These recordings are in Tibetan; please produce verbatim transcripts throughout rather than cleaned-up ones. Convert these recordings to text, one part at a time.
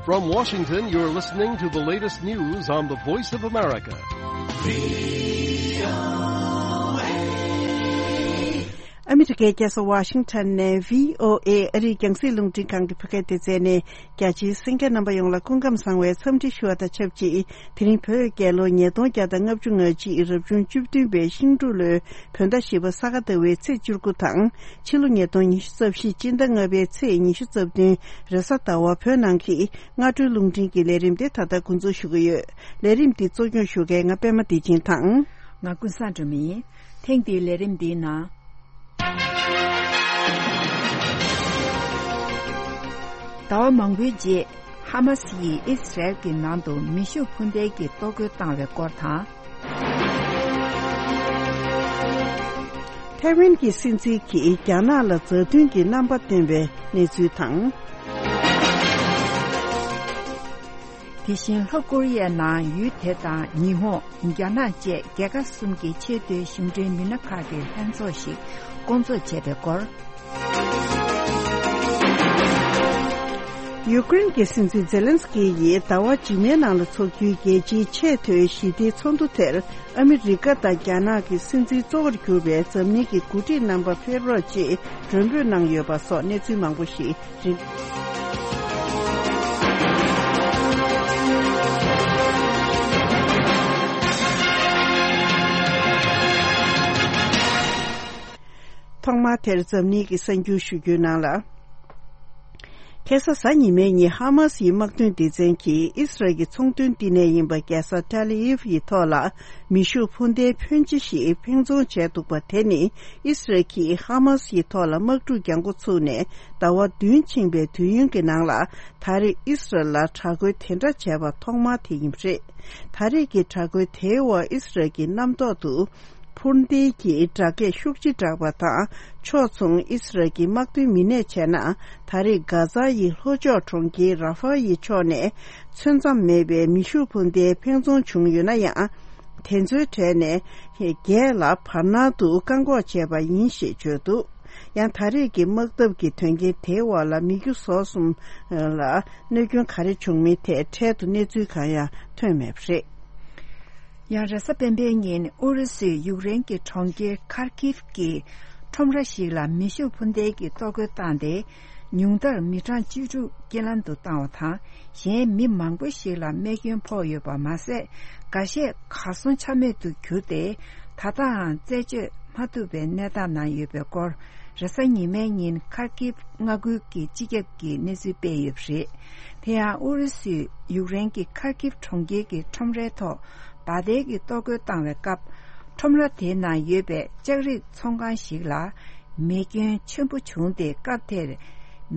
From Washington, you're listening to the latest news on the Voice of America. ཨ་མི་རི་ཀའི་རྒྱལ་ས་ཝ་ཤིང་ཊོན་ནས་བྷི་ཨོ་ཨེ་ཨ་རིའི་རྒྱང་སྲིང་རླུང་འཕྲིན་ཁང་གི་བོད་སྐད་སྡེ་ཚན་ནས། རྒྱ་ཆེའི་གསན་མཁན་རྣམ་པ་ཡོངས་ལ་སྐུ་ཁམས་བཟང་བའི་འཚམས་འདྲི་ཞུ་བ་དང་ཆབས་ཅིག་དེ་རིང་བོད་རྒྱལ་ལོ་ཉིས་སྟོང་བརྒྱ་དང་ལྔ་བཅུ་ང་གཅིག་རབ་བྱུང་བཅུ་བདུན་པའི་ཤིང་འབྲུག་ལོའི་བོད་ཟླ་བཞི་པ་ས་ག་ཟླ་བའི་ཚེས་བཅུ་དགུ་དང་། ཕྱི་ལོ་ཉིས་སྟོང་ཉི་ཤུ་རྩ་བཞི་སྤྱི་ཟླ་ལྔ་པའི་ཚེས་ཉི་ཤུ་རྩ་བདུན་རེས་གཟའ་ཟླ་བ། བོད་ནང་གི་སྔ་དྲོའི་རླུང་འཕྲིན་གྱི་ལས་རིམ་དེ་ད་ལྟ་འགོ་འཛུགས་ཞུ་གི་ཡོད། ལས་རིམ་འདི་གཙོ་སྐྱོང་ཞུ་མཁན་ང་པད་མ་བདེ་ཆེན་དང་། ང་ཀུན་བཟང་སྒྲོལ་མ་ཡིན། ཐེངས་འདིའི་ལས་རིམ་འདིའི་ནང་། ཟླ་བ་མང་པོའི་རྗེས། ཧ་མ་སི་ཡིས་ཨི་སི་རལ་གྱི་ནང་དུ་མེ་ཤུགས་འཕུར་མདེལ་གྱི་གཏོར་རྒོལ་བཏང་བའི་སྐོར་དང་། ཐའེ་ཝན་གྱི་སྲིད་འཛིན་གྱིས་རྒྱ་ནག་ལ་མཛའ་མཐུན་གྱི་རྣམ་པ་སྟོན་པའི་གནས་ཚུལ་དང་། དེ་བཞིན་ལྷོ་ཀོ་རི་ཡའི་ནང་ཡུལ་དེ་དང་ཉི་ཧོང་། རྒྱ་ནག་བཅས་རྒྱལ་ཁབ་གསུམ་གྱི་ཆེས་མཐོའི་གཞུང་འབྲེལ་མི་སྣ་ཁག་གི་ལྷན་ཚོགས་ཤིག་བསྐོང་ཚོགས་བྱས་པའི་སྐོར། ཡུ་ཀེ་རེན་གྱི་སྲིད་འཛིན་ཛེ་ལན་སི་ཀི་ཡིས་ཟླ་བ་རྗེས་མའི་ནང་ལ་འཚོགས་རྒྱུའི་རྒྱལ་སྤྱིའི་ཆེས་མཐོའི་ཞི་བདེའི་ཚོགས་འདུ་དེར་ཨ་མི་རི་ཀ་དང་རྒྱ་ནག་གི་སྲིད་འཛིན་གཙོ་བོར་གྱུར་པའི་འཛམ་གླིང་གི་འགོ་ཁྲིད་རྣམ་པ་ཕེབས་རོགས་ཅེས་མགྲོན་འབོད་གནང་ཡོད་པ་སོགས་གནས་ཚུལ་མང་པོ་ཞིག་རིག་ཐོག་མར་དེར་འཛམ་གླིང་གི་གསར་འགྱུར་ཞུ་རྒྱུའི་ནང་ལ། ཁ་སང་གཟའ་ཉི་མའི་ཉིན་ཧ་མ་སིའི་དམག་དོན་སྡེ་ཚན་གྱིས་ཨི་སི་རལ་གྱི་ཚོང་དོན་བསྟི་གནས་ཡིན་པ་རྒྱལ་ས་ཏེལ་ཨ་ཝིབ་ཡི་ཐོག་ལ་མེ་ཤུགས་འཕུར་མདེལ་ཕོན་ཆེ་ཞིག་འཕེན་རྫོང་བྱས་འདུག་པ། དེ་ནི་ཨི་སི་རལ་གྱིས་ཧ་མ་སི་ཡི་ཐོག་ལ་དམག་འཁྲུག་རྒྱག་འགོ་ཚུགས་ནས་ཟླ་བ་བདུན་ཕྱིན་པའི་དུས་ཡུན་གྱི་ནང་ལ། ད་རེས་ཨི་སི་རལ་ལ་དྲག་རྒོལ་དེ་འདྲ་བྱས་པ་ཐོག་མ་དེ་ཡིན་པ་རེད། ད་རེས་ཀྱི་དྲག་རྒོལ་དེའི་འོག་ཨི་སི་རལ་གྱི་གནམ་ཐོག་ཏུ་འཕུར་མདེལ་གྱི་སྒྲ་སྐད་ཤུགས་ཆེ་གྲགས་པ་དང་། ཕྱོགས་མཚུངས་ཨི་སི་རལ་གྱི་དམག་དོན་མི་སྣས་བྱས་ན། ད་རེས་གྷ་ཛ་ཡི་ལྷོ་ཕྱོགས་གྲོང་ཁྱེར་ར་ཧྥ་ཡི་ཕྱོགས་ནས་ཚོད་མཚམས་མེད་པའི་མེ་ཤུགས་འཕུར་མདེལ་འཕེན་རྫོང་བྱུང་ཡོད་ན་ཡང་། དེ་ཚོའི་གྲས་ནས་བརྒྱད་ལ་བར་སྣང་དུ་བཀག་འགོག་བྱས་པ་ཡིན་ཞེས་བརྗོད་འདུག། ཡང་ད་རེས་ཀྱི་དམག་འཐབ་ཀྱི་དོན་རྐྱེན་དེའི་འོག་ལ་མི་རྒྱུ་ཟོག་གསུམ་ལ་གནོད་སྐྱོན་ག་རེ་བྱུང་མིན་ཐད་འཕྲལ་དུ་གནས་ཚུལ་གང་ཡང་ཐོན་མེད་པ་རེད། ཡང་རེས་གཟའ་སྤེན་པའི་ཉིན་ཨུ་རུ་སུས་ཡུཀ་རེན་གྱི་གྲོང་ཁྱེར་ཁར་ཀིབ་ཀྱི་ཁྲོམ་ར་ཞིག་ལ་མེ་ཤུགས་འཕུར་མདེལ་གྱིས་གཏོར་རྒོལ་བཏང་སྟེ། ཉུང་མཐར་མི་གྲངས་བཅུ་དྲུག་རྐྱེན་ལམ་དུ་བཏང་བ་དང་། གཞན་མི་མང་པོ་ཞིག་ལ་རྨས་སྐྱོན་ཕོག་ཡོད་པ་མ་ཟད། འགའ་ཤས་གར་སོང་ཆ་མེད་དུ་གྱུར་ཏེ། ད་ལྟའང་རྩད་གཅོད་མ་ཐུབ་པའི་གནས་སྟངས་ནང་ཡོད་པའི་སྐོར། རེས་གཟའ་ཉི་མའི་ཉིན་ཁར་ཀིབ་མངའ་ཁུལ་གྱི་སྤྱི་ཁྱབ་ཀྱིས་གནས་ཚུལ་སྤེལ་ཡོད་པ་རེད། དེ་ཡང་ཨུ་རུ་སུས་ཡུཀ་རེན་གྱི་ཁར་ཀིབ་གྲོང་ཁྱེར་གྱི་ཁྲོམ་རའི་ཐོག་བག་དལ་གྱིས་གཏོར་རྒོལ་བཏང་བའི་སྐབས། ཁྲོམ་ར་དེའི་ནང་ཡོད་པའི་ལྕགས་རིགས་ཚོང་ཁང་ཞིག་ལ། མེ་སྐྱོན་ཆེན་པོ་བྱུང་སྟེ། སྐབས་དེར་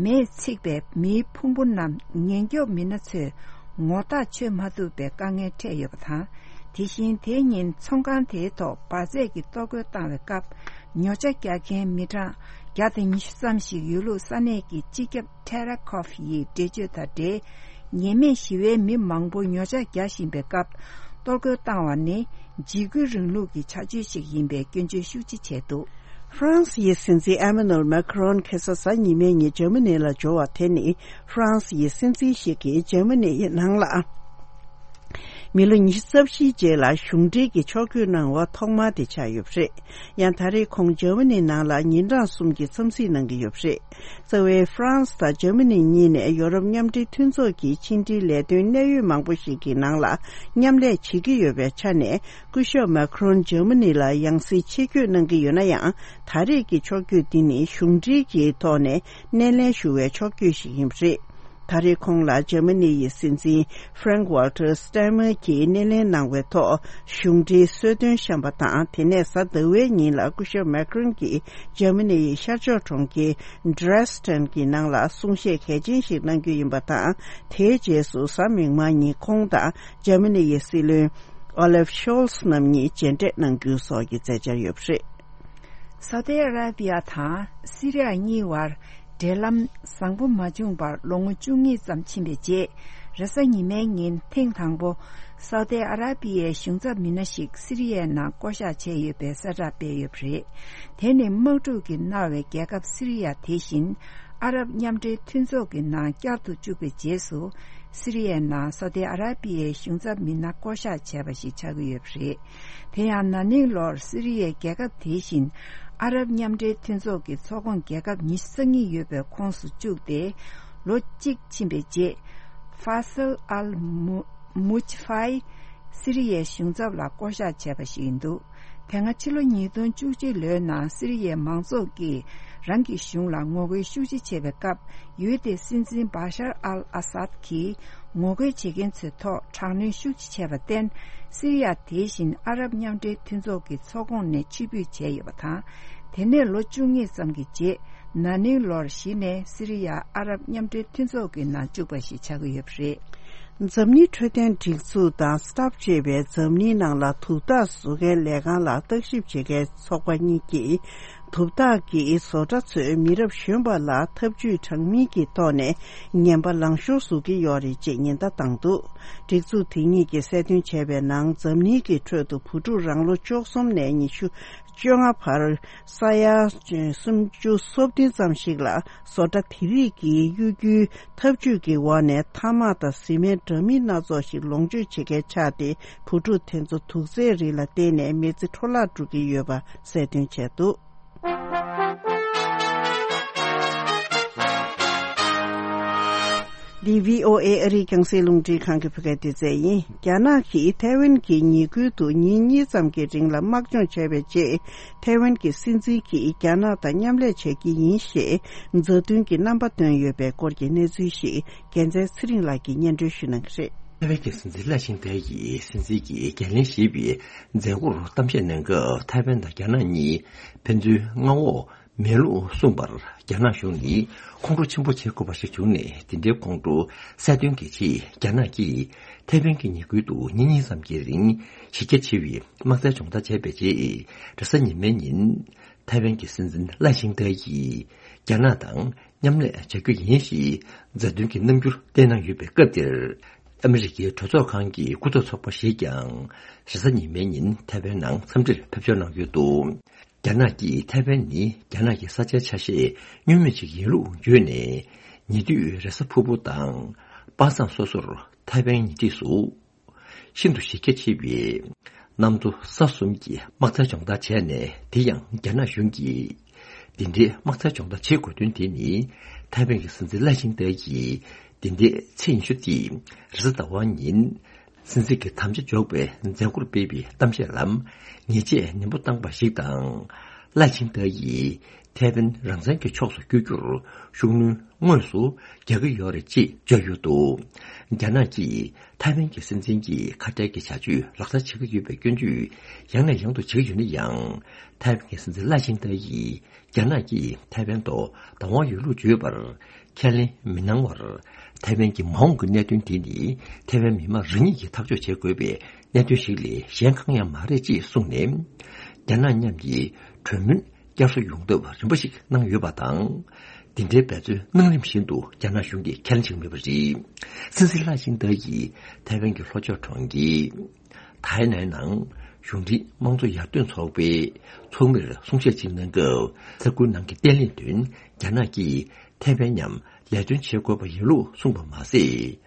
མེས་ཚིག་པའི་མེའི་ཕུང་པོ་རྣམས་ཉེན་སྐྱོབ་མི་སྣ་ཚོས་ངོ་ཐག་ཆོད་མ་ཐུབ་པའི་དཀའ་ངལ་འཕྲད་ཡོད་པ་དང་། དེ་བཞིན་དེའི་ཉིན་ཚོང་ཁང་དེའི་ཐོག་འབར་རྫས་ཀྱི་གཏོར་རྒོལ་བཏང་བའི་སྐབས། ཉོ་ཆ་རྒྱག་མཁན་མི་གྲངས་བརྒྱ་དང་ཉི་ཤུ་ཙམ་ཞིག་ཡོད་ལུགས་ས་གནས་ཀྱི་སྤྱི་ཁྱབ་ཐེ་ར་ཁོབ་ཡིས་འགྲེལ་བརྗོད་དང་འབྲེལ། ཉེས་མེད་ཞི་བའི་མི་མང་པོ་ཉོ་ཆ་རྒྱག་བཞིན་པའི་སྐབས། གཏོར་རྒོལ་བཏང་བ་ནི་འཇིགས་སྐུལ་རིང་ལུགས་ཀྱི་བྱ་སྤྱོད་ཅིག་ཡིན་པའི་སྐྱོན་བརྗོད་ཤུགས་ཆེ་བྱས་འདུག། ཧྥ་རན་སི་ཡི་སྲིད་འཛིན་ཨེ་མ་ནུ་ཨེལ་མེ་ཁ་རོན་ཁ་སང་གཟའ་ཉི་མའི་ཉིན་འཇར་མ་ནི་ལ་འབྱོར་བ་དེ་ནི། ཧྥ་རན་སི་ཡི་སྲིད་འཛིན་ཞིག་གིས་འཇར་མ་ནི་ཡི་ནང་ལ། མི་ལོ་ཉི་ཤུ་རྩ་བཞིའི་རྗེས་ལ་གཞུང་འབྲེལ་གྱི་ཕྱོགས་བསྐྱོད་གནང་བ་ཐོག་མ་དེ་ཆགས་ཡོད་པ་རེད། ཡང་ད་རེས་ཁོང་འཇར་མ་ནི་ནང་ལ་ཉིན་གྲངས་གསུམ་གྱི་འཚམས་གཟིགས་གནང་གི་ཡོད་པ་རེད། རྩ་བའི་ཧྥ་རན་སི་དང་འཇར་མ་ནི་གཉིས་ནས་ཡོ་རོབ་མཉམ་འབྲེལ་མཐུན་ཚོགས་ཀྱི་ཕྱི་འབྲེལ་ལས་དོན་གནད་ཡོད་མང་པོ་ཞིག་གི་ནང་ལ་མཉམ་ལས་བྱེད་ཀྱི་ཡོད་པའི་ཆ་ནས། སྐུ་ཞབས་མེ་ཁ་རོན་འཇར་མ་ནི་ལ་ཡང་སེ་ཆེད་བསྐྱོད་གནང་གི་ཡོད་ན་ཡང་། ད་རེས་ཀྱི་ཕྱོགས་བསྐྱོད་འདི་ནི་གཞུང་འབྲེལ་གྱི་ཐོག་ནས་སྣེ་ལེན་ཞུ་བའི་ཕྱོགས་བསྐྱོད་ཞིག་ཡིན་པ་རེད། ད་རེས་ཁོང་ལ་འཇར་མ་ནི་ཡི་སྲིད་འཛིན་ཧྥ་རེང་ཝལ་ཏར་སྟན་མེར་གྱིས་སྣེ་ལེན་གནང་བའི་ཐོག་གཞུང་འབྲེལ་གསོལ་སྟོན་བཤམས་པ་དང་། དེ་ནས་གཟའ་ཟླ་བའི་ཉིན་ལ་སྐུ་ཞབས་མེ་ཁ་རོན་གྱིས་འཇར་མ་ནི་ཡི་ཤར་ཕྱོགས་གྲོང་ཁྱེར་ཌྲེ་སི་ཏན་གྱི་ནང་ལ་གསུང་བཤད་གལ་ཆེན་ཞིག་གནང་རྒྱུ་ཡིན་པ་དང་། དེའི་རྗེས་སུ་གཟའ་མིག་དམར་ཉིན་ཁོང་དང་འཇར་མ་ནི་ཡི་སྲིད་བློན་ཨོ་ལེབ་ཤོལ་ཚ་རྣམ་གཉིས་མཇལ་འཕྲད་གནང་རྒྱུ་སོགས་ཀྱི་མཛད་འཆར་ཡོད་པ་རེད། སའུ་ཏི་ཨ་ར་པི་ཡ་དང་སི་རི་ཡ་གཉིས་བར་འབྲེལ་ལམ་བཟང་པོ་མ་བྱུང་བར་ལོ་ངོ་བཅུ་གཉིས་ཙམ་ཕྱིན་པའི་རྗེས། རེས་གཟའ་ཉི་མའི་ཉིན་ཐེངས་དང་པོ་སའུ་ཏི་ཨ་ར་པི་ཡའི་གཞུང་ཚབ་མི་སྣ་ཞིག་སི་རི་ཡའི་ནང་བསྐོ་གཞག་བྱས་ཡོད་པའི་གསལ་བསྒྲགས་སྤེལ་ཡོད་པ་རེད། དེ་ནི་དམག་འཁྲུག་གིས་མནར་བའི་རྒྱལ་ཁབ་སི་རི་ཡ་དེ་བཞིན་ཨ་རབ་མཉམ་འབྲེལ་མཐུན་ཚོགས་ཀྱི་ནང་བསྐྱར་དུ་བཅུག་པའི་རྗེས་སུ། སི་རི་ཡའི་ནང་ས་ཨུ་ཏི་ཨ་ར་པི་ཡའི་གཞུང་ཚབ་མི་སྣ་བསྐོ་གཞག་བྱས་པ་ཞིག་ཆགས་ཀྱི་ཡོད་པ་རེད། དེ་ཡང་ན་ནིང་ལོར་སི་རི་ཡའི་རྒྱལ་ཁབ་དེ་བཞིན་ཨ་རབ་མཉམ་འབྲེལ་མཐུན་ཚོགས་ཀྱི་ཚོགས་ཁོངས་རྒྱལ་ཁབ་ཉི་ཤུ་རྩ་གཉིས་ཡོད་པའི་ཁོངས་སུ་བཅུག་སྟེ། ལོ་གཅིག་ཕྱིན་པའི་རྗེས། ཧྥ་སལ་ཨལ་མུ་མུཆ་ཧྥའི་སི་རི་ཡའི་གཞུང་ཚབ་ལ་བསྐོ་གཞག་བྱས་པ་ཞིག་ཡིན་འདུག་དེ་སྔ་ཕྱི་ལོ་ཉིས་སྟོང་བཅུ་གཅིག་ལོའི་ནང་སི་རི་ཡའི་མང་ཚོགས་ཀྱིས་རང་གི་གཞུང་ལ་ངོ་རྒོལ་ཤུགས་ཆེ་བྱས་པའི་སྐབས། ཡུལ་དེའི་སྲིད་འཛིན་བྷ་ཤར་ཨལ་ཨ་སཱད་ཀྱིས་ངོ་རྒོལ་བྱེད་མཁན་ཚོའི་ཐོག་དྲག་གནོན་ཤུགས་ཆེ་བྱས་པར་བརྟེན། སི་རི་ཡ་དེ་བཞིན་ཨ་རབ་མཉམ་འབྲེལ་མཐུན་ཚོགས་ཀྱི་ཚོགས་ཁོངས་ནས་ཕྱིར་འབུད་བྱས་ཡོད་པ་དང་། དེ་ནས་ལོ་བཅུ་གཉིས་ཙམ་གྱི་རྗེས། ན་ནིང་ལོར་གཞི་ནས་སི་རི་ཡ་ཨ་རབ་མཉམ་འབྲེལ་མཐུན་ཚོགས་ཀྱི་ནང་བཅུག་པ་ཞིག་ཆགས་ཀྱི་ཡོད་པ་རེད། འཛམ་གླིང་འཕྲོད་བསྟེན་སྒྲིག་འཛུགས་དང་སི་ཊབ་ཅེས་པའི་འཛམ་གླིང་ནང་ལ་དུག་རྟགས་བཟོ་མཁན་ལས་ཁང་ལ་བརྟག་ཞིབ་བྱེད་མཁན་ཚོགས་པ་གཉིས་ཀྱིས། དུག་རྟགས་ཀྱིས་བཟོ་གྲྭ་ཚོས་མི་རབས་གཞོན་པ་ལ་ཐབས་ཇུས་དྲང་མིན་གྱི་ཐོག་ནས་ངན་པ་ལང་ཤོར་བཟོ་གི་ཡོད་རེད་ཅེས་ཉེན་བརྡ་བཏང་འདུག་སྒྲིག་འཛུགས་དེ་གཉིས་ཀྱིས་གསལ་སྟོན་བྱས་པའི་ནང་། འཛམ་གླིང་གི་ཁྲོད་དུ་བུ་ཕྲུག་རང་ལོ་བཅུ་གསུམ་ནས་ཉི་ཤུ་བཅོ་ལྔ་བར་ས་ཡ་སུམ་ཅུ་སོ་བདུན་ཙམ་ཞིག་ལ། བཟོ་གྲྭ་དེ་རིགས་ཀྱིས་གཡོ་སྒྱུའི་ཐབས་ཇུས་ཀྱི་འོག་ནས་ཐ་མག་དང་བཟི་སྨན་འདྲ་མིན་སྣ་ཚོགས་ཤིག་ལོངས་སྤྱོད་བྱེད་མཁན་ཆགས་ཏེ། བུ་ཕྲུག་དེ་ཚོ་དུག་རྫས་རིགས་ལ་བརྟེན་ནས་མི་ཚེ་འཕྲོ་བརླག་འགྲོ་གི་ཡོད་པ་གསལ་སྟོན་བྱས་འདུག་འདི་བྷི་ཨོ་ཨེ་ཨ་རིའི་རྒྱང་སྲིང་རླུང་འཕྲིན་ཁང་གི་བོད་སྐད་སྡེ་ཚན་ཡིན། རྒྱ་ནག་གིས་ཐའེ་ཝན་གྱི་ཉེ་ཁུལ་དུ་ཉིན་གཉིས་ཙམ་གྱི་རིང་ལ་དམག་སྦྱོང་བྱས་པའི་རྗེས། ཐའེ་ཝན་གྱི་སྲིད་འཛིན་གྱིས་རྒྱ་ནག་དང་མཉམ་ལས་བྱེད་ཀྱི་ཡིན་ཞེས་མཛའ་མཐུན་གྱི་རྣམ་པ་བཏོན་ཡོད་པའི་སྐོར་གྱི་གནས་ཚུལ་ཞིག་རྒྱལ་མཚན་ཚེ་རིང་ལགས་ཀྱིས་སྙན་སྒྲོན་ཞུ་གནང་གི་རེད། ཐའེ་ཝན་གྱི་སྲིད་འཛིན་ལའེ་ཆིང་ཏེ་ཡིས་སྲིད་འཛིན་གྱིས་འགན་ལེན་ཞེས་པའི་མཛད་སྒོར་གཏམ་བཤད་གནང་སྐབས། ཐའེ་ཝན་དང་རྒྱ་ནག་གཉིས་ཕན་ཚུན་མངའ་འོག་མེད་ལུགས་གསུངས་པར། རྒྱ་ནག་གཞུང་ནི་ཁོང་ཁྲོ་ཆེན་པོ་བྱེད་དགོས་པ་ཞིག་བྱུང་ནས། དེ་འདྲའི་ཁོང་ཁྲོ་གསལ་སྟོན་གྱི་ཆེད། རྒྱ་ནག་གིས་ཐའེ་ཝན་གྱི་ཉེ་ཁུལ་དུ་ཉིན་གཉིས་ཙམ་གྱི་རིང་གཞི་རྒྱ་ཆེ་བའི་དམག་རྩལ་སྦྱོང་བརྡར་བྱས་པའི་རྗེས། རེས་གཟའ་ཉི་མའི་ཉིན་ཐའེ་ཝན་གྱི་སྲིད་འཛིན་ལའེ་ཆིང་ཏེ་ཡིས་རྒྱ་ནག་དང་མཉམ་ལས་བྱ་རྒྱུ་ཡིན་ཞེས་མཛའ་མཐུན་གྱི་རྣམ་འགྱུར་བསྟན་གནང་ཡོད་པའི་སྐབས་དེར། ཨ་མི་རི་ཀའི་གྲོས་ཚོགས་ཁང་གི་སྐུ་ཚབ་ཚོགས་པ་ཞིག་ཀྱང་རེས་གཟའ་ཉི་མའི་ཉིན་ཐའེ་ཝན་ནང་འཚམས་འདྲིར་ཕེབས་འབྱོར་གནང་ཡོད་འདུག་རྒྱ་ནག་གིས་ཐའེ་ཝན་ནི་རྒྱ་ནག་གི་ས་ཆའི་ཆ་ཤས་བསྙོན་མེད་ཅིག་ཡིན་ལུགས་བརྗོད་ནས། ཉེ་དུས་རེས་གཟའ་ཕུར་བུ་དང་པ་སངས་སོ་སོར་ཐའེ་ཝན་ཉེ་འཁྲིས་སུ་ཤིན་ཏུ་གཞི་རྒྱ་ཆེ་བའི་གནམ་མཚོ་ས་གསུམ་གྱི་དམག་རྩལ་སྦྱོང་བརྡར་བྱས་ནས། དེ་ཡང་རྒྱ་ནག་གཞུང་གིས་འདི་འདྲའི་དམག་རྩལ་སྦྱོང་བརྡར་བྱེད་དགོས་དོན་དེ་ནི། ཐའེ་ཝན་གྱི་སྲིད་འཛིན་ལའེ་ཆིང་ཏེ་ཡིས་འདི་ཟླའི་ཚེས་ཉི་ཤུ་སྟེ་རེས་གཟའ་ཟླ་བ་ཉིན་སྲིད་འཛིན་གྱི་དམ་བཅའ་འཇོག་པའི་མཛད་སྒོར་སྤེལ་བའི་གཏམ་བཤད་ལ་ཉེས་ཆད་ནན་པོ་བཏང་པ་ཞིག་དང་། ལའེ་ཆིང་ཏེ་ཡིས་ཐའེ་ཝན་རང་བཙན་གྱི་ཕྱོགས་སུ་བསྐྱོད་རྒྱུར་ཤུགས་སྣོན་དངོས་སུ་རྒྱག་གི་ཡོད་རེད་ཅེས་བརྗོད་ཡོད་འདུག་རྒྱ་ནག་གིས་ཐའེ་ཝན་གྱི་སྲིད་འཛིན་གྱི་ཁ་བྲལ་གྱི་བྱ་སྤྱོད་ལག་བསྟར་བྱེད་ཀྱི་ཡོད་པའི་སྐྱོན་བརྗོད་ཡང་ནས་ཡང་དུ་བྱེད་ཀྱི་ཡོད་ན་ཡང་། ཐའེ་ཝན་གྱི་སྲིད་འཛིན་ལའེ་ཆིང་ཏེ་ཡིས། རྒྱ་ནག་གིས་ཐའེ་ཝན་ཐོག་བདག་དབང་ཡོད་ལུགས་བརྗོད་པར་ཁས་ལེན་མི་གནང་བར། ཐའེ་ཝན་གྱི་མ་འོངས་ཀྱི་གནད་དོན་དེ་ནི་ཐའེ་ཝན་མི་མང་རང་ཉིད་ཀྱིས་ཐག་གཅོད་བྱེད་དགོས་པའི་གནད་དོན་ཞིག་ལས་གཞན་གང་ཡང་མ་རེད་ཅེས་གསུངས་ནས། རྒྱ་ནག་མཉམ་གྱི་གྲོས་མོལ་བསྐྱར་གསོ་ཡོང་ཐབས་རིམ་པ་ཞིག་གནང་ཡོད་པ་དང་། འདི་འདྲའི་འབད་བརྩོན་གནང་རིམ་བཞིན་དུ་རྒྱ་ནག་གཞུང་གིས་ཁས་ལེན་བྱེད་ཀྱི་མེད་པ་རེད། སྲིད་འཛིན་ལའེ་ཆིང་ཏེ་ཡིས་ཐའེ་ཝན་གྱི་ལྷོ་ཕྱོགས་གྲོང་ཁྱེར། ཐའེ་ནན་ནང་གཞུང་འབྲེལ་དམངས་གཙོ་ཡར་ཐོན་ཚོགས་པའི་ཚོགས་མིར་གསུང་བཤད་ཅིག་གནང་སྐབས། ས་ཁུལ་ནང་གི་བརྟན་ལྷིང་དོན་རྒྱ་ནག་གིས་ཐའེ་ཝན་མཉམ་ལས་དོན་བྱེད་དགོས་པ་ཡིན་ལུགས་གསུངས་པ་མ་ཟད།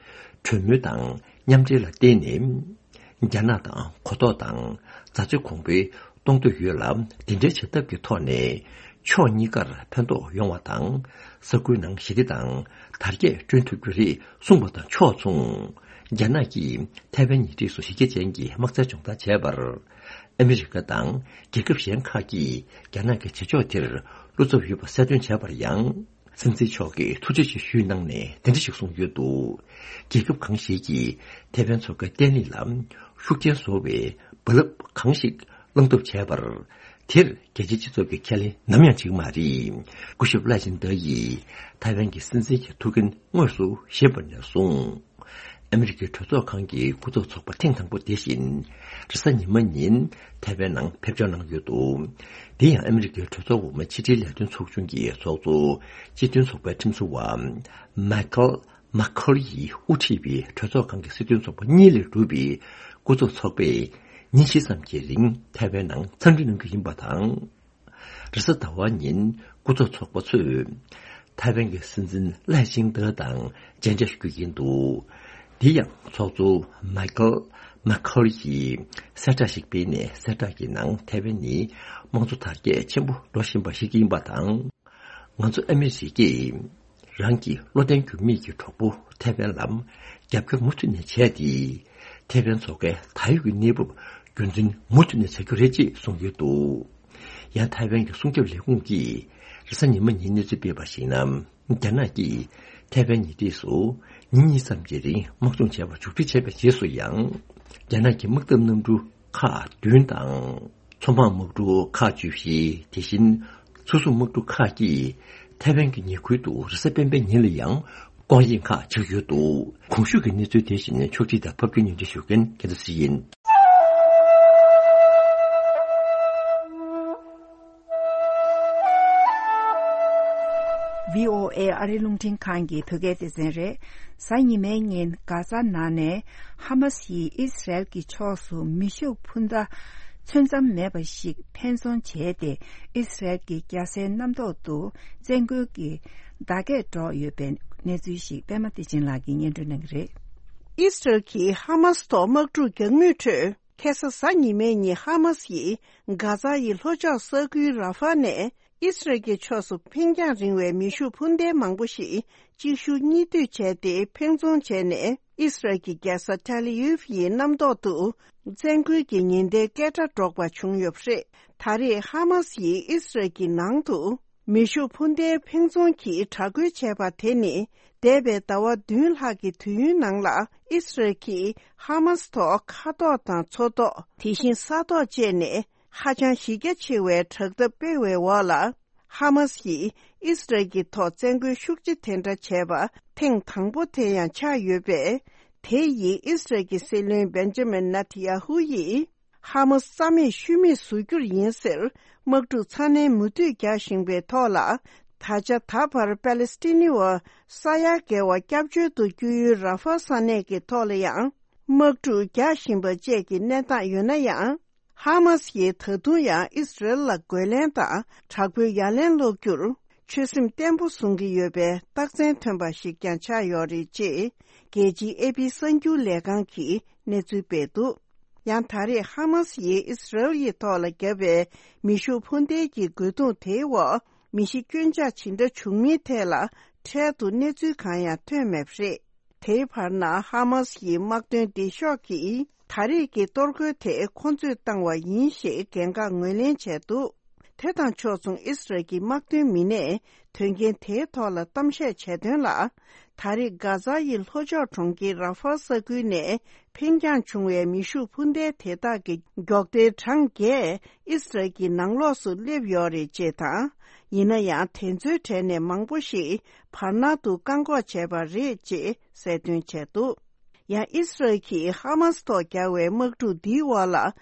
གྲོས་མོལ་དང་མཉམ་འབྲེལ་ལ་བརྟེན་ནས། རྒྱ་ནག་དང་གོ་རྟོགས་དང་མཛའ་བརྩེ་གོང་འཕེལ་གཏོང་འདོད་ཡོད་ལ། འདི་འདྲའི་བྱེད་ཐབས་ཀྱི་ཐོག་ནས་ཕྱོགས་གཉིས་ཀར་ཕན་ཐོགས་ཡོང་བ་དང་། ས་ཁུལ་ནང་ཞི་བདེ་དང་དར་རྒྱས་བསྐྲུན་ཐུབ་རྒྱུ་རེད་གསུངས་པ་དང་ཕྱོགས་མཚུངས། རྒྱ་ནག་གིས་ཐའེ་ཝན་ཉེ་འཁྲིས་སུ་གཞི་རྒྱ་ཅན་གྱི་དམག་རྩལ་སྦྱོང་བརྡར་བྱས་པར། ཨ་མི་རི་ཀ་དང་རྒྱལ་ཁབ་གཞན་ཁག་གིས་རྒྱ་ནག་གི་བྱེད་ཕྱོགས་དེར་བློ་འཚབ་ཡོད་པ་གསལ་སྟོན་བྱས་པར་ཡང་། སྲིད་འཛིན་མཆོག་གིས་ཐུགས་རྗེ་ཆེ་ཞུས་གནང་ནས་དེ་འདྲ་ཞིག་གསུངས་ཡོད་འདུག་རྒྱལ་ཁབ་གང་ཞིག་གིས་ཐའེ་ཝན་མཚོ་ཁའི་བརྟན་ལྷིང་ལ་ཤུགས་རྐྱེན་བཟོ་བའི་རྦ་རླབས་གང་ཞིག་བསླང་ཐབས་བྱས་པར། དེར་རྒྱལ་སྤྱིའི་སྤྱི་ཚོགས་ཀྱིས་ཁས་ལེན་ནམ་ཡང་བྱེད་ཀྱི་མ་རེད། སྐུ་ཞབས་ལའེ་ཆིང་ཏེ་ཡིས་ཐའེ་ཝན་གྱི་སྲིད་འཛིན་གྱི་ཐུགས་འགན་དངོས་སུ་བཞེས་པ་ནས་བཟུང་། ཨ་མི་རི་ཀའི་གྲོས་ཚོགས་ཁང་གི་སྐུ་ཚབ་ཚོགས་པ་ཐེངས་དང་པོ་དེ་བཞིན་རེས་གཟའ་ཉི་མ་ཉིན་ཐའེ་ཝན་ནང་ཕེབས་འབྱོར་གནང་ཡོད་འདུག་དེ་ཡང་ཨ་མི་རི་ཀའི་གྲོས་ཚོགས་འོག་མའི་ཕྱི་འབྲེལ་ལས་དོན་ཚོགས་ཆུང་གི་ཚོགས་གཙོ་སྤྱི་མཐུན་ཚོགས་པའི་ཁྲིམས་བཟོ་བ་མའི་ཁལ་མཱ་ཁོལ་ཡིས་དབུ་ཁྲིད་པའི་གྲོས་ཚོགས་ཁང་གི་སྲིད་དོན་ཚོགས་པ་གཉིས་ལས་གྲུབ་པའི་སྐུ་ཚབ་ཚོགས་པས་ཉིན་བཞི་ཙམ་གྱི་རིང་ཐའེ་ཝན་ནང་འཚམས་འདྲི་གནང་རྒྱུ་ཡིན་པ་དང་། རེས་གཟའ་ཟླ་བ་ཉིན་སྐུ་ཚབ་ཚོགས་པ་ཚོས་ཐའེ་ཝན་གྱི་སྲིད་འཛིན་ལའེ་ཆིང་ཏེ་དང་མཇལ་འཕྲད་ཞུ་རྒྱུ་ཡིན་འདུག་དེ་ཡང་ཚོགས་གཙོ་མའི་ཁལ་མ་ཁར་ཡིས་གསལ་བསྒྲགས་ཤིག་སྤེལ་ནས། གསལ་བསྒྲགས་ཀྱི་ནང་ཐའེ་ཝན་ནི་དམངས་གཙོ་དར་རྒྱས་ཆེན་པོ་འགྲོ་བཞིན་པ་ཞིག་ཡིན་པ་དང་། ང་ཚོ་ཨ་མི་རི་ཀས་རང་གི་བློ་བརྟན་འགྱུར་མེད་ཀྱི་གྲོགས་པོ་ཐའེ་ཝན་ལ་རྒྱབ་སྐྱོར་མུ་མཐུད་ནས་བྱས་ཏེ། ཐའེ་ཝན་མཚོ་ཁའི་ད་ཡོད་ཀྱི་གནས་བབ་རྒྱུན་འཛིན་མུ་མཐུད་ནས་བྱ་རྒྱུ་རེད་ཅེས་གསུངས་ཡོད་འདུག། ཡང་ཐའེ་ཝན་གྱི་སྲུང་སྐྱོབ་ལས་ཁུངས་ཀྱིས་རེས་གཟའ་ཉི་མ་ཉིན་གནས་ཚུལ་སྤེལ་བར་གཞིགས་ན། རྒྱ་ནག་གིས་ཐའེ་ཝན་ཉེ་འཁྲིས་སུ་ཉིན་གཉིས་ཙམ་གྱི་རིང་དམག་སྦྱོང་བྱས་པ་མཇུག་སྒྲིལ་བྱས་པའི་རྗེས་སུ་ཡང་། རྒྱ་ནག་གི་དམག་འཐབ་གནམ་གྲུ་ཁག་བདུན་དང་། མཚོ་འཕང་དམག་གྲུ་ཁག་བཅུ་བཞི། དེ་བཞིན་མཚོ་སྲུང་དམག་གྲུ་ཁག་གིས་ཐའེ་ཝན་གྱི་ཉེ་ཁུལ་དུ་རེས་གཟའ་སྤེན་པའི་ཉིན་ལ་ཡང་སྐོར་གཡེང་ཁག་བྱེད་ཀྱི་ཡོད་འདུག། གོང་ཞུས་ཀྱི་གནས་ཚུལ་དེ་བཞིན་ཕྱོགས་སྒྲིག་དང་ཕབ་སྒྱུར་སྙན་སྒྲོན་ཞུ་མཁན་རྒྱལ་མཚན་ཡིན། བྷི་ཨོ་ཨེ་ཨ་རིའི་རླུང་འཕྲིན་ཁང་གི་བོད་སྐད་སྡེ་ཚན་རེད། གཟའ་ཉི་མའི་ཉིན་གྷ་ཛ་ནང་ནས་ཧ་མ་སི་ཡིས་ཨི་སི་རལ་གྱི་ཕྱོགས་སུ་མེ་ཤུགས་འཕུར་མདའ་ཚོད་མཚམས་མེད་པ་ཞིག་འཕེན་རྫོང་བྱས་ཏེ། ཨི་སི་རལ་གྱི་རྒྱལ་སའི་གནམ་ཐོག་ཏུ་བཙན་རྒོལ་གྱི་བརྡ་སྐད་སྒྲོག་ཡོད་པའི་གནས་ཚུལ་ཞིག་པད་མ་བདེ་ཆེན་ལགས་ཀྱིས་སྙན་སྒྲོན་གནང་གི་རེད། ཨི་སི་རལ་གྱིས་ཧ་མ་སི་ཐོག་དམག་འཁྲུག་རྒྱག་མུས་ཁྲོད། ཁ་སང་གཟའ་ཉི་མའི་ཉིན་ཧ་མ་སི་ཡིས་གྷ་ཛ་ཡི་ལྷོ་ཕྱོགས་ས་ཁུལ་ར་ཧྥ་ནས་ཨི་སི་རལ་གྱི་ཕྱོགས་སུ་འཕེན་རྒྱང་རིང་བའི་མེ་ཤུགས་འཕུར་མདེལ་མང་པོ་ཞིག་གཅིག་ཤུགས་གཉིས་མཐུད་བྱས་ཏེ་འཕེན་རྫོང་བྱས་ནས། ཨི་སི་རལ་གྱི་རྒྱལ་ས་ཐེལ་ཨ་ཝིབ་ཡི་གནམ་ཐོག་ཏུ་བཙན་རྒོལ་གྱི་ཉེན་བརྡའི་སྐད་སྒྲ་སྒྲོག་པ་བྱུང་ཡོད་པ་རེད། ད་རེས་ཧ་མ་སི་ཡིས་ཨི་སི་རལ་གྱི་ནང་དུ་མེ་ཤུགས་འཕུར་མདེལ་འཕེན་རྫོང་གི་དྲག་རྒོལ་བྱས་པ་དེ་ནི། འདས་པའི་ཟླ་བ་བདུན་ལྷག་གི་དུས་ཡུན་ནང་ལ་ཨི་སི་རལ་གྱིས་ཧ་མ་སི་ཐོག་མཁའ་ཐོག་དང་མཚོ་ཐོག། དེ་བཞིན་ས་ཐོག་བཅས་ནས་ཧ་ཅང་གཞི་རྒྱ་ཆེ་བའི་དྲག་འཐབ་སྤེལ་བའི་འོག་ལ། ཧ་མ་སི་ཡིས་ཨི་སི་རལ་གྱི་ཐོག་བཙན་རྒོལ་ཤུགས་ཆེ་དེ་འདྲ་བྱས་པ་ཐེངས་དང་པོ་དེ་ཡང་ཆགས་ཡོད་པས། དེ་ཡིས་ཨི་སི་རལ་གྱི་སྲིད་བློན་བེན་ཇ་མིན་ནེ་ཐན་ཡ་ཧུ་ཡིས། ཧ་མ་སི་རྩ་མེད་ཤུལ་མེད་བཟོ་རྒྱུར་ཡིན་ཟེར། དམག་འཁྲུག་ཚ་ནན་མུ་མཐུད་རྒྱག་བཞིན་པའི་ཐོག་ལ། ད་ཆ་ད་བར་པ་ལེ་སི་ཐི་ནི་བ་ས་ཡ་བརྒལ་བ་སྐྱབས་བཅོལ་དུ་བསྐྱོད་ཡུལ་ར་ཧྥ་ས་གནས་ཀྱི་ཐོག་ལ་ཡང་། དམག་འཁྲུག་རྒྱག་བཞིན་པ་བཅས་ཀྱི་གནས་སྟངས་ཡོད་ན་ཡང་། ཧ་མ་སི་ཡིས་ད་དུང་ཡང་ཨི་སི་རལ་ལ་རྒོལ་ལན་དང་། དྲག་པོའི་ཡ་ལན་སློག་རྒྱུར། ཆོད་སེམས་བརྟན་པོ་བཟུང་གི་ཡོད་པའི་རྟགས་མཚན་ཐོན་པ་ཞིག་ཀྱང་ཆགས་ཡོད་རེད་ཅེས། རྒྱལ་སྤྱིའི་ཨེ་པི་གསར་འགྱུར་ལས་ཁང་གིས་གནས་ཚུལ་སྤེལ་འདུག། ཡང་ད་རེས་ཧ་མ་སི་ཡིས་ཨི་སི་རལ་ཡི་ཐོག་ལ་བརྒྱབ་པའི་མེ་ཤུགས་འཕུར་མདེལ་གྱི་རྒོལ་རྡུང་དེའི་འོག་མི་ཤི་སྐྱོན་ཆག་ཇི་འདྲ་བྱུང་མིན་ཐད་ལ་འཕྲལ་དུ་གནས་ཚུལ་གང་ཡང་ཐོན་མེད་པ་རེད། དེའི་བར་ན་ཧ་མ་སི་ཡི་དམག་དོན་སྡེ་ཤོག་གིས་ད་རེས་ཀྱི་གཏོར་རྒོལ་དེ་ཁོ་ཚོས་བཏང་བ་ཡིན་ཞེས་འགན་འཁག་ངོས་ལེན་བྱས་འདུག། དེ་དང་ཕྱོགས་མཚུངས་ཨི་སི་རལ་གྱི་དམག་དོན་མི་སྣས་དོན་རྐྱེན་དེའི་ཐོག་ལ་གཏམ་བཤད་བྱས་དོན་ལ། ད་རེས་གྷ་ཛ་ཡི་ལྷོ་ཕྱོགས་གྲོང་ཁྱེར་ར་ཧྥ་ས་ཁུལ་ནས་འཕེན་རྒྱང་བྱུང་བའི་མེ་ཤུགས་འཕུར་མདེལ་དེ་དག་གི་མགྱོགས་མདེལ་གྲངས་བརྒྱད་ཨི་སི་རལ་གྱི་ནང་ལོགས་སུ་སླེབས་ཡོད་རེད་ཅེས་དང་། ཡིན་ན་ཡང་དེ་ཚོའི་གྲས་ནས་མང་པོ་ཞིག་བར་སྣང་དུ་བཀག་འགོག་བྱས་པ་རེད་ཅེས་གསལ་སྟོན་བྱས་འདུག། ཡང་ཨི་སི་རལ་གྱིས་ཧ་མ་སི་ཐོག་བརྒྱབ་པའི་དམག་འཁྲུག་འདིའི་འོག་ལ་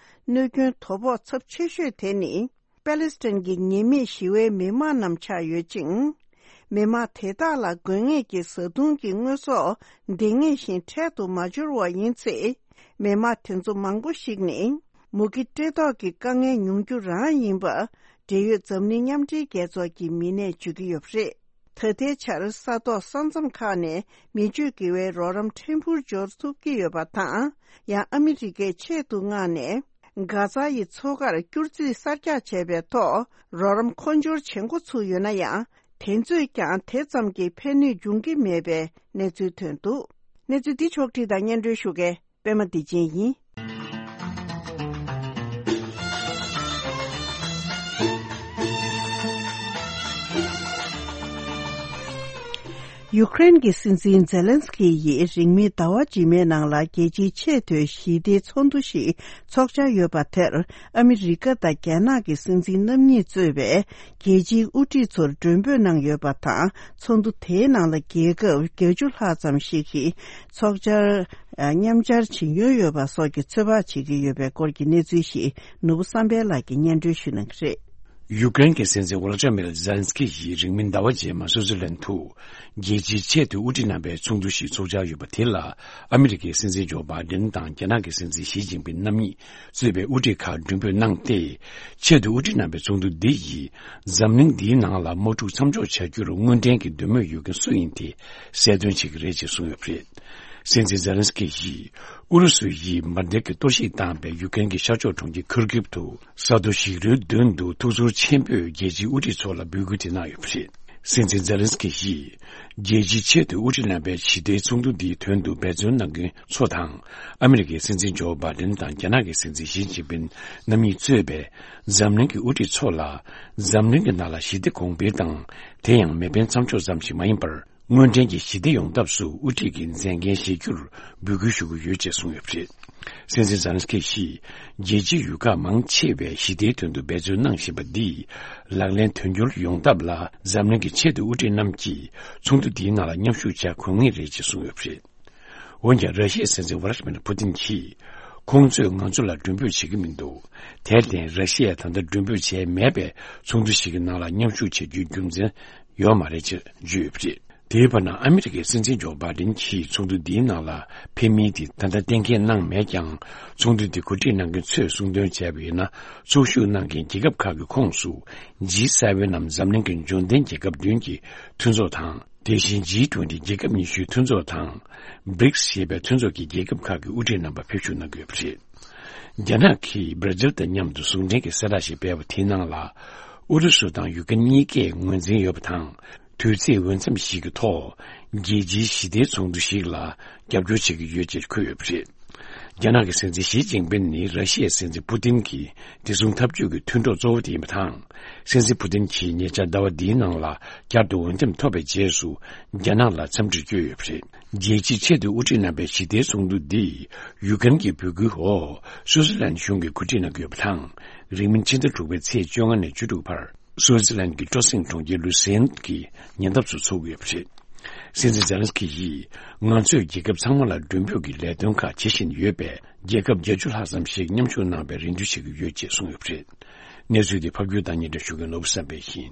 གནོད་སྐྱོན་དོ་ཕོག་ཚབས་ཆེ་ཤོས་དེ་ནི། པ་ལེ་སི་ཐན་གྱི་ཉེས་མེད་ཞི་བའི་མི་དམངས་རྣམས་ཆགས་ཡོད་ཅིང་། མི་དམངས་དེ་དག་ལ་དགོས་ངེས་ཀྱི་བཟའ་བཏུང་གི་དངོས་ཟོག་འདང་ངེས་བཞིན་འཕྲལ་དུ་མ་འབྱོར་བ་ཡིན་ཚེ། མི་དམངས་དེ་ཚོ་མང་པོ་ཞིག་ནི་མུ་གེ་བཀྲེས་ལྟོགས་ཀྱི་དཀའ་ངལ་མྱོང་རྒྱུ་རང་ཡིན་པ། འབྲེལ་ཡོད་འཛམ་གླིང་མཉམ་འབྲེལ་རྒྱལ་ཚོགས་ཀྱི་མི་སྣས་བརྗོད་ཀྱི་ཡོད་པ་རེད། ད་ལྟའི་ཆར་ས་ཐོག་ས་མཚམས་ཁག་ནས་མི་སྤྱོད་དགེ་བའི་རོགས་རམ་ཕྲན་བུར་འབྱོར་ཐུབ་ཀྱི་ཡོད་པ་དང་། ཡང་ཨ་མི་རི་ཀས་ཆེད་དུ་མངགས་ནས། གྷ་ཛ་ཡི་མཚོ་ཁར་སྐྱུར་རྩིས་གསར་རྒྱག་བྱས་པའི་ཐོག་རོགས་རམ་མཁོ་སྦྱོར་བྱེད་འགོ་ཚུགས་ཡོད་ན་ཡང་། དེ་ཚོས་ཀྱང་དེ་ཙམ་གྱིས་ཕན་ནུས་འབྱུང་གི་མེད་པའི་གནས་ཚུལ་ཐོན་འདུག། གནས་ཚུལ་འདི་ཕྱོགས་བསྒྲིགས་དང་སྙན་སྒྲོན་ཞུ་མཁན་པད་མ་བདེ་ཆེན་ཡིན། ཡུ་ཀེ་རེན་གྱི་སྲིད་འཛིན་ཛེ་ལན་སི་ཀི་ཡིས་རིང་མིན་ཟླ་བ་རྗེས་མའི་ནང་ལ་རྒྱལ་སྤྱིའི་ཆེས་མཐོའི་ཞི་བདེའི་ཚོགས་འདུ་ཞིག་འཚོགས་འཆར་ཡོད་པ་དེར། ཨ་མི་རི་ཀ་དང་རྒྱ་ནག་གི་སྲིད་འཛིན་རྣམ་གཉིས་གཙོས་པའི་རྒྱལ་སྤྱིའི་དབུ་ཁྲིད་ཚོར་མགྲོན་འབོད་གནང་ཡོད་པ་དང་། ཚོགས་འདུ་དེའི་ནང་ལ་རྒྱལ་ཁབ་བརྒྱད་ཅུ་ལྷག་ཙམ་ཞིག་གིས་ཚོགས་བཅར་མཉམ་བཅར་བྱེད་མྱོང་ཡོད་པ་སོགས་ཀྱི་ཚོད་དཔག་བྱེད་ཀྱི་ཡོད་པའི་སྐོར་གྱི་གནས་ཚུལ་ཞིག་ནོར་བུ་བསམ་འཕེལ་ལགས་ཀྱིས་སྙན་སྒྲོན་ཞུ་གནང་གི་རེད། ཡུ་ཀེ་རེན་གྱི་སྲིད་འཛིན་ཝོ་ལོ་ཏི་མིར་ཛེ་ལན་སི་ཀི་ཡིས་རིང་མིན་ཟླ་བ་རྗེས་མ་སུའུ་ཙི་ལན་དུ་རྒྱལ་སྤྱིའི་ཆེས་མཐོའི་དབུ་ཁྲིད་རྣམ་པའི་ཚོགས་འདུ་ཞིག་ཚོགས་འཆར་ཡོད་པ་དེ་ལ། ཨ་མི་རི་ཀའི་སྲིད་འཛིན་ཇོ་བྷའི་ཌེན་དང་རྒྱ་ནག་གི་སྲིད་འཛིན་ཞི་ཅིན་ཕིན་རྣམ་གཉིས་གཙོས་པའི་དབུ་ཁྲིད་ཁག་མགྲོན་འབོད་གནང་སྟེ། ཆེས་མཐོའི་དབུ་ཁྲིད་རྣམ་པའི་ཚོགས་འདུ་འདི་ཡིས་འཛམ་གླིང་འདིའི་ནང་ལ་དམག་འཁྲུག་མཚམས་འཇོག་བྱ་རྒྱུར་དངོས་འབྲེལ་གྱི་འདོད་མོས་ཡོད་མཁན་སུ་ཡིན་དེ་གསལ་སྟོན་བྱེད་ཀྱི་རེད་ཅེས་གསུངས་ཡོད་པ་རེད། སྲིད་འཛིན་ཛེ་ལན་སི་ཀི་ཡིས་ཨུ་རུ་སུ་ཡིས་འབར་མདེལ་གྱི་གཏོར་བཤིག་བཏང་བའི་ཡུཀ་རེན་གྱི་ཤར་ཕྱོགས་གྲོང་ཁྱེར་ཁུར་ཀིབ་ཏུ་ས་རྡོ་ཞིག་རལ་མདུན་དུ་ཐུགས་ཚོར་ཆེན་པོས་རྒྱལ་སྤྱིའི་དབུ་ཁྲིད་ཚོ་ལ་འབོད་སྐུལ་དེ་གནང་ཡོད་པ་རེད། སྲིད་འཛིན་ཛེ་ལན་སི་ཀི་ཡིས་རྒྱལ་སྤྱིའི་ཆེས་མཐོའི་དབུ་ཁྲིད་རྣམ་པའི་ཞི་བདེའི་ཚོགས་འདུ་འདིའི་དོན་དུ་འབད་བརྩོན་གནང་མཁན་ཚོ་དང་། ཨ་མི་རི་ཀའི་སྲིད་འཛིན་ཇོ་བྷའི་ཌེན་དང་རྒྱ་ནག་གི་སྲིད་འཛིན་ཞི་ཅིན་ཕིན་རྣམ་གཉིས་གཙོས་པའི་འཛམ་གླིང་གི་དབུ་ཁྲིད་ཚོ་ལ། འཛམ་གླིང་གི་ནང་ལ་ཞི་བདེ་གོང་འཕེལ་དང་། དེ་ཡང་མེ་འཕེན་མཚམས་འཇོག་ཙམ་ཞིག་མ་ཡིན་པར། དངོས་འབྲེལ་གྱི་ཞི་བདེ་ཡོང་ཐབས་སུ་དབུ་ཁྲིད་ཀྱི་མཛད་འགན་བཞེས་རྒྱུར་འབོད་སྐུལ་ཞུ་གི་ཡོད་ཅེས་གསུངས་ཡོད་པ་རེད། སྲིད་འཛིན་ཛེ་ལན་སི་ཀི་ཡིས་རྒྱལ་སྤྱིའི་ཡུལ་ཁག་མང་ཆེ་བས་ཞི་བདེའི་དོན་དུ་འབད་བརྩོན་གནང་བཞིན་པ་འདིས། ལག་ལེན་དོན་འཁྱོལ་ཡོང་ཐབས་ལ་འཛམ་གླིང་གི་ཆེས་མཐོའི་དབུ་ཁྲིད་རྣམས་ཀྱིས་ཚོགས་འདུ་འདིའི་ནང་ལ་མཉམ་ཞུགས་བྱ་དགོས་ངེས་རེད་ཅེས་གསུངས་ཡོད་པ་རེད། འོན་ཀྱང་། ར་ཤི་ཡའི་སྲིད་འཛིན་ཝ་ལ་ཏི་མིར་ཕུ་ཏིན་གྱིས། ཁོང་ཚོས་ང་ཚོ་ལ་མགྲོན་འབོད་བྱེད་ཀྱི་མི་འདུག་དེར་བརྟེན། ར་ཤི་ཡས་ད་ལྟ་མགྲོན་འབོད་བྱས་མེད་པའི་ཚོགས་འདུ་ཞིག་གི་ནང་ལ་མཉམ་ཞུགས་བྱེད་རྒྱུའི་རྒྱུ་མཚན་ཡོད་མ་རེད་ཅེས་བརྗོད་ཡོད་པ་རེད། དེའི་བར་ན། ཨ་མི་རི་ཀའི་སྲིད་འཛིན་ཇོ་བྷའི་ཌེན་གྱིས་ཚོགས་འདུ་འདིའི་ནང་ལ་ཕེབས་མིན་དེ་ད་ལྟ་གཏན་འཁེལ་གནང་མེད་ཀྱང་། ཚོགས་འདུ་འདི་གོ་སྒྲིག་གནང་མཁན་ཚོས་གསུངས་དོན་བྱས་པ་ཡིན་ན། ཚོགས་ཞུགས་གནང་མཁན་རྒྱལ་ཁབ་ཁག་གི་ཁོངས་སུ། ཇི་སེ་ཝེན་ནམ་འཛམ་གླིང་གི་འབྱོར་ལྡན་རྒྱལ་ཁབ་བདུན་གྱི་མཐུན་ཚོགས་དང་། དེ་བཞིན་ཇི་ཊུ་ཝེན་ཊི་རྒྱལ་ཁབ་ཉི་ཤུའི་མཐུན་ཚོགས་དང་། བྷི་རིག་སི་ཞེས་པའི་མཐུན་ཚོགས་ཀྱི་རྒྱལ་ཁབ་ཁག་གི་དབུ་ཁྲིད་རྣམ་པ་ཕེབས་ཞུགས་གནང་གི་ཡོད་པ་རེད། རྒྱ་ནག་གིས་བྷར་ཛིལ་དང་མཉམ་དུ་ཟུང་འབྲེལ་གྱི་གསལ་བསྒྲགས་ཤིག་སྤེལ་བ་དེའི་ནང་ལ། ཨུ་རུ་སུ་དང་ཡུཀ་རེན་གཉིས་ཀས་ངོས་འཛིན་ཡོད་པ་དང་། དུས་ཚིགས་འོས་འཚམ་ཞིག་གི་ཐོག་རྒྱལ་སྤྱིའི་ཞི་བདེའི་ཚོགས་འདུ་ཞིག་ལ་རྒྱབ་སྐྱོར་བྱེད་ཀྱི་ཡོད་ཅེས་འཁོད་ཡོད་པ་རེད། རྒྱ་ནག་གི་སྲིད་འཛིན་ཞི་ཅིན་ཕིན་ནི་ར་ཤི་ཡའི་སྲིད་འཛིན་ཕུ་ཏིན་གྱི་བདེ་སྲུང་འཐབ་ཇུས་ཀྱི་མཐུན་གྲོགས་གཙོ་བོ་དེ་ཡིན་པ་དང་། སྲིད་འཛིན་ཕུ་ཏིན་གྱིས་ཉེ་ཆར་ཟླ་བ་འདིའི་ནང་ལ་བསྐྱར་དུ་འོས་འདེམས་ཐོབ་པའི་རྗེས་སུ། རྒྱ་ནག་ལ་འཚམས་འདྲི་བསྐྱོན་ཡོད་པ་རེད། རྒྱལ་སྤྱིའི་ཆེས་མཐོའི་དབུ་ཁྲིད་རྣམ་པའི་ཞི་བདེའི་ཚོགས་འདུ་འདི་ཡུཀ་རེན་གྱི་འབོད་སྐུལ་འོག་སུའུ་ཙི་ལན་གཞུང་གིས་གོ་སྒྲིག་གནང་གི་ཡོད་པ་དང་། རིང་མིན་ཕྱི་ཟླ་དྲུག་པའི་ཚེས་བཅོ་ལྔ་ནས་བཅུ་དྲུག་བར། སུའུ་ཙི་ལན་གྱི་སྤྲོ་གསེང་གྲོང་ཁྱེར་ལུ་སེན་གྱི་ཉེ་འདབས་སུ་འཚོགས་ཀྱི་ཡོད་པ་རེད། སྲིད་འཛིན་ཛེ་ལན་སི་ཀི་ཡིས། ང་ཚོས་རྒྱལ་ཁབ་ཚང་མ་ལ་མགྲོན་འབོད་ཀྱི་ལས་དོན་ཁག་བྱེད་བཞིན་ཡོད་པས། རྒྱལ་ཁབ་བརྒྱད་ཅུ་ལྷག་ཙམ་ཞིག་མཉམ་ཞུགས་གནང་བའི་རེ་འདུན་བྱེད་ཀྱི་ཡོད་ཅེས་གསུངས་ཡོད་པ་རེད། གནས་ཚུལ་འདི་ཕབ་སྒྱུར་དང་སྙན་སྒྲོན་ཞུ་མཁན་ནོར་བུ་བསམ་འཕེལ་ཡིན།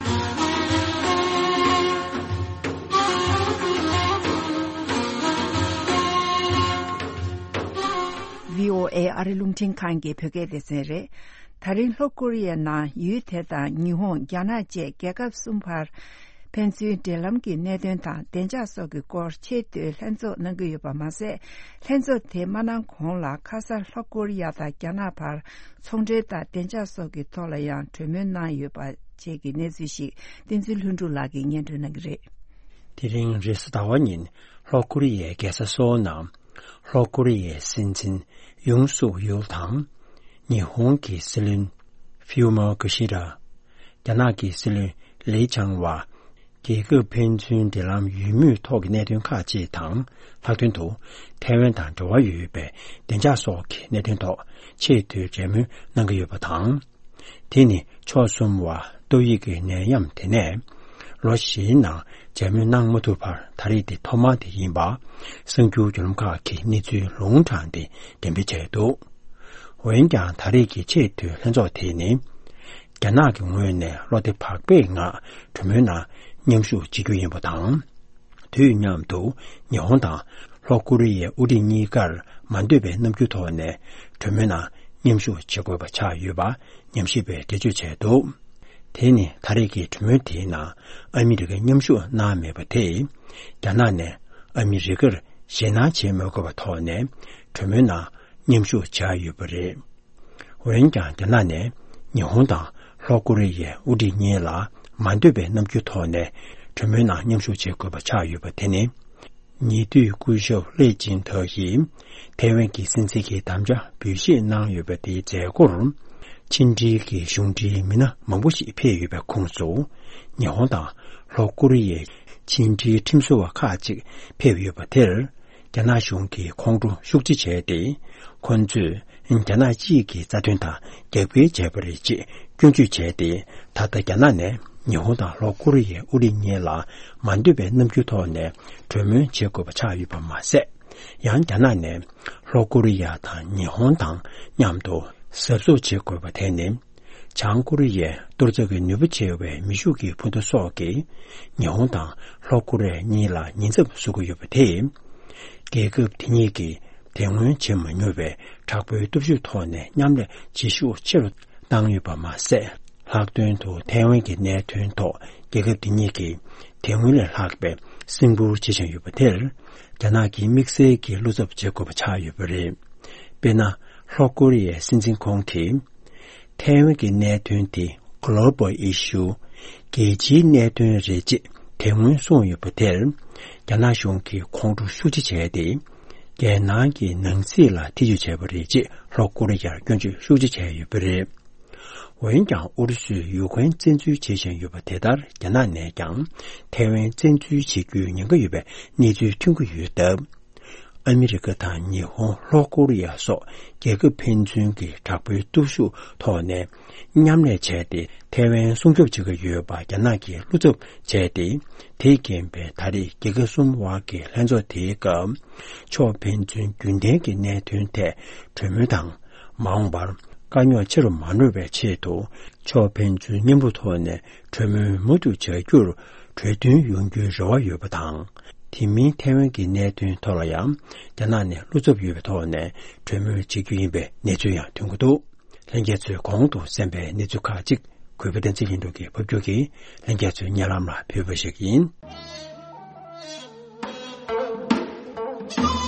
བྷི་ཨོ་ཨེ་ཨ་རི་རླུང་འཕྲིན་ཁང་གི་བོད་སྐད་སྡེ་ཚན་རེད། ད་རིང་ལྷོ་ཀོ་རི་ཡའི་ནང་ཡུལ་དེ་དང་ཉི་ཧོང་། རྒྱ་ནག་བཅས་རྒྱལ་ཁབ་གསུམ་བར་ཕན་ཚུན་འབྲེལ་ལམ་གྱི་གནད་དོན་དང་བདེ་འཇགས་སོགས་ཀྱི་སྐོར་ཆེས་མཐོའི་ལྷན་ཚོགས་གནང་གི་ཡོད་པ་མ་ཟད། ལྷན་ཚོགས་དེ་མ་གནང་གོང་ལ་ཁ་སང་ལྷོ་ཀོ་རི་ཡ་དང་རྒྱ་ནག་བར་ཚོང་འབྲེལ་དང་བདེ་འཇགས་སོགས་ཀྱི་ཐོག་ལ་ཡང་གྲོས་མོལ་གནང་ཡོད་པ་བཅས་ཀྱི་གནས་ཚུལ་ཞིག་བསྟན་འཛིན་ལྷུན་གྲུབ་ལགས་ཀྱིས་སྙན་སྒྲོན་གནང་གི་རེད། དེ་རིང་རེས་གཟའ་ཟླ་བ་ཉིན་ལྷོ་ཀོ་རི་ཡའི་རྒྱལ་ས་སོའོ་ནང་ལྷོ་ཀོ་རི་ཡའི་སྲིད་འཛིན་ཡུང་སུག་ཡུལ་དང་། ཉི་ཧོང་གི་སྲིད་བློན་ཕིའུ་མོ་ཀི་ཤི་ར། རྒྱ་ནག་གི་སྲིད་བློན་ལི་ཆང་ཝ། རྒྱལ་ཁབ་ཕན་ཚུན་འབྲེལ་ལམ་ཡོད་མུས་ཐོག་གི་གནད་དོན་ཁག་ཅིག་དང་། ལྷག་དོན་དུ་ཐའེ་ཝན་དང་འབྲེལ་བ་ཡོད་པའི་བདེ་འཇགས་སོགས་ཀྱི་གནད་དོན་ཐོག་ཆེས་མཐོའི་གྲོས་མོལ་གནང་གི་ཡོད་པ་དང་། དེ་ནི་ཕྱོགས་གསུམ་བར་ཏོག་དབྱིབས་ཀྱི་ནད་ཡམས་དེ་ནས་ལོ་བཞིའི་ནང་མཇལ་མོལ་གནང་མ་ཐུབ་པར་ད་རེས་འདི་ཐོག་མ་དེ་ཡིན་པ། གསར་འགྱུར་བརྒྱུད་ལམ་ཁག་གིས་གནས་ཚུལ་ལུང་དྲངས་ཏེ་འགྲེམས་སྤེལ་བྱས་འདུག་འོན་ཀྱང་ད་རེས་ཀྱི་ཆེས་མཐོའི་ལྷན་ཚོགས་དེ་ནི། རྒྱ་ནག་གི་ངོས་ནས་བློ་བདེ་བག་ཕེབས་ངང་གྲོས་མོལ་ནང་མཉམ་ཞུགས་བྱེད་རྒྱུ་ཡིན་པ་དང་། དུས་མཉམ་དུ་ཉི་ཧོང་དང་ལྷོ་ཀོ་རི་ཡའི་དབུ་ཁྲིད་གཉིས་ཀར་མ་འདོད་པའི་རྣམ་འགྱུར་ཐོག་ནས་གྲོས་མོལ་ནང་མཉམ་ཞུགས་བྱེད་དགོས་པ་ཆགས་ཡོད་པ་ཉམས་ཞིབ་པས་འགྲེལ་བརྗོད་བྱས་འདུག་དེ་ནི་ད་རེས་ཀྱི་གྲོས་མོལ་དེའི་ནང་ཨ་མི་རི་ཀས་མཉམ་ཞུགས་གནང་མེད་པ་དེས། རྒྱ་ནག་ནས་ཨ་མི་རི་ཀར་ཞེད་སྣང་བྱེད་མི་དགོས་པའི་ཐོག་ནས་གྲོས་མོལ་ནང་མཉམ་ཞུགས་བྱས་ཡོད་པ་རེད། འོན་ཀྱང་། རྒྱ་ནག་ནས་ཉི་ཧོང་དང་ལྷོ་ཀོ་རི་ཡའི་དབུ་ཁྲིད་གཉིས་ལ་མ་འདོད་པའི་རྣམ་འགྱུར་ཐོག་ནས་གྲོས་མོལ་ནང་མཉམ་ཞུགས་བྱེད་དགོས་པ་ཆགས་ཡོད་པ་དེ་ནི། ཉེ་དུས་སྐུ་ཞབས་ལེ་ཅིན་ཐོ་ཡིས་ཐའེ་ཝན་གྱི་སྲིད་འཛིན་གྱི་དམ་བཅའ་འབུལ་བཞེས་གནང་ཡོད་པ་དེའི་མཛད་སྒོར། ཕྱི་འབྲེལ་གྱི་གཞུང་འབྲེལ་མི་སྣ་མང་པོ་ཞིག་ཕེབས་ཡོད་པའི་ཁོངས་སུ། ཉི་ཧོང་དང་ལྷོ་ཀོ་རི་ཡའི་ཕྱི་འབྲེལ་ཁྲིམས་བཟོ་བ་ཁག་ཅིག་ཕེབས་ཡོད་པ་དེར། རྒྱ་ནག་གཞུང་གིས་ཁོང་ཁྲོ་ཤུགས་ཆེ་བྱས་ཏེ། ཁོ་ཚོས་རྒྱ་ནག་སྤྱི་ཡི་རྩ་དོན་དང་རྒྱབ་འགལ་བྱས་པ་རེད་ཅེས་སྐྱོན་བརྗོད་བྱས་ཏེ། ད་ལྟ་རྒྱ་ནག་ནས་ཉི་ཧོང་དང་ལྷོ་ཀོ་རི་ཡའི་དབུ་ཁྲིད་གཉིས་ལ་མ་འདོད་པའི་རྣམ་འགྱུར་ཐོག་ནས་གྲོས་མོལ་བྱེད་དགོས་པ་ཆགས་ཡོད་པ་མ་ཟད། ཡང་རྒྱ་ནག་ནས་ལྷོ་ཀོ་རི་ཡ་དང་ཉི་ཧོང་དང་མཉམ་དུ་གཟབ་གཟབ་བྱེད་དགོས་པ་དེ་ནི། བྱང་ཀོ་རི་ཡའི་གཏོར་རྩལ་གྱི་ནུས་པ་ཆེ་བའི་མེ་ཤུགས་ཀྱི་འཕུར་མདའ་སོགས་ཀྱིས་ཉི་ཧོང་དང་ལྷོ་ཀོ་རི་ཡ་གཉིས་ལ་ཉེན་ཚབས་བཟོ་གི་ཡོད་པ་དེས། རྒྱལ་ཁབ་དེ་གཉིས་ཀྱིས་དེ་སྔོན་བྱེད་མ་མྱོང་བའི་དྲག་པོའི་སྟོབས་ཤུགས་ཐོག་ནས་མཉམ་ལས་བྱེད་ཤུགས་ཆེ་རུ་བཏང་ཡོད་པ་མ་ཟད། ལྷག་དོན་དུ་ཐའེ་ཝན་གྱི་གནད་དོན་ཐོག་རྒྱལ་ཁབ་འདི་གཉིས་ཀྱིས་དེ་སྔོན་ལས་ལྷག་པའི་སེམས་ཁུར་བྱེད་བཞིན་ཡོད་པ་དེར། རྒྱ་ནག་གིས་དམིགས་བསལ་གྱི་བློ་འཚབ་བྱེད་དགོས་པ་ཆགས་ཡོད་པ་རེད། དཔེར་ན། ལྷོ་ཀོ་རི་ཡའི་སྲིད་འཛིན་ཁོང་གིས། ཐའེ་ཝན་གྱི་གནད་དོན་དེ་Global Issue། རྒྱལ་སྤྱིའི་གནད་དོན་རེད་ཅེས་དེ་སྔོན་གསུངས་ཡོད་པ་དེར། རྒྱ་ནག་གཞུང་གིས་ཁོང་ཁྲོ་ཤུགས་ཆེ་བྱས་ཏེ། རྒྱལ་ནང་གི་ནང་སྲིད་ལ་ཐེ་ཇུས་བྱས་པ་རེད་ཅེས་ལྷོ་ཀོ་རི་ཡར་སྐྱོན་བརྗོད་ཤུགས་ཆེ་བྱས་ཡོད་པ་རེད། འོན་ཀྱང་ཨུ་རུ་སུས་ཡུ་ཁུ་རེན་བཙན་འཛུལ་བྱེད་བཞིན་ཡོད་པ་དེ་ལྟར། རྒྱ་ནག་ནས་ཀྱང་ཐའེ་ཝན་བཙན་འཛུལ་བྱེད་རྒྱུའི་ཉེན་ཁ་ཡོད་པའི་གནས་ཚུལ་ཐོན་གྱི་ཡོད་སྟབས། ཨ་མི་རི་ཀ་དང་ཉི་ཧོང་། ལྷོ་ཀོ་རི་ཡ་སོགས་རྒྱལ་ཁབ་ཕན་ཚུན་གྱི་དྲག་པོའི་སྟོབས་ཤུགས་ཐོག་ནས་མཉམ་ལས་བྱས་ཏེ། ཐའེ་ཝན་སྲུང་སྐྱོབ་བྱེད་ཀྱི་ཡོད་པ་རྒྱ་ནག་གིས་བློ་འཚབ་བྱས་ཏེ། དེས་རྐྱེན་པས་ད་རེས་རྒྱལ་ཁབ་གསུམ་དབར་གྱི་ལྷན་ཚོགས་དེའི་སྐབས། ཕྱོགས་ཕན་ཚུན་རྒྱུན་ལྡན་གྱི་གནད་དོན་ཐད་གྲོས་མོལ་དང་། མ་འོངས་པར་དཀའ་རྙོག་ཆེ་རུ་མ་འགྲོ་བའི་ཆེད་དུ། ཕྱོགས་ཕན་ཚུན་མཉམ་རུབ་ཐོག་ནས་གྲོས་མོལ་མུ་མཐུད་བྱ་རྒྱུར་གྲོས་མཐུན་ཡོང་རྒྱུའི་རེ་བ་ཡོད་པ་དང་། དེ་མིན་ཐའེ་ཝན་གྱི་གནད་དོན་ཐོག་ལ་ཡང་རྒྱ་ནག་ནས་བློ་འཚབ་ཡོད་པའི་ཐོག་ནས་གྲོས་མོལ་བྱེད་རྒྱུ་ཡིན་པའི་གནས་ཚུལ་ཡང་ཐོན་གྱི་འདུག། ལྷན་རྒྱས་ཚོས་གོང་དུ་གསན་པའི་གནས་ཚུལ་ཁག་ཅིག་གུས་པ་བསྟན་འཛིན་ལྷུན་གྲུབ་ཀྱིས་ཕབ་སྒྱུར་གྱིས་ལྷན་རྒྱས་ཚོའི་སྙན་ལམ་ལ་ཕུལ་བ་ཞིག་ཡིན།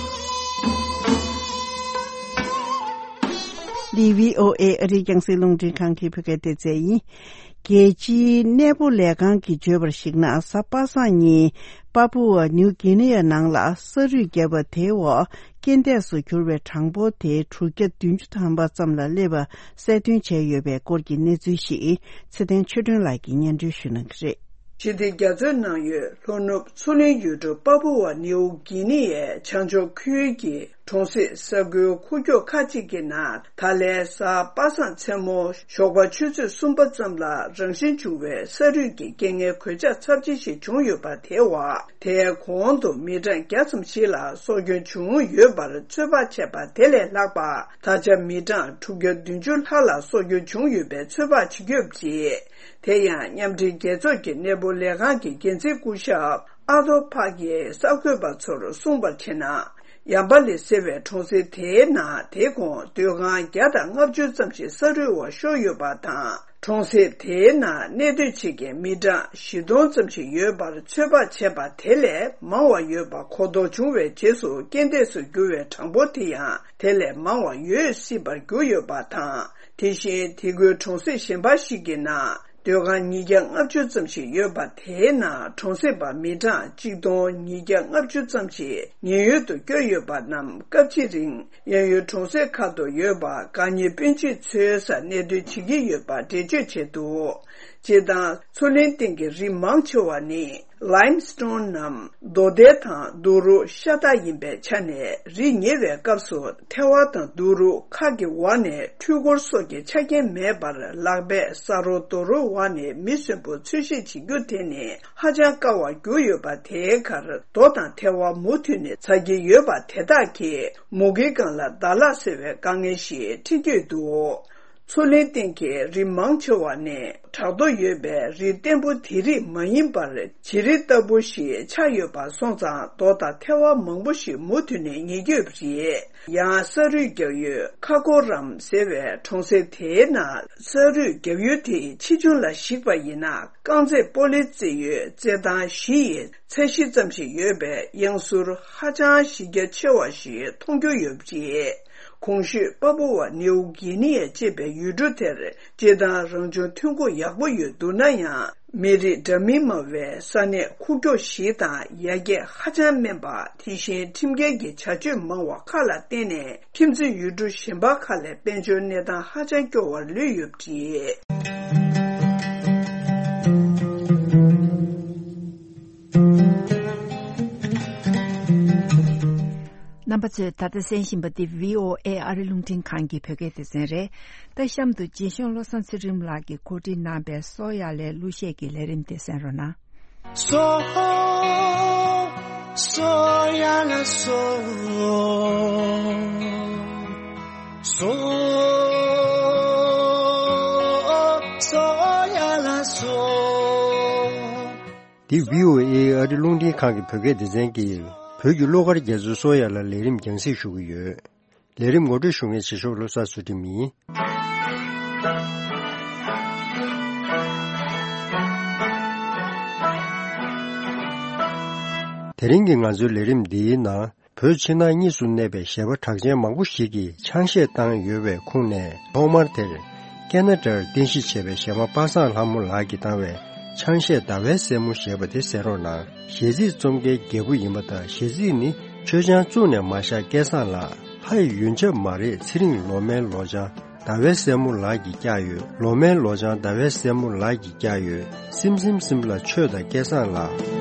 འདི་བྷི་ཨོ་ཨེ་ཨ་རིའི་རྒྱང་སྲིང་རླུང་འཕྲིན་ཁང་གི་བོད་སྐད་སྡེ་ཚན་ཡིན། རྒྱལ་སྤྱིའི་གནས་སྤོ་ལས་ཁང་གིས་བརྗོད་པར་གཞིགས་ན། གཟའ་པ་སངས་ཉིན་པ་པུ་ཝ་ནིའུ་གྷི་ནི་ཡ་ནང་ལ་ས་རུད་བརྒྱབ་པ་དེའི་འོག་རྐྱེན་འདས་སུ་གྱུར་བའི་གྲངས་འབོར་དེ་དྲུག་བརྒྱ་བདུན་ཅུ་ཐམ་པ་ཙམ་ལ་སླེབས་པ་གསལ་སྟོན་བྱས་ཡོད་པའི་སྐོར་གྱི་གནས་ཚུལ་ཞིག་ཚེ་བརྟན་ཆོས་སྒྲོན་ལགས་ཀྱིས་སྙན་སྒྲོན་ཞུ་གནང་གི་རེད། ཞི་བདེ་རྒྱ་མཚོའི་ནང་ཡོད་ལྷོ་ནུབ་མཚོ་གླིང་ཡུལ་གྲུ་པ་པུ་ཝ་ནིའུ་གྷི་ནི་ཡའི་བྱང་ཕྱོགས་ཁུལ་གྱི་གྲོང་གསེབ་ས་ཁུལ་ཁུག་ཀྱོག་ཁག་ཅིག་གི་ནང་ད་ལན་གཟའ་པ་སངས་མཚན་མོ་ཞོགས་པ་ཆུ་ཚོད་གསུམ་པ་ཙམ་ལ་རང་བཞིན་བྱུང་བའི་ས་རུད་ཀྱི་རྐྱེན་ངན་གོད་ཆག་ཚབས་ཆེ་ཞིག་བྱུང་ཡོད་པ་དེའི་འོག་དེའི་གོང་དུ་མི་གྲངས་བརྒྱ་ཙམ་ཞིག་ལ་སྲོག་སྐྱོན་བྱུང་ཡོད་པར་ཚོད་དཔག་བྱས་པ་དེ་ལས་ལྷག་པ། ད་ཆ་མི་གྲངས་དྲུག་བརྒྱ་བདུན་ཅུ་ལྷག་ལ་སྲོག་སྐྱོན་བྱུང་ཡོད་པའི་ཚོད་དཔག་བྱེད་ཀྱི་ཡོད་པ་རེད། དེ་ཡང་མཉམ་འབྲེལ་རྒྱལ་ཚོགས་ཀྱི་གནས་སྤོ་ལས་ཁང་གི་འགན་འཛིན་སྐུ་ཞབས་ཨ་ཐོ་ཕག་གིས་གསར་འགོད་པ་ཚོར་གསུངས་པར་བྱས་ན། ཡམ་པ་ལི་ཟེར་བའི་གྲོང་གསེབ་དེའི་ནང་དེའི་གོང་སྡོད་ཁང་བརྒྱ་དང་ལྔ་བཅུ་ཙམ་ཞིག་ས་རུད་འོག་ཤོར་ཡོད་པ་དང་། གྲོང་གསེབ་དེའི་ནང་གནས་སྡོད་བྱེད་མཁན་མི་གྲངས་བཞི་སྟོང་ཙམ་ཞིག་ཡོད་པར་ཚོད་དཔག་བྱས་པ་དེ་ལས་མང་བ་ཡོད་པ་གོ་ལྡོག་བྱུང་བའི་རྗེས་སུ་རྐྱེན་འདས་སུ་གྱུར་བའི་གྲངས་འབོར་དེ་ཡང་དེ་ལས་མང་བ་ཡོད་སྲིད་པར་གྱུར་ཡོད་པ་དང་། དེ་བཞིན་དེ་ཁུལ་གྲོང་གསེབ་གཞན་པ་ཞིག་གི་ནང་སྡོད་ཁང་ཉིས་བརྒྱ་ལྔ་བཅུ་ཙམ་ཞིག་ཡོད་པ་དེའི་ནང་གྲོང་གསེབ་པ་མི་གྲངས་གཅིག་སྟོང་ཉིས་བརྒྱ་ལྔ་བཅུ་ཙམ་ཞིག་ཉེན་གཡོལ་དུ་བསྐྱོད་ཡོད་པ་རྣམས་སྐབས་གཅིག་རིང་གཡས་གཡོན་གྲོང་གསེབ་ཁག་ཏུ་ཡོད་པ་དགའ་ཉེ་སྤུན་མཆེད་ཚོའི་སར་གནས་སྡོད་བྱེད་ཀྱི་ཡོད་པ་འགྲེལ་བརྗོད་བྱས་འདུག། སྤྱིར་བཏང་མཚོ་གླིང་སྟེང་གི་རི་མང་ཆེ་བ་ནི་ལའིམ་སི་ཊོན་ནམ་རྡོ་སྡེ་དང་རྡོ་རུག་ཤ་སྟག་ཡིན་པའི་ཆ་ནས། རི་ཉེ་བའི་སྐབས་སུ་ཐལ་བ་དང་རྡོ་རུག་ཁ་གི་འོག་ནས་འཕྲུལ་འཁོར་སོགས་ཀྱི་ཆ་རྐྱེན་མེད་པར་ལག་པས་ས་རོ་རྡོ་རོག་འོག་ནས་མི་གསོན་པོ་འཚོལ་ཞིབ་བྱེད་རྒྱུ་དེ་ནི་ཧ་ཅང་དཀའ་བར་གྱུར་ཡོད་པ། དེའི་ཁར་རྡོ་དང་ཐལ་བ་མུ་མཐུད་ནས་ཟ་གྱི་ཡོད་པ་དེ་དག་གིས་མུ་གེའི་སྒང་ལ་ཟླ་ལྷག་ཟེར་བའི་དཀའ་ངལ་ཞིག་འཕྲད་ཀྱི་ཡོད་འདུག། མཚོ་གླིང་སྟེང་གི་རི་མང་ཆེ་བ་ནི་བྲག་རྡོ་ཡོད་པའི་རི་བརྟན་པོ་དེ་རིགས་མ་ཡིན་པར་བྱེ་རི་ལྟ་བུ་ཞིག་ཆགས་ཡོད་པ་སོང་ཙང་རྡོ་དང་ཐལ་བ་མང་པོ་ཞིག་མུ་མཐུད་ནས་ཉར་གྱི་ཡོད་པ་རེད། ཡང་ས་རུད་རྒྱག་ཡུལ་ཁ་ཀོ་རམ་ཟེར་བའི་གྲོང་གསེབ་དེའི་ནང་ས་རུད་རྒྱག་ཡུལ་དེའི་ཆེ་ཆུང་ལ་གཞིགས་པ་ཡིན་ན། རྐང་རྩེད་སྤོ་ལོ་རྩེད་ཡུལ་རྩེད་ཐང་བཞི་ཡི་ཚད་གཞི་ཙམ་ཞིག་ཡོད་པའི་གཡང་ཟུར་ཧ་ཅང་གཞི་རྒྱ་ཆེ་བ་ཞིག་མཐོང་རྒྱུ་ཡོད་པ་རེད། གོང་ཞུས་པ་པུ་ཝ་ནིའུ་གྷི་ནི་ཡ་ཅེས་པའི་ཡུལ་གྲུ་དེར་སྤྱིར་བཏང་རང་བྱུང་ཐོན་ཁུངས་ཡག་པོ་ཡོད་འདུག་ན་ཡང་། མི་རིགས་འདྲ་མིན་མང་བའི་ས་གནས་ཁུག་ཀྱོག་ཞིག་དང་། ཡར་རྒྱས་ཧ་ཅང་དམན་པ། དེ་བཞིན་ཁྲིམས་འགལ་གྱི་བྱ་སྤྱོད་མང་བ་ཁག་ལ་བརྟེན་ནས། ཁྱིམ་མཚེས་ཡུལ་གྲུ་གཞན་པ་ཁག་ལས་དཔལ་འབྱོར་གནས་སྟངས་ཧ་ཅང་སྐྱོ་བར་ལུས་ཡོད་པ་རེད། རྣམ་པ་ཚོས་ད་ལྟ་གསན་བཞིན་པ་འདི་བྷི་ཨོ་ཨེ་ཨ་རི་རླུང་འཕྲིན་ཁང་གི་བོད་སྐད་སྡེ་ཚན་རེད། ད་གཤམ་དུ་རྗེ་གཞུང་བློ་བཟང་ཚུལ་ཁྲིམས་ལགས་ཀྱིས་གོ་སྒྲིག་གནང་པའི་སོ་ཡ་ལའི་གླུ་གཞས་ཀྱི་ལས་རིམ་དེ་གསན་རོགས་གནང་། སོ། སོ་ཡ་ལ་སོ། སོ། སོ་ཡ་ལ་སོ། འདི་བྷི་ཨོ་ཨེ་ཨ་རི་རླུང་འཕྲིན་ཁང་གི་བོད་སྐད་སྡེ་ཚན་གྱིས་བོད་ཀྱི་གླུ་གར་རྒྱ་མཚོའི་སོ་ཡ་ལ་ལས་རིམ་རྒྱང་སྲིང་ཞུ་གི་ཡོད། ལས་རིམ་ངོ་སྤྲོད་ཞུ་མཁན་རྗེ་གཞུང་བློ་བཟང་ཚུལ་ཁྲིམས་ཡིན། དེ་རིང་གི་ང་ཚོའི་ལས་རིམ་འདིའི་ནང་། བོད་ཕྱི་ནང་གཉིས་སུ་གནས་པའི་གཞས་པ་གྲགས་ཅན་མང་པོ་ཞིག་གིས་ཆང་གཞས་བཏང་ཡོད་པའི་ཁུངས་ནས། ཐོག་མར་དེར་ཀེ་ན་ཌར་རྟེན་གཞི་བྱས་པའི་གཞས་མ་པ་སངས་ལྷ་མོ་ལགས་ཀྱིས་བཏང་བའི་ཆང་གཞས་ཟླ་བའི་སྲས་མོ་ཞེས་པ་དེ་གསན་རོགས་གནང་། གཞས་ཚིག་རྩོམ་མཁན་རྒྱལ་པོ་ཡིན་པ་དང་། གཞས་ཚིག་ནི་ཆོས་ཆང་བཙུགས་ནས་མ་བཞག་སྐལ་བཟང་ལགས། ལྷ་ཡི་ཡོན་ཆབ་མ་རེད་ཚེ་རིང་ལོ་མའི་ལོ་ཆང་ཟླ་བའི་སྲས་མོ་ལགས་ཀྱིས་བཀྱག་ཡོད། ལོ་མའི་ལོ་ཆང་ཟླ་བའི་སྲས་མོ་ལགས་ཀྱིས་བཀྱག་ཡོད། སིམ་སིམ་སིམ་ལ་ཆོས་དང་སྐལ་བཟང་ལགས།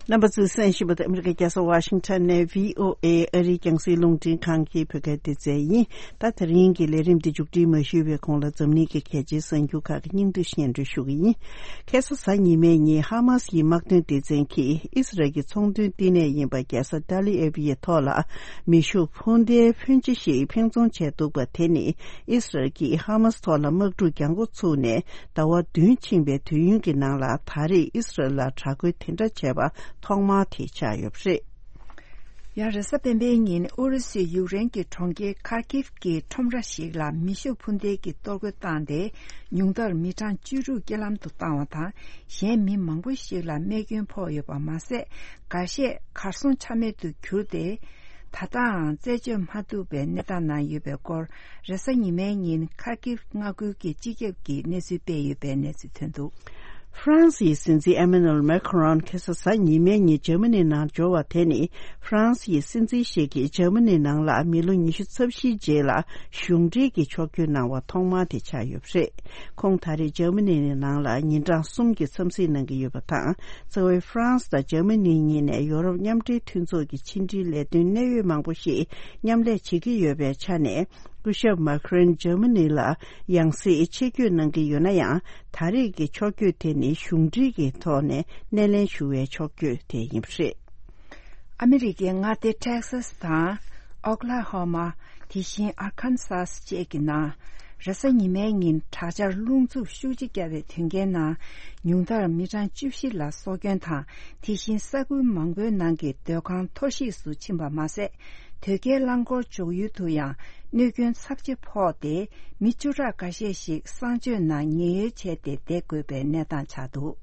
རྣམ་པ་ཚོས་གསན་བཞིན་པ་དེ་ཨ་མི་རི་ཀའི་རྒྱལ་ས་ཝ་ཤིང་ཊོན་ནས་བྷི་ཨོ་ཨེ་ཨ་རིའི་རྒྱང་སྲིང་རླུང་འཕྲིན་ཁང་གི་བོད་སྐད་སྡེ་ཚན་ཡིན། ད་དེ་རིང་གི་ལས་རིམ་འདི་མཇུག་སྒྲིལ་མ་ཞུས་པའི་གོང་ལ་འཛམ་གླིང་གི་གལ་ཆེའི་གསར་འགྱུར་ཁག་གི་སྙིང་བསྡུས་སྙན་སྒྲོན་ཞུ་གི་ཡིན། ཁ་སང་གཟའ་ཉི་མའི་ཉིན་ཧ་མ་སི་ཡི་དམག་དོན་སྡེ་ཚན་གྱིས་ཨི་སི་རལ་གྱི་ཚོང་དོན་བསྟི་གནས་ཡིན་པ་རྒྱལ་ས་ཏཱ་ལི་ཨེབ་ཡི་ཐོག་ལ་མེ་ཤུགས་འཕུར་མདེལ་འཕོན་ཆེ་ཞིག་འཕེན་རྫོང་བྱས་འདུག་པ་དེ་ནི་ཨི་སི་རལ་གྱིས་ཧ་མ་སི་ཐོག་ལ་དམག་འཁྲུག་རྒྱག་འགོ་ཚུགས་ནས་ཟླ་བ་བདུན་ཕྱིན་པའི་དུས་ཡུན་གྱི་ནང་ལ་ད་རེས་ཨི་སི་རལ་ལ་དྲག་རྒོལ་དེ་འདྲ་བྱས་པ་ཐོག་མ་དེ་ཆགས་ཡོད་པ་རེད། ཡང་རེས་གཟའ་སྤེན་པའི་ཉིན་ཨུ་རུ་སུས་ཡུཀ་རེན་གྱི་གྲོང་ཁྱེར་ཁར་ཀིབ་ཀྱི་ཁྲོམ་ར་ཞིག་ལ་མེ་ཤུགས་འཕུར་མདེལ་གྱིས་གཏོར་རྒོལ་བཏང་སྟེ་ཉུང་མཐར་མི་གྲངས་བཅུ་དྲུག་རྐྱེན་ལམ་དུ་བཏང་བ་དང་། གཞན་མི་མང་པོ་ཞིག་ལ་རྨས་སྐྱོན་ཕོག་ཡོད་པ་མ་ཟད། འགའ་ཤས་གར་སོང་ཆ་མེད་དུ་གྱུར་ཏེ། ད་ལྟའང་རྩད་གཅོད་མ་ཐུབ་པའི་གནས་སྟངས་ནང་ཡོད་པའི་སྐོར། རེས་གཟའ་ཉི་མའི་ཉིན་ཁར་ཀིབ་མངའ་ཁུལ་གྱི་སྤྱི་ཁྱབ་ཀྱིས་གནས་ཚུལ་སྤེལ་ཡོད་པའི་གནས་ཚུལ་ཐོན་འདུག། ཧྥ་རན་སིའི་སྲིད་འཛིན་ཨེ་མེ་ནུ་ཨེལ་མེ་ཁ་རོན་ཁ་སང་གཟའ་ཉི་མའི་ཉིན་འཇར་མ་ནི་ནང་འབྱོར་བ་དེ་ནི་ཧྥ་རན་སིའི་སྲིད་འཛིན་ཞིག་གིས་འཇར་མ་ནི་ནང་ལ་མི་ལོ་ཉི་ཤུ་རྩ་བཞིའི་རྗེས་ལ་གཞུང་འབྲེལ་གྱི་ཕྱོགས་བསྐྱོད་གནང་བ་ཐོག་མ་དེ་ཆགས་ཡོད་པ་རེད། ཁོང་ད་རེས་འཇར་མ་ནི་ནང་ལ་ཉིན་གྲངས་གསུམ་གྱི་འཚམས་གཟིགས་གནང་གི་ཡོད་པ་དང་། རྩ་བའི་ཧྥ་རན་སི་དང་འཇར་མ་ནི་གཉིས་ནས་ཡོ་རོབ་མཉམ་འབྲེལ་མཐུན་ཚོགས་ཀྱི་ཕྱི་འབྲེལ་ལས་དོན་གནད་ཡོད་མང་པོ་ཞིག་མཉམ་ལས་བྱེད་ཀྱི་ཡོད་པའི་ཆ་ནས། སྐུ་ཞབས་མཱ་ཁ་རོན་འཇར་མ་ནི་ལ་ཡང་སེ་ཆེད་བསྐྱོད་གནང་གི་ཡོད་ན་ཡང་། ད་རེས་ཀྱི་ཕྱོགས་བསྐྱོད་དེ་ནི་གཞུང་འབྲེལ་གྱི་ཐོག་ནས་སྣེ་ལེན་ཞུ་བའི་ཕྱོགས་བསྐྱོད་དེ་ཡིན་པ་རེད། ཨ་མི་རི་ཀའི་མངའ་སྡེ་ཊེག་སཱས་དང་། ཨོ་ཀ་ལ་ཧོ་མ། དེ་བཞིན་ཨར་ཁན་སཱས་བཅས་ཀྱི་ནང་། རེས་གཟའ་ཉི་མའི་ཉིན་དྲག་ཆར་རླུང་འཚུབ་ཤུགས་ཆེ་བརྒྱབ་པའི་དོན་རྐྱེན་ནང་། ཉུང་མཐར་མི་གྲངས་བཅུ་བཞི་ལ་སྲོག་སྐྱོན་དང་། དེ་བཞིན་ས་ཁུལ་མང་པོའི་ནང་གི་སྡོད་ཁང་འཐོར་ཞིག་ཏུ་ཕྱིན་པ་མ་ཟད། དོས་སྐྱེལ་རླངས་འཁོར་འཇོག་ཡུལ་དུ་ཡང་གནོད་སྐྱོན་ཚབས་ཆེ་ཕོག་སྟེ། མི་བཅུ་ཕྲག་འགའ་ཤས་ཤིག་གསང་སྤྱོད་ནང་ཉེན་གཡོལ་བྱས་ཏེ་བསྡད་དགོས་པའི་གནས་སྟངས་ཆགས་འདུག།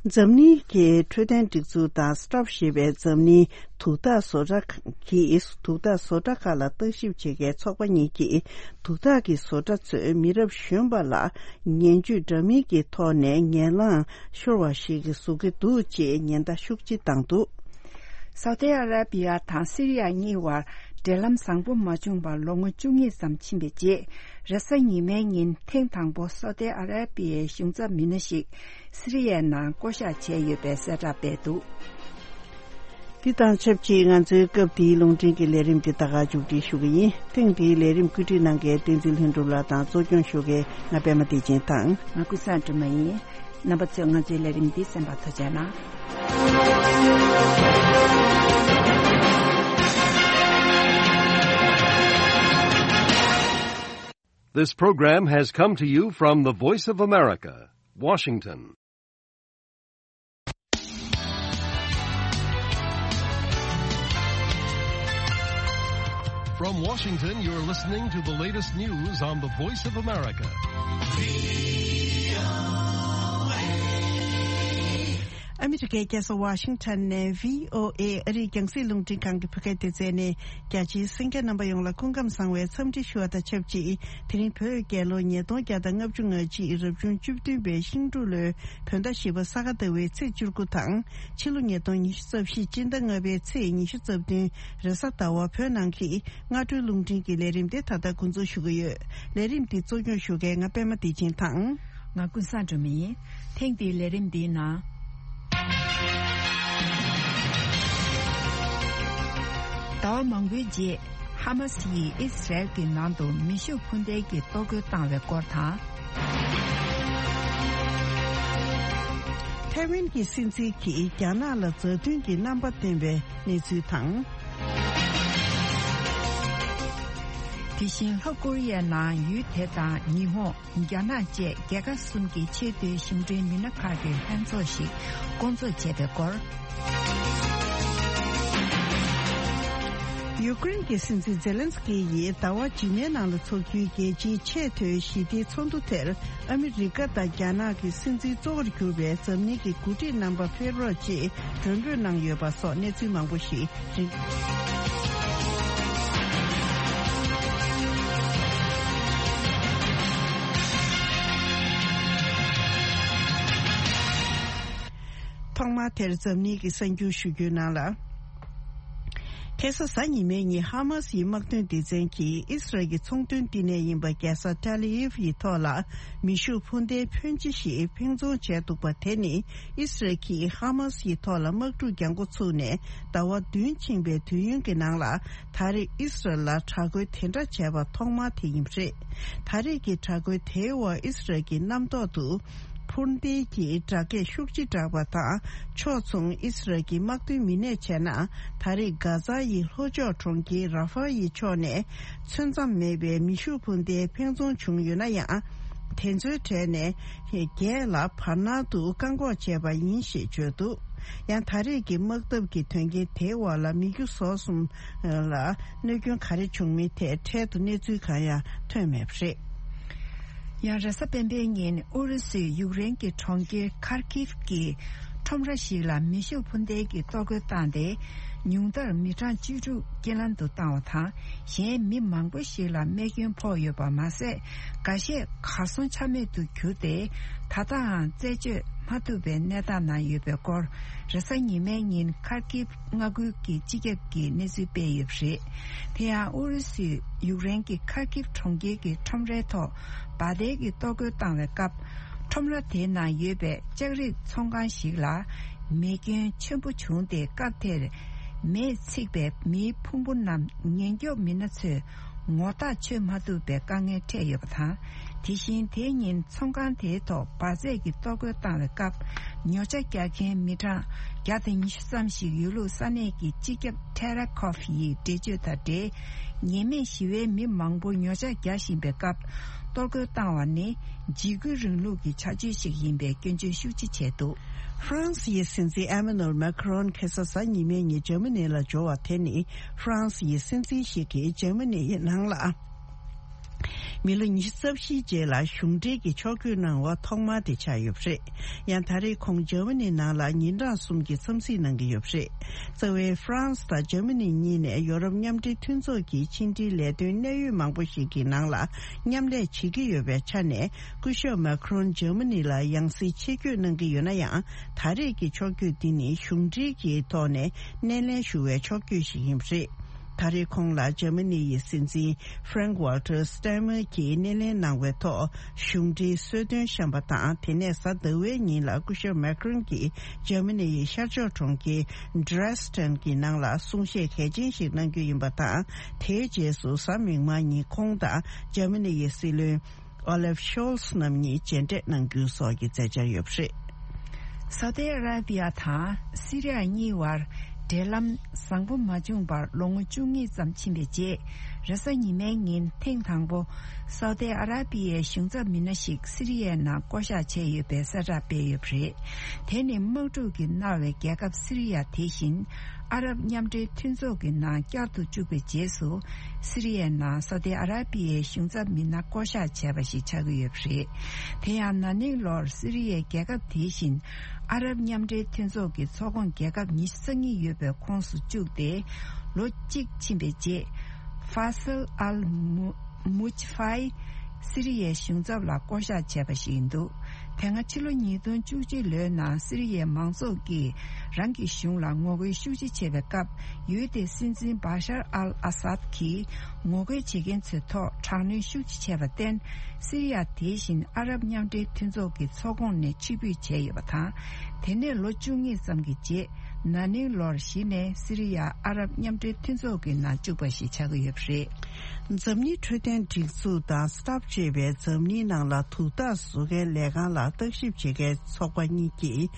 འཛམ་གླིང་གི་འཕྲོད་བསྟེན་སྒྲིག་འཛུགས་དང་སི་ཊོབ་ཞེས་པའི་འཛམ་གླིང་དུག་རྟགས་བཟོ་གྲྭ་གིས། དུག་རྟགས་བཟོ་གྲྭ་ཁག་ལ་བརྟག་ཞིབ་བྱེད་མཁན་ཚོགས་པ་གཉིས་ཀྱིས། དུག་རྟགས་ཀྱི་བཟོ་གྲྭ་ཚོས་མི་རབས་གཞོན་པ་ལ་ངན་ཇུས་འདྲ་མིན་གྱི་ཐོག་ནས་ངན་ལངས་ཤོར་བ་ཞིག་བཟོ་གི་འདུག་ཅེས་ཉེན་བརྡ་ཤུགས་ཆེ་བཏང་འདུག། སའུ་ཏི་ཨ་ར་པི་ཡ་དང་སི་རི་ཡ་གཉིས་བར་འབྲེལ་ལམ་བཟང་པོ་མ་བྱུང་བར་ལོ་ངོ་བཅུ་གཉིས་ཙམ་ཕྱིན་པའི་རྗེས། རེས་གཟའ་ཉི་མའི་ཉིན་ཐེངས་དང་པོ་སའུ་ཏི་ཨ་ར་པི་ཡའི་གཞུང་ཚབ་མི་སྣ་ཞིག་སི་རི་ཡའི་ནང་བསྐོ་གཞག་བྱས་ཡོད་པའི་གསལ་བསྒྲགས་སྤེལ་འདུག། འདི་དང་ཆབས་ཅིག་ང་ཚོའི་སྐབས་འདིའི་རླུང་འཕྲིན་གྱི་ལས་རིམ་འདི་ད་ག་མཇུག་སྒྲིལ་ཞུ་གི་ཡིན། ཐེངས་འདིའི་ལས་རིམ་བཀོད་སྒྲིག་གནང་མཁན་བསྟན་འཛིན་ལྷུན་གྲུབ་ལགས་དང་གཙོ་སྐྱོང་ཞུ་མཁན་ང་པད་མ་བདེ་ཆེན་དང་། ང་ཀུན་བཟང་སྒྲོལ་མ་ཡིན། རྣམ་པ་ཚོས་ང་ཚོའི་ལས་རིམ་འདི་གསན་པར་ཐུགས་རྗེ་གནང་། This program has come to you from the Voice of America, Washington. From Washington, you're listening to the latest news on the Voice of America. ཨ་མི་རི་ཀའི་རྒྱལ་ས་ཝ་ཤིང་ཊོན་ནས་བྷི་ཨོ་ཨེ་ཨ་རིའི་རྒྱང་སྲིང་རླུང་འཕྲིན་ཁང་གི་བོད་སྐད་སྡེ་ཚན་ནས། རྒྱ་ཆེའི་གསན་མཁན་རྣམ་པ་ཡོངས་ལ་སྐུ་ཁམས་བཟང་བའི་འཚམས་འདྲི་ཞུ་བ་དང་ཆབས་ཅིག་དེ་རིང་བོད་རྒྱལ་ལོ་ཉིས་སྟོང་བརྒྱ་དང་ལྔ་བཅུ་ང་གཅིག་རབ་བྱུང་བཅུ་བདུན་པའི་ཤིང་འབྲུག་ལོའི་བོད་ཟླ་བཞི་པ་ས་ག་ཟླ་བའི་ཚེས་བཅུ་དགུ་དང་། ཕྱི་ལོ་ཉིས་སྟོང་ཉི་ཤུ་རྩ་བཞི་སྤྱི་ཟླ་ལྔ་པའི་ཚེས་ཉི་ཤུ་རྩ་བདུན་རེས་གཟའ་ཟླ་བ། བོད་ནང་གི་སྔ་དྲོའི་རླུང་འཕྲིན་གྱི་ལས་རིམ་དེ་ད་ལྟ་འགོ་འཛུགས་ཞུ་གི་ཡོད། ལས་རིམ་འདི་གཙོ་སྐྱོང་ཞུ་མཁན་ང་པད་མ་བདེ་ཆེན་དང་། ང་ཀུན་བཟང་སྒྲོལ་མ་ཡིན། ཐེངས་འདིའི་ལས་རིམ་འདིའི་ནང་། ཟླ་བ་མང་པོའི་རྗེས། ཧ་མ་སི་ཡིས་ཨི་སི་རལ་གྱི་ནང་དུ་མེ་ཤུགས་འཕུར་མདེལ་གྱི་གཏོར་རྒོལ་བཏང་བའི་སྐོར་དང་། ཐའེ་ཝན་གྱི་སྲིད་འཛིན་གྱིས་རྒྱ་ནག་ལ་མཛའ་མཐུན་གྱི་རྣམ་པ་བསྟན་པའི་གནས་ཚུལ་དང་། དེ་བཞིན་ལྷོ་ཀོ་རི་ཡའི་ནང་ཡུལ་དེ་དང་ཉི་ཧོང་། རྒྱ་ནག་བཅས་རྒྱལ་ཁབ་གསུམ་གྱི་ཆེས་མཐོའི་གཞུང་འབྲེལ་མི་སྣ་ཁག་གི་ལྷན་ཚོགས་ཤིག་བསྐོང་ཚོགས་བྱས་པའི་སྐོར། ཡུ་ཀེ་རེན་གྱི་སྲིད་འཛིན་ཛེ་ལན་སི་ཀི་ཡིས་ཟླ་བ་རྗེས་མའི་ནང་ལ་འཚོགས་རྒྱུའི་རྒྱལ་སྤྱིའི་ཆེས་མཐོའི་ཞི་བདེའི་ཚོགས་འདུ་དེར་ཨ་མི་རི་ཀ་དང་རྒྱ་ནག་གི་སྲིད་འཛིན་གཙོ་བོར་གྱུར་པའི་འཛམ་གླིང་གི་འགོ་ཁྲིད་རྣམ་པ་ཕེབས་རོགས་ཅེས་མགྲོན་འབོད་གནང་ཡོད་པ་སོགས་གནས་ཚུལ་མང་པོ་ཞིག་རེད། ཐོག་མར་དེར་འཛམ་གླིང་གི་གསར་འགྱུར་ཞུ་རྒྱུའི་ནང་ལ། ཁ་སང་གཟའ་ཉི་མའི་ཉིན་ཧ་མ་སི་ཡི་དམག་དོན་སྡེ་ཚན་གྱིས་ཨི་སི་རལ་གྱི་ཚོང་དོན་བསྟི་གནས་ཡིན་པ་རྒྱལ་ས་ཏེལ་ཨ་བིབ་ཡི་ཐོག་ལ་མེ་ཤུགས་འཕུར་མདེལ་ཕོན་ཆེ་ཞིག་འཕེན་རྫོང་བྱས་འདུག་པ། དེ་ནི་ཨི་སི་རལ་གྱིས་ཧ་མ་སི་ཡི་ཐོག་ལ་དམག་འཁྲུག་རྒྱག་འགོ་ཚུགས་ནས་ཟླ་བ་བདུན་ཕྱིན་པའི་དུས་ཡུན་གྱི་ནང་ལ་ད་རེས་ཨི་སི་རལ་ལ་དྲག་རྒོལ་དེ་འདྲ་བྱས་པ་ཐོག་མ་དེ་ཡིན་པ་རེད། ད་རེས་ཀྱི་དྲག་རྒོལ་དེའི་འོག་ཨི་སི་རལ་གྱི་གནམ་ཐོག་ཏུ་འཕུར་མདེལ་གྱི་སྒྲ་སྐད་ཤུགས་ཆེ་གྲགས་པ་དང་། ཕྱོགས་མཚུངས་ཨི་སི་རལ་གྱི་དམག་དོན་མི་སྣས་བྱས་ན། ད་རེས་གྷ་ཛ་ཡི་ལྷོ་ཕྱོགས་གྲོང་ཁྱེར་ར་ཧྥ་ཡི་ཕྱོགས་ནས་ཚོད་མཚམས་མེད་པའི་མེ་ཤུགས་འཕུར་མདེལ་འཕེན་རྫོང་བྱུང་ཡོད་ན་ཡང་། དེ་ཚོའི་གྲས་ནས་བརྒྱད་ལ་བར་སྣང་དུ་བཀག་འགོག་བྱས་པ་ཡིན་ཞེས་བརྗོད་འདུག། ཡང་ད་རེས་ཀྱི་དམག་འཐབ་ཀྱི་དོན་རྐྱེན་དེའི་འོག་ལ་མི་རྒྱུ་ཟོག་གསུམ་ལ་གནོད་སྐྱོན་ག་རེ་བྱུང་མིན་ཐད་འཕྲལ་དུ་གནས་ཚུལ་གང་ཡང་ཐོན་མེད་པ་རེད། ཡང་རེས་གཟའ་སྤེན་པའི་ཉིན་ཨུ་རུ་སུས་ཡུཀ་རེན་གྱི་གྲོང་ཁྱེར་ཁར་ཀིབ་ཀྱི་ཁྲོམ་ར་ཞིག་ལ་མེ་ཤུགས་འཕུར་མདེལ་གྱི་གཏོར་རྒོལ་བཏང་སྟེ། ཉུང་མཐར་མི་གྲངས་བཅུ་དྲུག་རྐྱེན་ལམ་དུ་བཏང་བ་དང་། གཞན་མི་མང་པོ་ཞིག་ལ་རྨས་སྐྱོན་ཕོག་ཡོད་པ་མ་ཟད། འགའ་ཤས་གར་སོང་ཆ་མེད་དུ་གྱུར་ཏེ། ད་ལྟའང་རྩད་གཅོད་མ་ཐུབ་པའི་གནས་སྟངས་ནང་ཡོད་པའི་སྐོར། རེས་གཟའ་ཉི་མའི་ཉིན་ཁར་ཀིབ་མངའ་ཁུལ་གྱི་སྤྱི་ཁྱབ་ཀྱིས་གནས་ཚུལ་སྤེལ་ཡོད་པ་རེད། དེ་ཡང་ཨུ་རུ་སུས་ཡུཀ་རེན་གྱི་ཁར་ཀིབ་གྲོང་ཁྱེར་གྱི་ཁྲོམ་རའི་ཐོག་འབར་མདེལ་གྱི་གཏོར་རྒོལ་བཏང་བའི་སྐབས། ཁྲོམ་ར་དེའི་ནང་ཡོད་པའི་ལྕགས་རིགས་ཚོང་ཁང་ཞིག་ལ་མེ་སྐྱོན་ཆེན་པོ་བྱུང་སྟེ། སྐབས་དེར་མེས་ཚིག་པའི་མེའི་ཕུང་པོ་རྣམས་ཉེན་སྐྱོབ་མི་སྣ་ཚོས་ངོ་རྟགས་ཆོད་མ་ཐུབ་པའི་དཀའ་ངལ་འཕྲད་ཡོད་པ་དང་། དེ་བཞིན་དེའི་ཉིན་ཚོང་ཁང་དེའི་ཐོག་འབར་རྫས་ཀྱི་གཏོར་རྒོལ་བཏང་བའི་སྐབས། ཉོ་ཆ་རྒྱག་མཁན་མི་གྲངས་བརྒྱ་དང་ཉི་ཤུ་ཙམ་ཞིག་ཡོད་ལུགས་ས་གནས་ཀྱི་སྤྱི་ཁྱབ་ཐེ་ར་ཁོབ་ཡིས་འགྲེལ་བརྗོད་དང་འབྲེལ། ཉེས་མེད་ཞི་བའི་མི་མང་པོ་ཉོ་ཆ་རྒྱག་བཞིན་པའི་སྐབས། གཏོར་རྒོལ་བཏང་བ་ནི་འཇིགས་སྐུལ་རིང་ལུགས་ཀྱི་བྱ་སྤྱོད་ཞིག་ཡིན་པའི་སྐྱོན་བརྗོད་ཤུགས་ཆེ་བྱས་འདུག། ཧྥ་རན་སི་ཡི་སྲིད་འཛིན་ཨེ་མ་ནུ་ཨེལ་མེ་ཁ་རོན་ཁ་སང་གཟའ་ཉི་མའི་ཉིན་འཇར་མ་ནི་ལ་འབྱོར་བ་དེ་ནི། ཧྥ་རན་སི་ཡི་སྲིད་འཛིན་ཞིག་གིས་འཇར་མ་ནི་ཡི་ནང་ལ། མི་ལོ་ཉི་ཤུ་རྩ་བཞིའི་རྗེས་ལ་གཞུང་འབྲེལ་གྱི་ཕྱོགས་བསྐྱོད་གནང་བ་ཐོག་མ་དེ་ཆགས་ཡོད་པ་རེད། ཡང་ད་རེས་ཁོང་འཇར་མ་ནི་ནང་ལ་ཉིན་གྲངས་གསུམ་གྱི་འཚམས་གཟིགས་གནང་གི་ཡོད་པ་རེད། རྩ་བའི་ཧྥ་རན་སི་དང་འཇར་མ་ནི་གཉིས་ནས་ཡོ་རོབ་མཉམ་འབྲེལ་མཐུན་ཚོགས་ཀྱི་ཕྱི་འབྲེལ་ལས་དོན་གནད་ཡོད་མང་པོ་ཞིག་གི་ནང་ལ་མཉམ་ལས་བྱེད་ཀྱི་ཡོད་པའི་ཆ་ནས། སྐུ་ཞབས་མེ་ཁ་རོན་འཇར་མ་ནི་ལ་ཡང་སེ་ཆེད་བསྐྱོད་གནང་གི་ཡོད་ན་ཡང་། ད་རེས་ཀྱི་ཕྱོགས་བསྐྱོད་འདི་ནི་གཞུང་འབྲེལ་གྱི་ཐོག་ནས་སྣེ་ལེན་ཞུ་བའི་ཕྱོགས་བསྐྱོད་ཞིག་ཡིན་པ་རེད། ད་རེས་ཁོང་ལ་འཇར་མ་ནི་ཡི་སྲིད་འཛིན་Frank Walter Steinmeier གྱིས་སྣེ་ལེན་གནང་བའི་ཐོག་གཞུང་འབྲེལ་གསོལ་སྟོན་བཤམས་པ་དང་། དེ་ནས་གཟའ་ཟླ་བའི་ཉིན་ལ་སྐུ་ཞབས་མེ་ཁ་རོན་གྱིས་འཇར་མ་ནི་ཡི་ཤར་ཕྱོགས་གྲོང་ཁྱེར་Dresden གྱི་ནང་ལ་གསུང་བཤད་གལ་ཆེན་ཞིག་གནང་རྒྱུ་ཡིན་པ་དང་། དེའི་རྗེས་སུ་གཟའ་མིག་དམར་ཉིན་ཁོང་དང་འཇར་མ་ནི་ཡི་སྲིད་བློན་Olaf Scholz རྣམ་གཉིས་མཇལ་འཕྲད་གནང་རྒྱུ་སོགས་ཀྱི་མཛད་འཆར་ཡོད་པ་རེད། སའུ་ཏི་ཨ་ར་བི་ཡ་དང་སི་རི་ཡ་གཉིས་བར་འབྲེལ་ལམ་བཟང་པོ་མ་བྱུང་བར་ལོ་ངོ་བཅུ་གཉིས་ཙམ་ཕྱིན་པའི་རྗེས། རེས་གཟའ་ཉི་མའི་ཉིན་ཐེངས་དང་པོ་སའུ་ཏི་ཨ་ར་པི་ཡའི་གཞུང་ཚབ་མི་སྣ་ཞིག་སི་རི་ཡའི་ནང་བསྐོ་གཞག་བྱས་ཡོད་པའི་གསལ་བསྒྲགས་སྤེལ་ཡོད་པ་རེད། དེ་ནི་དམག་འཁྲུག་གིས་མནར་བའི་རྒྱལ་ཁབ་སི་རི་ཡ་དེ་བཞིན་ཨ་རབ་མཉམ་འབྲེལ་མཐུན་ཚོགས་ཀྱི་ནང་བསྐྱར་དུ་བཅུག་པའི་རྗེས་སུ། སི་རི་ཡའི་ནང་སའུ་ཏི་ཨ་ར་པི་ཡའི་གཞུང་ཚབ་མི་སྣ་བསྐོ་གཞག་བྱས་པ་ཞིག་ཆགས་ཀྱི་ཡོད་པ་རེད། དེ་ཡང་ན་ནིང་ལོར་སི་རི་ཡའི་རྒྱལ་ཁབ་དེ་བཞིན་ཨ་རབ་མཉམ་འབྲེལ་མཐུན་ཚོགས་ཀྱི་ཚོགས་ཁོངས་རྒྱལ་ཁབ་ཉི་ཤུ་རྩ་གཉིས་ཡོད་པའི་ཁོངས་སུ་བཅུག་སྟེ། ལོ་གཅིག་ཕྱིན་པའི་རྗེས། ཧྥ་སལ་ཨལ་མུ་མུཇ་ཧྥའི་སི་རི་ཡའི་གཞུང་ཚབ་ལ་བསྐོ་གཞག་བྱས་པ་ཞིག་ཡིན་འདུག་དེ་སྔ་ཕྱི་ལོ་ཉིས་སྟོང་བཅུ་གཅིག་ལོའི་ནང་སི་རི་ཡའི་མང་ཚོགས་ཀྱིས་རང་གི་གཞུང་ལ་ངོ་རྒོལ་ཤུགས་ཆེ་བྱས་པའི་སྐབས། ཡུལ་དེའི་སྲིད་འཛིན་བྷ་ཤར་ཨལ་ཨ་སཱད་ཀྱིས་ངོ་རྒོལ་བྱེད་མཁན་ཚོའི་ཐོག་དྲག་གནོན་ཤུགས་ཆེ་བྱས་པར་བརྟེན། སི་རི་ཡ་དེ་བཞིན་ཨ་རབ་མཉམ་འབྲེལ་མཐུན་ཚོགས་ཀྱི་ཚོགས་ཁོངས་ནས་ཕྱིར་འབུད་བྱས་ཡོད་པ་དང་། དེ་ནས་ལོ་བཅུ་གཉིས་ཙམ་གྱི་རྗེས། ན་ནིང་ལོར་གཞི་ནས་སི་རི་ཡ་ཨ་རབ་མཉམ་འབྲེལ་མཐུན་ཚོགས་ཀྱི་ནང་བཅུག་པ་ཞིག་ཆགས་ཀྱི་ཡོད་པ་རེད། འཛམ་གླིང་འཕྲོད་བསྟེན་སྒྲིག་འཛུགས་དང་སི་ཊབ་ཅེས་པའི་འཛམ་གླིང་ནང་ལ་དུག་རྟགས་བཟོ་མཁན་ལས་ཁང་ལ་བརྟག་ཞིབ་བྱེད་མཁན་ཚོགས་པ་གཉིས་ཀྱིས།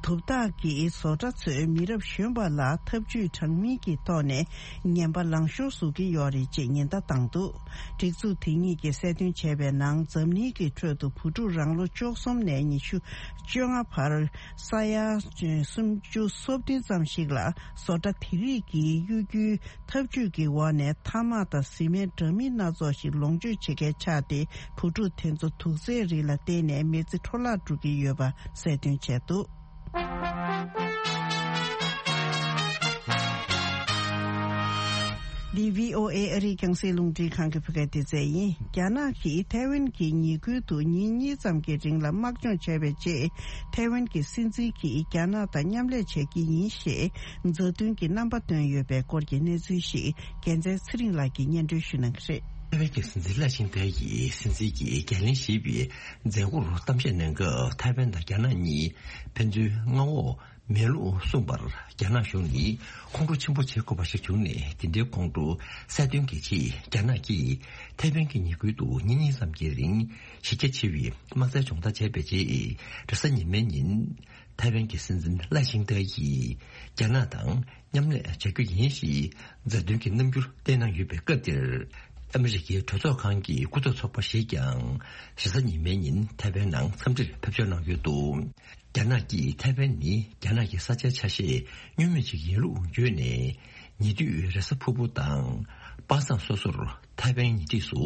དུག་རྟགས་ཀྱིས་བཟོ་གྲྭ་ཚོས་མི་རབས་གཞོན་པ་ལ་ཐབས་ཇུས་དྲང་མིན་གྱི་ཐོག་ནས་ངན་པ་ལང་ཤོར་བཟོ་གི་ཡོད་རེད་ཅེས་ཉེན་བརྡ་བཏང་འདུག་སྒྲིག་འཛུགས་དེ་གཉིས་ཀྱིས་གསལ་སྟོན་བྱས་པའི་ནང་། འཛམ་གླིང་གི་ཁྲོད་དུ་བུ་ཕྲུག་རང་ལོ་བཅུ་གསུམ་ནས་ཉི་ཤུ་བཅོ་ལྔ་བར་ས་ཡ་སུམ་ཅུ་སོ་བདུན་ཙམ་ཞིག་ལ་བཟོ་གྲྭ་དེ་རིགས་ཀྱིས་གཡོ་སྒྱུའི་ཐབས་ཇུས་ཀྱི་འོག་ནས་ཐ་མག་དང་བཟི་སྨན་འདྲ་མིན་སྣ་ཚོགས་ཤིག་ལོངས་སྤྱོད་བྱེད་མཁན་ཆགས་ཏེ། བུ་ཕྲུག་དེ་ཚོ་དུག་རྫས་རིགས་ལ་བརྟེན་ནས་མི་ཚེ་འཕྲོ་བརླག་འགྲོ་གི་ཡོད་པ་གསལ་སྟོན་བྱས་འདུག་འདི་བྷི་ཨོ་ཨེ་ཨ་རིའི་རྒྱང་སྲིང་རླུང་འཕྲིན་ཁང་གི་བོད་སྐད་སྡེ་ཚན་ཡིན། རྒྱ་ནག་གིས་ཐའེ་ཝན་གྱི་ཉེ་ཁུལ་དུ་ཉིན་གཉིས་ཙམ་གྱི་རིང་ལ་དམག་སྦྱོང་བྱས་པའི་རྗེས། ཐའེ་ཝན་གྱི་སྲིད་འཛིན་གྱིས་རྒྱ་ནག་དང་མཉམ་ལས་བྱེད་ཀྱི་ཡིན་ཞེས་མཛའ་མཐུན་གྱི་རྣམ་པ་བཏོན་ཡོད་པའི་སྐོར་གྱི་གནས་ཚུལ་ཞིག་རྒྱལ་མཚན་ཚེ་རིང་ལགས་ཀྱིས་སྙན་སྒྲོན་ཞུ་གནང་གི་རེད། ཐའེ་ཝན་གྱི་སྲིད་འཛིན་ལའེ་ཆིང་ཏེ་ཡིས་སྲིད་འཛིན་གྱིས་འགན་ལེན་བཞེས་པའི་མཛད་སྒོར་གཏམ་བཤད་གནང་སྐབས། ཐའེ་ཝན་དང་རྒྱ་ནག་གཉིས་ཕན་ཚུན་མངའ་འོག་མེད་ལུགས་གསུངས་པར། རྒྱ་ནག་གཞུང་ནི་ཁོང་ཁྲོ་ཆེན་པོ་བྱེད་དགོས་པ་ཞིག་བྱུང་ནས། དེ་འདྲའི་ཁོང་ཁྲོ་གསལ་སྟོན་གྱི་ཆེད། རྒྱ་ནག་གིས་ཐའེ་ཝན་གྱི་ཉེ་ཁུལ་དུ་ཉིན་གཉིས་ཙམ་གྱི་རིང་གཞི་རྒྱ་ཆེ་བའི་དམག་རྩལ་སྦྱོང་བརྡར་བྱས་པའི་རྗེས། རེས་གཟའ་ཉི་མའི་ཉིན་ཐའེ་ཝན་གྱི་སྲིད་འཛིན་ལའེ་ཆིང་ཏེ་ཡིས་རྒྱ་ནག་དང་མཉམ་ལས་བྱ་རྒྱུ་ཡིན་ཞེས་མཛའ་མཐུན་གྱི་རྣམ་འགྱུར་བསྟན་གནང་ཡོད་པའི་སྐབས་དེར། ཨ་མི་རི་ཀའི་གྲོས་ཚོགས་ཁང་གི་སྐུ་ཚབ་ཚོགས་པ་ཞིག་ཀྱང་རེས་གཟའ་ཉི་མའི་ཉིན་ཐའེ་ཝན་ནང་འཚམས་འདྲིར་ཕེབས་འབྱོར་གནང་ཡོད་འདུག་རྒྱ་ནག་གིས་ཐའེ་ཝན་ནི་རྒྱ་ནག་གི་ས་ཆའི་ཆ་ཤས་བསྙོན་མེད་ཅིག་ཡིན་ལུགས་བརྗོད་ནས། ཉེ་དུས་རེས་གཟའ་ཕུར་བུ་དང་དཔག་བསམ་སོ་སོར་ཐའེ་ཝན་ཉེ་འཁྲིས་སུ་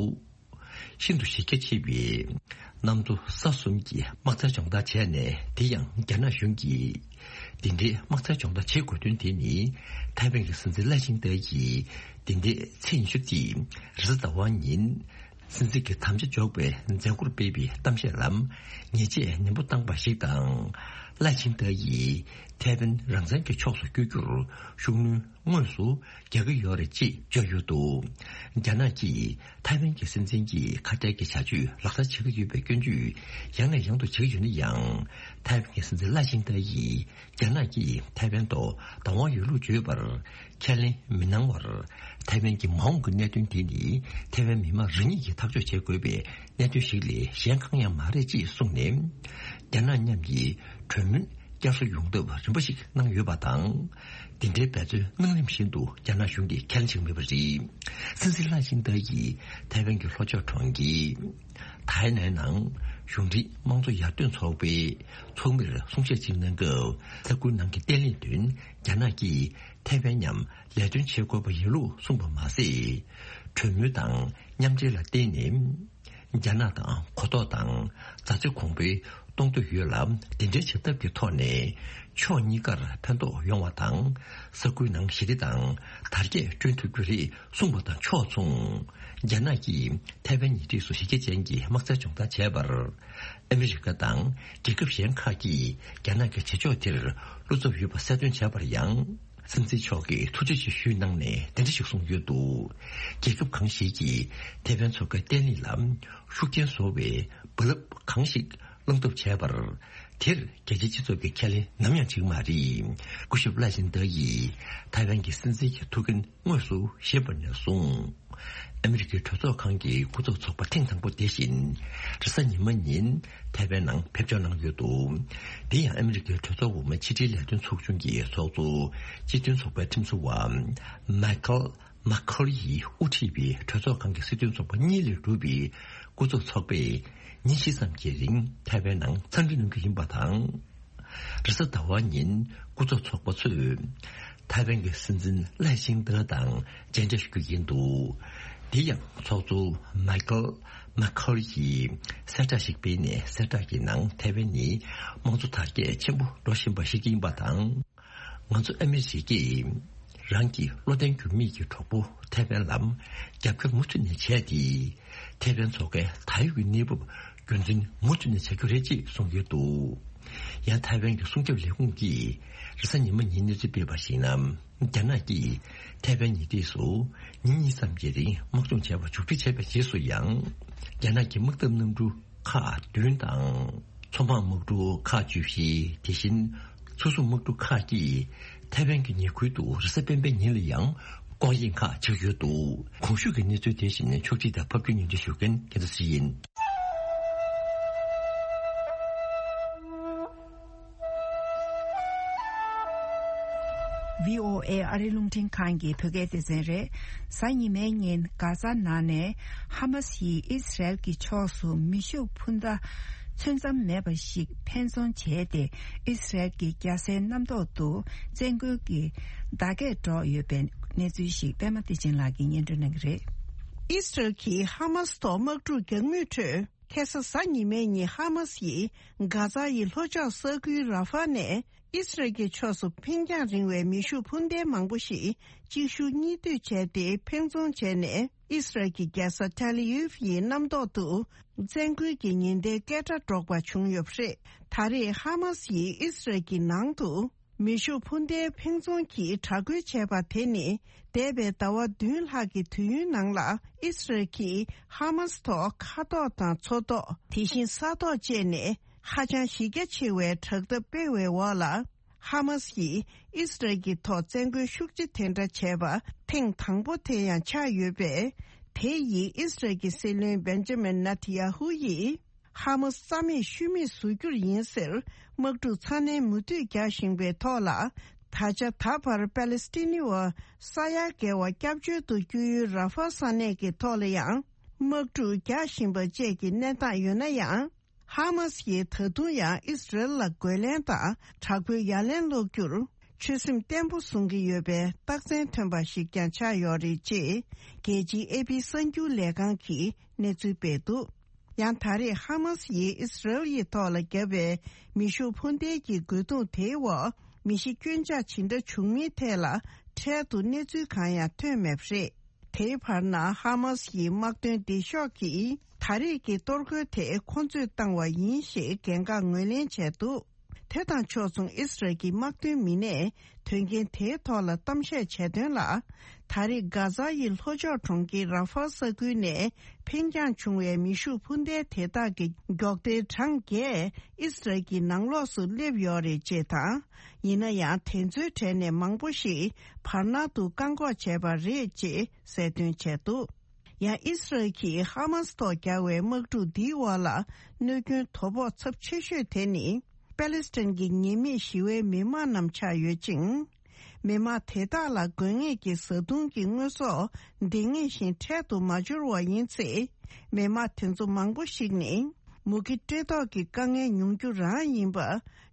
ཤིན་ཏུ་གཞི་རྒྱ་ཆེ་བའི་གནམ་མཚོ་ས་གསུམ་གྱི་དམག་རྩལ་སྦྱོང་བརྡར་བྱས་ནས། དེ་ཡང་རྒྱ་ནག་གཞུང་གིས་དེ་འདྲའི་དམག་རྩལ་སྦྱོང་བརྡར་བྱེད་དགོས་དོན་དེ་ནི། ཐའེ་ཝན་གྱི་སྲིད་འཛིན་ལའེ་ཆིང་ཏེ་ཡིས་དེ་འདྲའི་ཚེས་ཉི་ཤུ་རྩིས་རེས་གཟའ་ཟླ་བ་ཉིན་སྲིད་འཛིན་གྱི་དམ་བཅའ་འཇོག་པའི་མཛད་སྒོར་སྤེལ་བའི་གཏམ་བཤད་ལ་ཉེས་ཆད་ནན་པོ་བཏང་པ་ཞིག་དང་། ལའེ་ཆིང་ཏེ་ཡིས་ཐའེ་ཝན་རང་བཙན་གྱི་ཕྱོགས་སུ་བསྐྱོད་རྒྱུར་ཤུགས་སྣོན་དངོས་སུ་རྒྱག་གི་ཡོད་རེད་ཅེས་བརྗོད་ཡོད་འདུག་རྒྱ་ནག་གིས་ཐའེ་ཝན་གྱི་སྲིད་འཛིན་གྱིས་ཁ་བྲལ་གྱི་བྱ་སྤྱོད་ལག་བསྟར་བྱེད་ཀྱི་ཡོད་པའི་སྐྱོན་བརྗོད་ཡང་ནས་ཡང་དུ་བྱེད་ཀྱི་ཡོད་ན་ཡང་། ཐའེ་ཝན་གྱི་སྲིད་འཛིན་ལའེ་ཆིང་ཏེ་ཡིས་རྒྱ་ནག་གིས་ཐའེ་ཝན་ཐོག་བདག་དབང་ཡོད་ལུགས་བརྗོད་པར་ཁས་ལེན་མི་གནང་བར། ཐའེ་ཝན་གྱི་མ་འོངས་ཀྱི་གནད་དོན་དེ་ནི་ཐའེ་ཝན་མི་མང་རང་ཉིད་ཀྱིས་ཐག་གཅོད་བྱེད་དགོས་པའི་གནད་དོན་ཞིག་ལས་གཞན་གང་ཡང་མ་རེད་ཅེས་གསུངས་ནས། རྒྱ་ནག་མཉམ་གྱི་གྲོས་མོལ་བསྐྱར་གསོ་ཡོང་ཐབས་རིམ་པ་ཞིག་གནང་ཡོད་པ་དང་། དེ་འདྲའི་འབད་བརྩོན་གནང་རིམ་བཞིན་དུ་རྒྱ་ནག་གཞུང་གིས་ཁས་ལེན་བྱེད་ཀྱི་མེད་པ་རེད། སྲིད་འཛིན་ལའེ་ཆིང་ཏེ་ཡིས་ཐའེ་ཝན་གྱི་ལྷོ་ཕྱོགས་གྲོང་ཁྱེར་ཐའེ་ནན་ནང་གཞུང་འབྲེལ་དམངས་གཙོ་ཡར་ཐོན་ཚོགས་པའི་ཚོགས་མིར་གསུང་བཤད་ཅིག་གནང་སྐབས། ས་ཁུལ་ནང་གི་བརྟན་ལྷིང་དོན་རྒྱ་ནག་གིས་ཐའེ་ཝན་མཉམ་ལས་དོན་བྱེད་དགོས་པ་ཡིན་ལུགས་གསུངས་པ་མ་ཟད། གྲོས་མོལ་དང་མཉམ་འབྲེལ་ལ་བརྟེན་ནས། རྒྱ་ནག་དང་གོ་རྟོགས་དང་མཛའ་བརྩེ་གོང་འཕེལ་གཏོང་འདོད་ཡོད་ལ། དེ་འདྲའི་བྱེད་ཐབས་ཀྱི་ཐོག་ནས་ཕྱོགས་གཉིས་ཀར་ཕན་ཐོགས་ཡོང་བ་དང་། ས་ཁུལ་ནང་ཞི་བདེ་དང་དར་རྒྱས་བསྐྲུན་ཐུབ་རྒྱུ་རེད་གསུངས་པ་དང་ཕྱོགས་མཚུངས། རྒྱ་ནག་གིས་ཐའེ་ཝན་ཉེ་འཁྲིས་སུ་གཞི་རྒྱ་ཅན་གྱི་དམག་རྩལ་སྦྱོང་བརྡར་བྱས་པར། ཨ་མི་རི་ཀ་དང་རྒྱལ་ཁབ་གཞན་ཁག་གིས་རྒྱ་ནག་གི་བྱེད་ཕྱོགས་དེར་བློ་འཚབ་ཡོད་པ་གསལ་སྟོན་བྱས་པར་ཡང་། སྲིད་འཛིན་མཆོག་གིས་ཐུགས་རྗེ་ཆེ་ཞུས་གནང་ནས་དེ་འདྲ་ཞིག་གསུངས་ཡོད་འདུག་རྒྱལ་ཁབ་གང་ཞིག་གིས་ཐའེ་ཝན་མཚོ་ཁའི་བརྟན་ལྷིང་ལ་ཤུགས་རྐྱེན་བཟོ་བའི་རྦ་རླབས་གང་ཞིག་བསླང་ཐབས་བྱས་པར། དེར་རྒྱལ་སྤྱིའི་སྤྱི་ཚོགས་ཀྱི་ཁས་ལེན་ནམ་ཡང་བྱེད་ཀྱི་མ་རེད། སྐུ་ཞབས་ལའེ་ཆིང་ཏེ་ཡིས་ཐའེ་ཝན་གྱི་སྲིད་འཛིན་གྱི་ཐུགས་འགན་དངོས་སུ་བཞེས་པ་ནས་བཟུང་། ཨ་མི་རི་ཀའི་གྲོས་ཚོགས་ཁང་གི་སྐུ་ཚབ་ཚོགས་པ་ཐེངས་དང་པོ་དེ་བཞིན་རེས་གཟའ་ཉི་མ་ཉིན་ཐའེ་ཝན་ནང་ཕེབས་འབྱོར་གནང་ཡོད་འདུག་དེ་ཡང་ཨ་མི་རི་ཀའི་གྲོས་ཚོགས་འོག་མའི་ཕྱི་དྲིལ་ལས་དོན་ཚོགས་ཆུང་གི་ཚོགས་གཙོ་སྤྱི་མཐུན་ཚོགས་པའི་ཁྲིམས་བཟོ་བ་མའི་ཁལ་ མ་ཁོལ་ཡིས་དབུ་ཁྲིད་པའི་གྲོས་ཚོགས་ཁང་གི་སྲིད་དོན་ཚོགས་པ་གཉིས་ལས་གྲུབ་པའི་སྐུ་ཚབ་ཚོགས་པས་ཉིན་བཞི་ཙམ་གྱི་རིང་ཐའེ་ཝན་ནང་འཚམས་འདྲི་གནང་རྒྱུ་ཡིན་པ་དང་། རེས་གཟའ་ཟླ་བ་ཉིན་སྐུ་ཚབ་ཚོགས་པ་ཚོས་ཐའེ་ཝན་གྱི་སྲིད་འཛིན་ལའེ་ཆིང་ཏེ་དང་མཇལ་འཕྲད་ཞུ་རྒྱུ་ཡིན་འདུག་དེ་ཡང་ཚོགས་གཙོ་མ་ཁལ་མ་ཁོལ་གྱིས་གསལ་བསྒྲགས་ཤིག་སྤེལ་ནས། གསལ་བསྒྲགས་ཀྱི་ནང་ཐའེ་ཝན་ནི་དམངས་གཙོ་དར་རྒྱས་ཆེན་པོ་འགྲོ་བཞིན་པ་ཞིག་ཡིན་པ་དང་། ང་ཚོ་ཨ་མི་རི་ཀས་རང་གི་བློ་བརྟན་འགྱུར་མེད་ཀྱི་གྲོགས་པོ་ཐའེ་ཝན་ལ་རྒྱབ་སྐྱོར་མུ་མཐུད་ནས་བྱས་ཏེ། ཐའེ་ཝན་མཚོ་ཁའི་ད་ཡོད་ཀྱི་གནས་བབ་རྒྱུན་འཛིན་མུ་མཐུད་ནས་བྱ་རྒྱུ་རེད་ཅེས་གསུངས་ཡོད་འདུག་ཡང་ཐའེ་ཝན་གྱི་སྲུང་སྐྱོབ་ལས་ཁུངས་ཀྱིས་རེས་གཟའ་ཉི་མ་ཉིན་གནས་ཚུལ་སྤེལ་བར་གཞིགས་ན། རྒྱ་ནག་གིས་ཐའེ་ཝན་ཉེ་འཁྲིས་སུ་ཉིན་གཉིས་ཙམ་གྱི་རིང་དམག་སྦྱོང་བྱས་པ་མཇུག་སྒྲིལ་བྱས་པའི་རྗེས་སུ་ཡང་། རྒྱ་ནག་གི་དམག་འཐབ་གནམ་གྲུ་ཁག་བདུན་དང་། མཚོ་འཕང་དམག་གྲུ་ཁག་བཅུ་བཞི། དེ་བཞིན་མཚོ་སྲུང་དམག་གྲུ་ཁག་གིས་ཐའེ་ཝན་གྱི་ཉེ་ཁུལ་དུ་རེས་གཟའ་སྤེན་པའི་ཉིན་ལ་ཡང་སྐོར་གཡེང་ཁག་བྱེད་ཀྱི་ཡོད་འདུག་གོང་ཞུས་ཀྱི་གནས་ཚུལ་དེ་བཞིན་ཕྱོགས་སྒྲིག་དང་ཕབ་སྒྱུར་སྙན་སྒྲོན་ཞུ་མཁན་རྒྱལ་མཚན་ཡིན། བྷི་ཨོ་ཨེ་ཨ་རི་རླུང་འཕྲིན་ཁང་གི་བོད་སྐད་སྡེ་ཚན་རེད། གཟའ་ཉི་མའི་ཉིན་གྷ་ཛ་ནང་ནས་ཧ་མ་སི་ཡིས་ཨི་སི་རལ་གྱི་ཕྱོགས་སུ་མེ་ཤུགས་འཕུར་མདའ་ཚོད་མཚམས་མེད་པ་ཞིག་འཕེན་རྫོང་བྱས་ཏེ། ཨི་སི་རལ་གྱི་རྒྱལ་སའི་གནམ་ཐོག་ཏུ་བཙན་རྒོལ་གྱི་བརྡ་སྐད་སྒྲོག་ཡོད་པའི་གནས་ཚུལ་ཞིག་པད་མ་བདེ་ཆེན་ལགས་ཀྱིས་སྙན་སྒྲོན་གནང་གི་རེད། ཨི་སི་རལ་གྱིས་ཧ་མ་སི་ཐོག་དམག་འཁྲུག་རྒྱག་མུས་ཁྲོད། ཁ་སང་གཟའ་ཉི་མའི་ཉིན་ཧ་མ་སི་ཡིས་གྷ་ཛ་ཡི་ལྷོ་ཕྱོགས་ས་ཁུལ་ར་ཧྥ་ནས་ཨི་སི་རལ་གྱི་ཕྱོགས་སུ་འཕེན་རྒྱང་རིང་བའི་མེ་ཤུགས་འཕུར་མདེལ་མང་པོ་ཞིག་གཅིག་ཤུགས་གཉིས་མཐུད་བྱས་ཏེ་འཕེན་རྫོང་བྱས་ནས། ཨི་སི་རལ་གྱི་རྒྱལ་ས་ཐེལ་ཡིབ་ཡི་གནམ་ཐོག་ཏུ་བཙན་རྒོལ་གྱི་ཉེན་བརྡའི་སྐད་སྒྲ་སྒྲོག་པ་བྱུང་ཡོད་པ་རེད། ད་རེས་ཧ་མ་སི་ཡིས་ཨི་སི་རལ་གྱི་ནང་དུ། མེ་ཤུགས་འཕུར་མདའི་འཕེན་རྫོང་གིས་དྲག་རྒོལ་བྱས་པ་དེ་ནི། འདས་པའི་ཟླ་བ་བདུན་ལྷག་གི་དུས་ཡུན་ནང་ལ། ཨི་སི་རལ་གྱིས་ཧ་མ་སི་ཐོག་མཁའ་ཐོག་དང་མཚོ་ཐོག་དེ་བཞིན་ས་ཐོག་བཅས་ནས། ཧ་ཅང་གཞི་རྒྱ་ཆེ་བའི་དྲག་འཐབ་སྤེལ་བའི་འོག་ལ། ཧ་མ་སི་ཡིས་ཨི་སི་རལ་གྱི་ཐོག་བཙན་རྒོལ་ཤུགས་ཆེ་དེ་འདྲ་བྱས་པ་ཐེངས་དང་པོ་དེ་ཡང་ཆགས་ཡོད་པས། དེ་ཡིས་ཨི་སི་རལ་གྱི་སྲིད་བློན་བེན་ཇ་མིན་ནེ་ཐན་ཡ་ཧུ་ཡིས། ཧ་མ་སི་རྩ་མེད་ཤུལ་མེད་བཟོ་རྒྱུར་ཡིན་ཟེར། དམག་འཁྲུག་ཚ་ནན་མུ་མཐུད་རྒྱག་བཞིན་པའི་ཐོག་ལ། ད་ཆ་ད་བར་པ་ལེ་སི་ཐི་ནི་བ་ས་ཡ་བརྒལ་བ་སྐྱབས་བཅོལ་དུ་བསྐྱོད་ཡུལ་ར་ཧྥ་ས་གནས་ཀྱི་ཐོག་ལ་ཡང་། དམག་འཁྲུག་རྒྱག་བཞིན་པ་བཅས་ཀྱི་གནས་སྟངས་ཡོད་ན་ཡང་། ཧ་མ་སི་ཡིས་ད་དུང་ཡང་ཨི་སི་རལ་ལ་རྒོལ་ལན་དང་དྲག་པོའི་ཡ་ལན་སློག་རྒྱུར། ཆོད་སེམས་བརྟན་པོ་བཟུང་གི་ཡོད་པའི་རྟགས་མཚན་ཐོན་པ་ཞིག་ཀྱང་ཆགས་ཡོད་རེད་ཅེས། རྒྱལ་སྤྱིའི་ཨེ་པི་གསར་འགྱུར་ལས་ཁང་གིས་གནས་ཚུལ་སྤེལ་འདུག་ཡང་ད་རེས་ཧ་མ་སི་ཡིས་ཨི་སི་རལ་ཡི་ཐོག་ལ་བརྒྱབ་པའི་མེ་ཤུགས་འཕུར་མདེལ་གྱི་རྒོལ་རྡུང་དེའི་འོག་མི་ཤི་སྐྱོན་ཆག་ཇི་འདྲ་བྱུང་མིན་ཐད་ལ་འཕྲལ་དུ་གནས་ཚུལ་གང་ཡང་ཐོན་མེད་པ་རེད། དེའི་བར་ན་ཧ་མ་སི་ཡི་དམག་དོན་སྡེ་ཤོག་གིས་ད་རེས་ཀྱི་གཏོར་རྒོལ་དེ་ཁོང་ཚོས་བཏང་བ་ཡིན་ཞེས་འགན་འཁག་ངོས་ལེན་བྱས་འདུག་དེ་དང་ཕྱོགས་མཚུངས་ཨི་སི་རལ་གྱི་དམག་དོན་མི་སྣས་དོན་རྐྱེན་དེའི་ཐོག་ལ་གཏམ་བཤད་བྱས་དོན་ལ། ད་རེས་གྷ་ཛ་ཡི་ལྷོ་ཕྱོགས་གྲོང་ཁྱེར་ར་ཧྥ་ས་ཁུལ་ནས་འཕེན་རྒྱང་བྱུང་བའི་མེ་ཤུགས་འཕུར་མདའ་དེ་དག་གི་མགྱོགས་མཐའི་གྲངས་བརྒྱད་ཨི་སི་རལ་གྱི་ནང་ལོགས་སུ་སླེབས་ཡོད་རེད་ཅེས་དང་། ཡིན་ན་ཡང་དེ་ཚོའི་གྲས་ནས་མང་པོ་ཞིག་བར་སྣང་དུ་བཀག་འགོག་བྱས་པ་རེད་ཅེས་གསལ་སྟོན་བྱས་འདུག་ཡང་ཨི་སི་རལ་གྱིས་ཧ་མ་སི་ཐོག་བརྒྱབ་པའི་དམག་འཁྲུག་འདིའི་འོག་ལ་གནོད་སྐྱོན་དོ་ཕོག་ཚབས་ཆེ་ཤོས་དེ་ནི། པ་ལེ་སི་ཐན་གྱི་ཉེས་མེད་ཞི་བའི་མི་མང་རྣམས་ཆགས་ཡོད་ཅིང་། མི་མང་དེ་དག་ལ་དགོས་ངེས་ཀྱི་བཟའ་བཏུང་གི་དངོས་ཟོག་འདི་ངེས་བཞིན་འཕྲལ་དུ་མ་འབྱོར་བ་ཡིན་ཚེ། མི་མང་དེ་ཚོ་མང་པོ་ཞིག་ནི། མུ་གེ་བཀྲེས་ལྟོགས་ཀྱི་དཀའ་ངལ་མྱོང་རྒྱུ་རང་ཡིན་པ།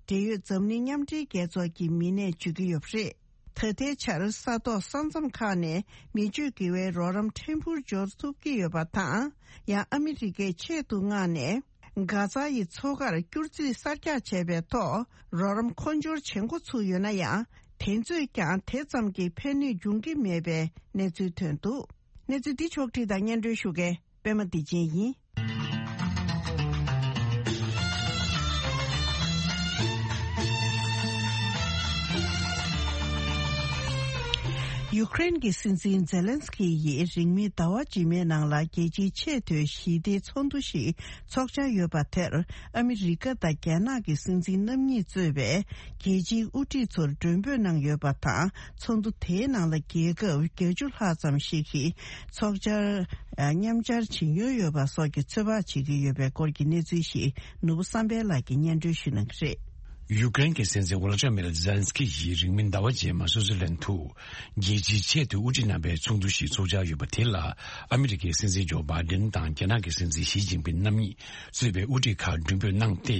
འབྲེལ་ཡོད་འཛམ་གླིང་མཉམ་འབྲེལ་རྒྱལ་ཚོགས་ཀྱི་མི་སྣས་བརྗོད་ཀྱི་ཡོད་པ་རེད། ད་ལྟའི་ཆར་ས་ཐོག་ས་མཚམས་ཁག་ནས་མི་སྤྱོད་དགེ་བའི་རོགས་རམ་ཕྲན་བུར་འབྱོར་ཐུབ་ཀྱི་ཡོད་པ་དང་། ཡང་ཨ་མི་རི་ཀས་ཆེད་དུ་མངགས་ནས་གྷ་ཛ་ཡི་མཚོ་ཁར་སྐྱུར་རྩིས་གསར་རྒྱག་བྱས་པའི་ཐོག་རོགས་རམ་མཁོ་སྦྱོར་བྱེད་འགོ་ཚུགས་ཡོད་ན་ཡང་། དེ་ཚོས་ཀྱང་དེ་ཙམ་གྱི་ཕན་ནུས་འབྱུང་གི་མེད་པའི་གནས་ཚུལ་ཐོན་འདུག་གནས་ཚུལ་འདི་ཕྱོགས་བསྒྲིགས་དང་སྙན་སྒྲོན་ཞུ་མཁན་པད་མ་བདེ་ཆེན་ཡིན། ཡུ་ཀེ་རེན་གྱི་སྲིད་འཛིན་ཛེ་ལན་སི་ཀི་ཡིས་རིང་མིན་ཟླ་བ་རྗེས་མའི་ནང་ལ་རྒྱལ་སྤྱིའི་ཆེས་མཐོའི་ཞི་བདེའི་ཚོགས་འདུ་ཞིག་འཚོགས་འཆར་ཡོད་པ་དེར། ཨ་མི་རི་ཀ་དང་རྒྱ་ནག་གི་སྲིད་འཛིན་རྣམ་གཉིས་གཙོས་པའི་རྒྱལ་སྤྱིའི་དབུ་ཁྲིད་ཚོར་མགྲོན་འབོད་གནང་ཡོད་པ་དང་། ཚོགས་འདུ་དེའི་ནང་ལ་རྒྱལ་ཁབ་བརྒྱད་ཅུ་ལྷག་ཙམ་ཞིག་གིས་ཚོགས་བཅར་མཉམ་བཅར་བྱེད་མྱོང་ཡོད་པ་སོགས་ཀྱི་ཚོད་དཔག་བྱེད་ཀྱི་ཡོད་པའི་སྐོར་གྱི་གནས་ཚུལ་ཞིག་ནོར་བུ་བསམ་འཕེལ་ལགས་ཀྱིས་སྙན་སྒྲོན་ཞུ་གནང་གི་རེད། ཡུ་ཀེ་རེན་གྱི་སྲིད་འཛིན་ཝོ་ལོ་ཏི་མིར་ཛེ་ལན་སི་ཀི་ཡིས་རིང་མིན་ཟླ་བ་རྗེས་མར་སུའུ་ཙི་ལན་དུ་རྒྱལ་སྤྱིའི་ཆེས་མཐོའི་དབུ་ཁྲིད་རྣམ་པའི་ཚོགས་འདུ་ཞིག་ཚོགས་འཆར་ཡོད་པ་དེ་ལ། ཨ་མི་རི་ཀའི་སྲིད་འཛིན་ཇོ་བྷའི་ཏིན་དང་རྒྱ་ནག་གི་སྲིད་འཛིན་ཞི་ཅིན་ཕིན་རྣམ་གཉིས་གཙོས་པའི་དབུ་ཁྲིད་ཁག་མགྲོན་འབོད་གནང་སྟེ།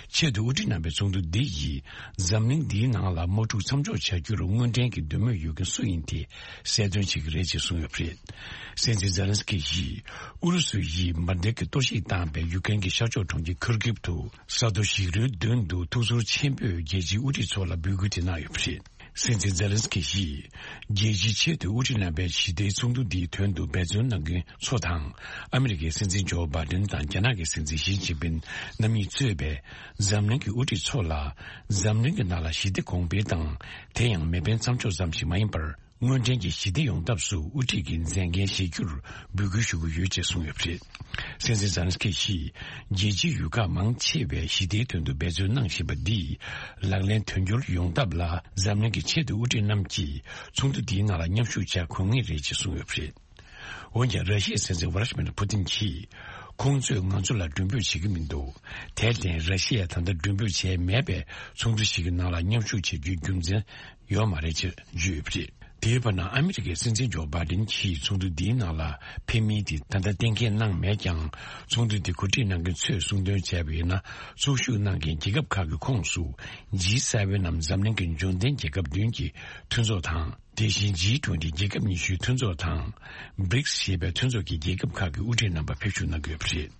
ཆེས་མཐོའི་དབུ་ཁྲིད་རྣམ་པའི་ཚོགས་འདུ་འདི་ཡིས་འཛམ་གླིང་འདིའི་ནང་ལ་དམག་འཁྲུག་མཚམས་འཇོག་བྱ་རྒྱུར་དངོས་འབྲེལ་གྱི་འདོད་མོས་ཡོད་མཁན་སུ་ཡིན་དེ་གསལ་སྟོན་བྱེད་ཀྱི་རེད་ཅེས་གསུངས་ཡོད་པ་རེད། སྲིད་འཛིན་ཛེ་ལན་སི་ཀི་ཡིས་ཨུ་རུ་སུ་ཡིས་འབར་མདེལ་གྱི་གཏོར་བཤིག་བཏང་བའི་ཡུ་ཀེ་རེན་གྱི་ཤར་ཕྱོགས་གྲོང་ཁྱེར་ཁུར་ཀིབ་ཏུ། ས་རྡོ་ཞིག་རོའི་མདུན་དུ་ཐུགས་ཚོར་ཆེན་པོས་རྒྱལ་སྤྱིའི་དབུ་ཁྲིད་ཚོ་ལ་འབོད་སྐུལ་དེ་གནང་ཡོད་པ་རེད། སྲིད་འཛིན་ཛེ་ལན་སི་ཀི་ཡིས། རྒྱལ་སྤྱིའི་ཆེས་མཐོའི་དབུ་ཁྲིད་རྣམ་པའི་ཞི་བདེའི་ཚོགས་འདུ་འདིའི་དོན་དུ་འབད་བརྩོན་གནང་མཁན་ཚོ་དང་། ཨ་མི་རི་ཀའི་སྲིད་འཛིན་ཇོ་བྷའི་ཏིན་དང་རྒྱ་ནག་གི་སྲིད་འཛིན་ཞི་ཅིན་ཕིན་རྣམ་གཉིས་གཙོས་པའི་འཛམ་གླིང་གི་དབུ་ཁྲིད་ཚོ་ལ། འཛམ་གླིང་གི་ནང་ལ་ཞི་བདེ་གོང་འཕེལ་དང་། དེ་ཡང་མེ་འཕེན་མཚམས་འཇོག་ཙམ་ཞིག་མ་ཡིན་པར། དངོས་འབྲེལ་གྱི་ཞི་བདེ་ཡོང་ཐབས་སུ་དབུ་ཁྲིད་ཀྱི་མཛད་འགན་བཞེས་རྒྱུར་འབོད་སྐུལ་ཞུ་གི་ཡོད་ཅེས་གསུངས་ཡོད་པ་རེད། སྲིད་འཛིན་ཛེ་ལན་སི་ཀི་ཡིས། རྒྱལ་སྤྱིའི་ཡུལ་ཁག་མང་ཆེ་བས་ཞི་བདེའི་དོན་དུ་འབད་བརྩོན་གནང་བཞིན་པ་འདིས། ལག་ལེན་དོན་འཁྱོལ་ཡོང་ཐབས་ལ། འཛམ་གླིང་གི་ཆེས་མཐོའི་དབུ་ཁྲིད་རྣམས་ཀྱིས་ཚོགས་འདུ་འདིའི་ནང་ལ་མཉམ་ཞུགས་བྱ་དགོས་ངེས་རེད་ཅེས་གསུངས་ཡོད་པ་རེད། འོན་ཀྱང་། ར་ཤི་ཡའི་སྲིད་འཛིན་ཝ་ལ་ཤི་མིར་པུ་ཏིན་གྱིས། ཁོང་ཚོས་ང་ཚོ་ལ་མགྲོན་འབོད་བྱེད་ཀྱི་མི་འདུག་དེར་བརྟེན། ར་ཤི་ཡས་ད་ལྟ་མགྲོན་འབོད་བྱས་མེད་པའི་ཚོགས་འདུ་ཞིག་གི་ནང་ལ་མཉམ་ཞུགས་བྱེད་རྒྱུའི་རྒྱུ་མཚན་ཡོད་མ་རེད་ཅེས་བརྗོད་ཡོད་པ་རེད། དེའི་བར་ན། ཨ་མི་རི་ཀའི་སྲིད་འཛིན་ཇོ་བྷའི་ཏིན་གྱིས་ཚོགས་འདུ་འདིའི་ནང་ལ་ཕེབས་མིན་དེ་ད་ལྟ་གཏན་འཁེལ་གནང་མེད་ཀྱང་། ཚོགས་འདུ་འདི་གོ་སྒྲིག་གནང་མཁན་ཚོས་གསུང་དོན་བྱས་པ་ཡིན་ན། ཚོགས་ཞུགས་གནང་མཁན་རྒྱལ་ཁབ་ཁག་གི་ཁོངས་སུ། ཇི་སེ་ཝེན་ནམ་འཛམ་གླིང་གི་འབྱོར་ལྡན་རྒྱལ་ཁབ་བདུན་གྱི་མཐུན་ཚོགས་དང་། དེ་བཞིན་ཇི་ཊུ་ཝེན་ཊི་རྒྱལ་ཁབ་ཉི་ཤུའི་མཐུན་ཚོགས་དང་། བྷི་རིགས་ཞེས་པའི་མཐུན་ཚོགས་ཀྱི་རྒྱལ་ཁབ་ཁག་གི་དབུ་ཁྲིད་རྣམ་པ་ཕེབས་ཞུགས་གནང་གི་ཡོད་པ་རེད།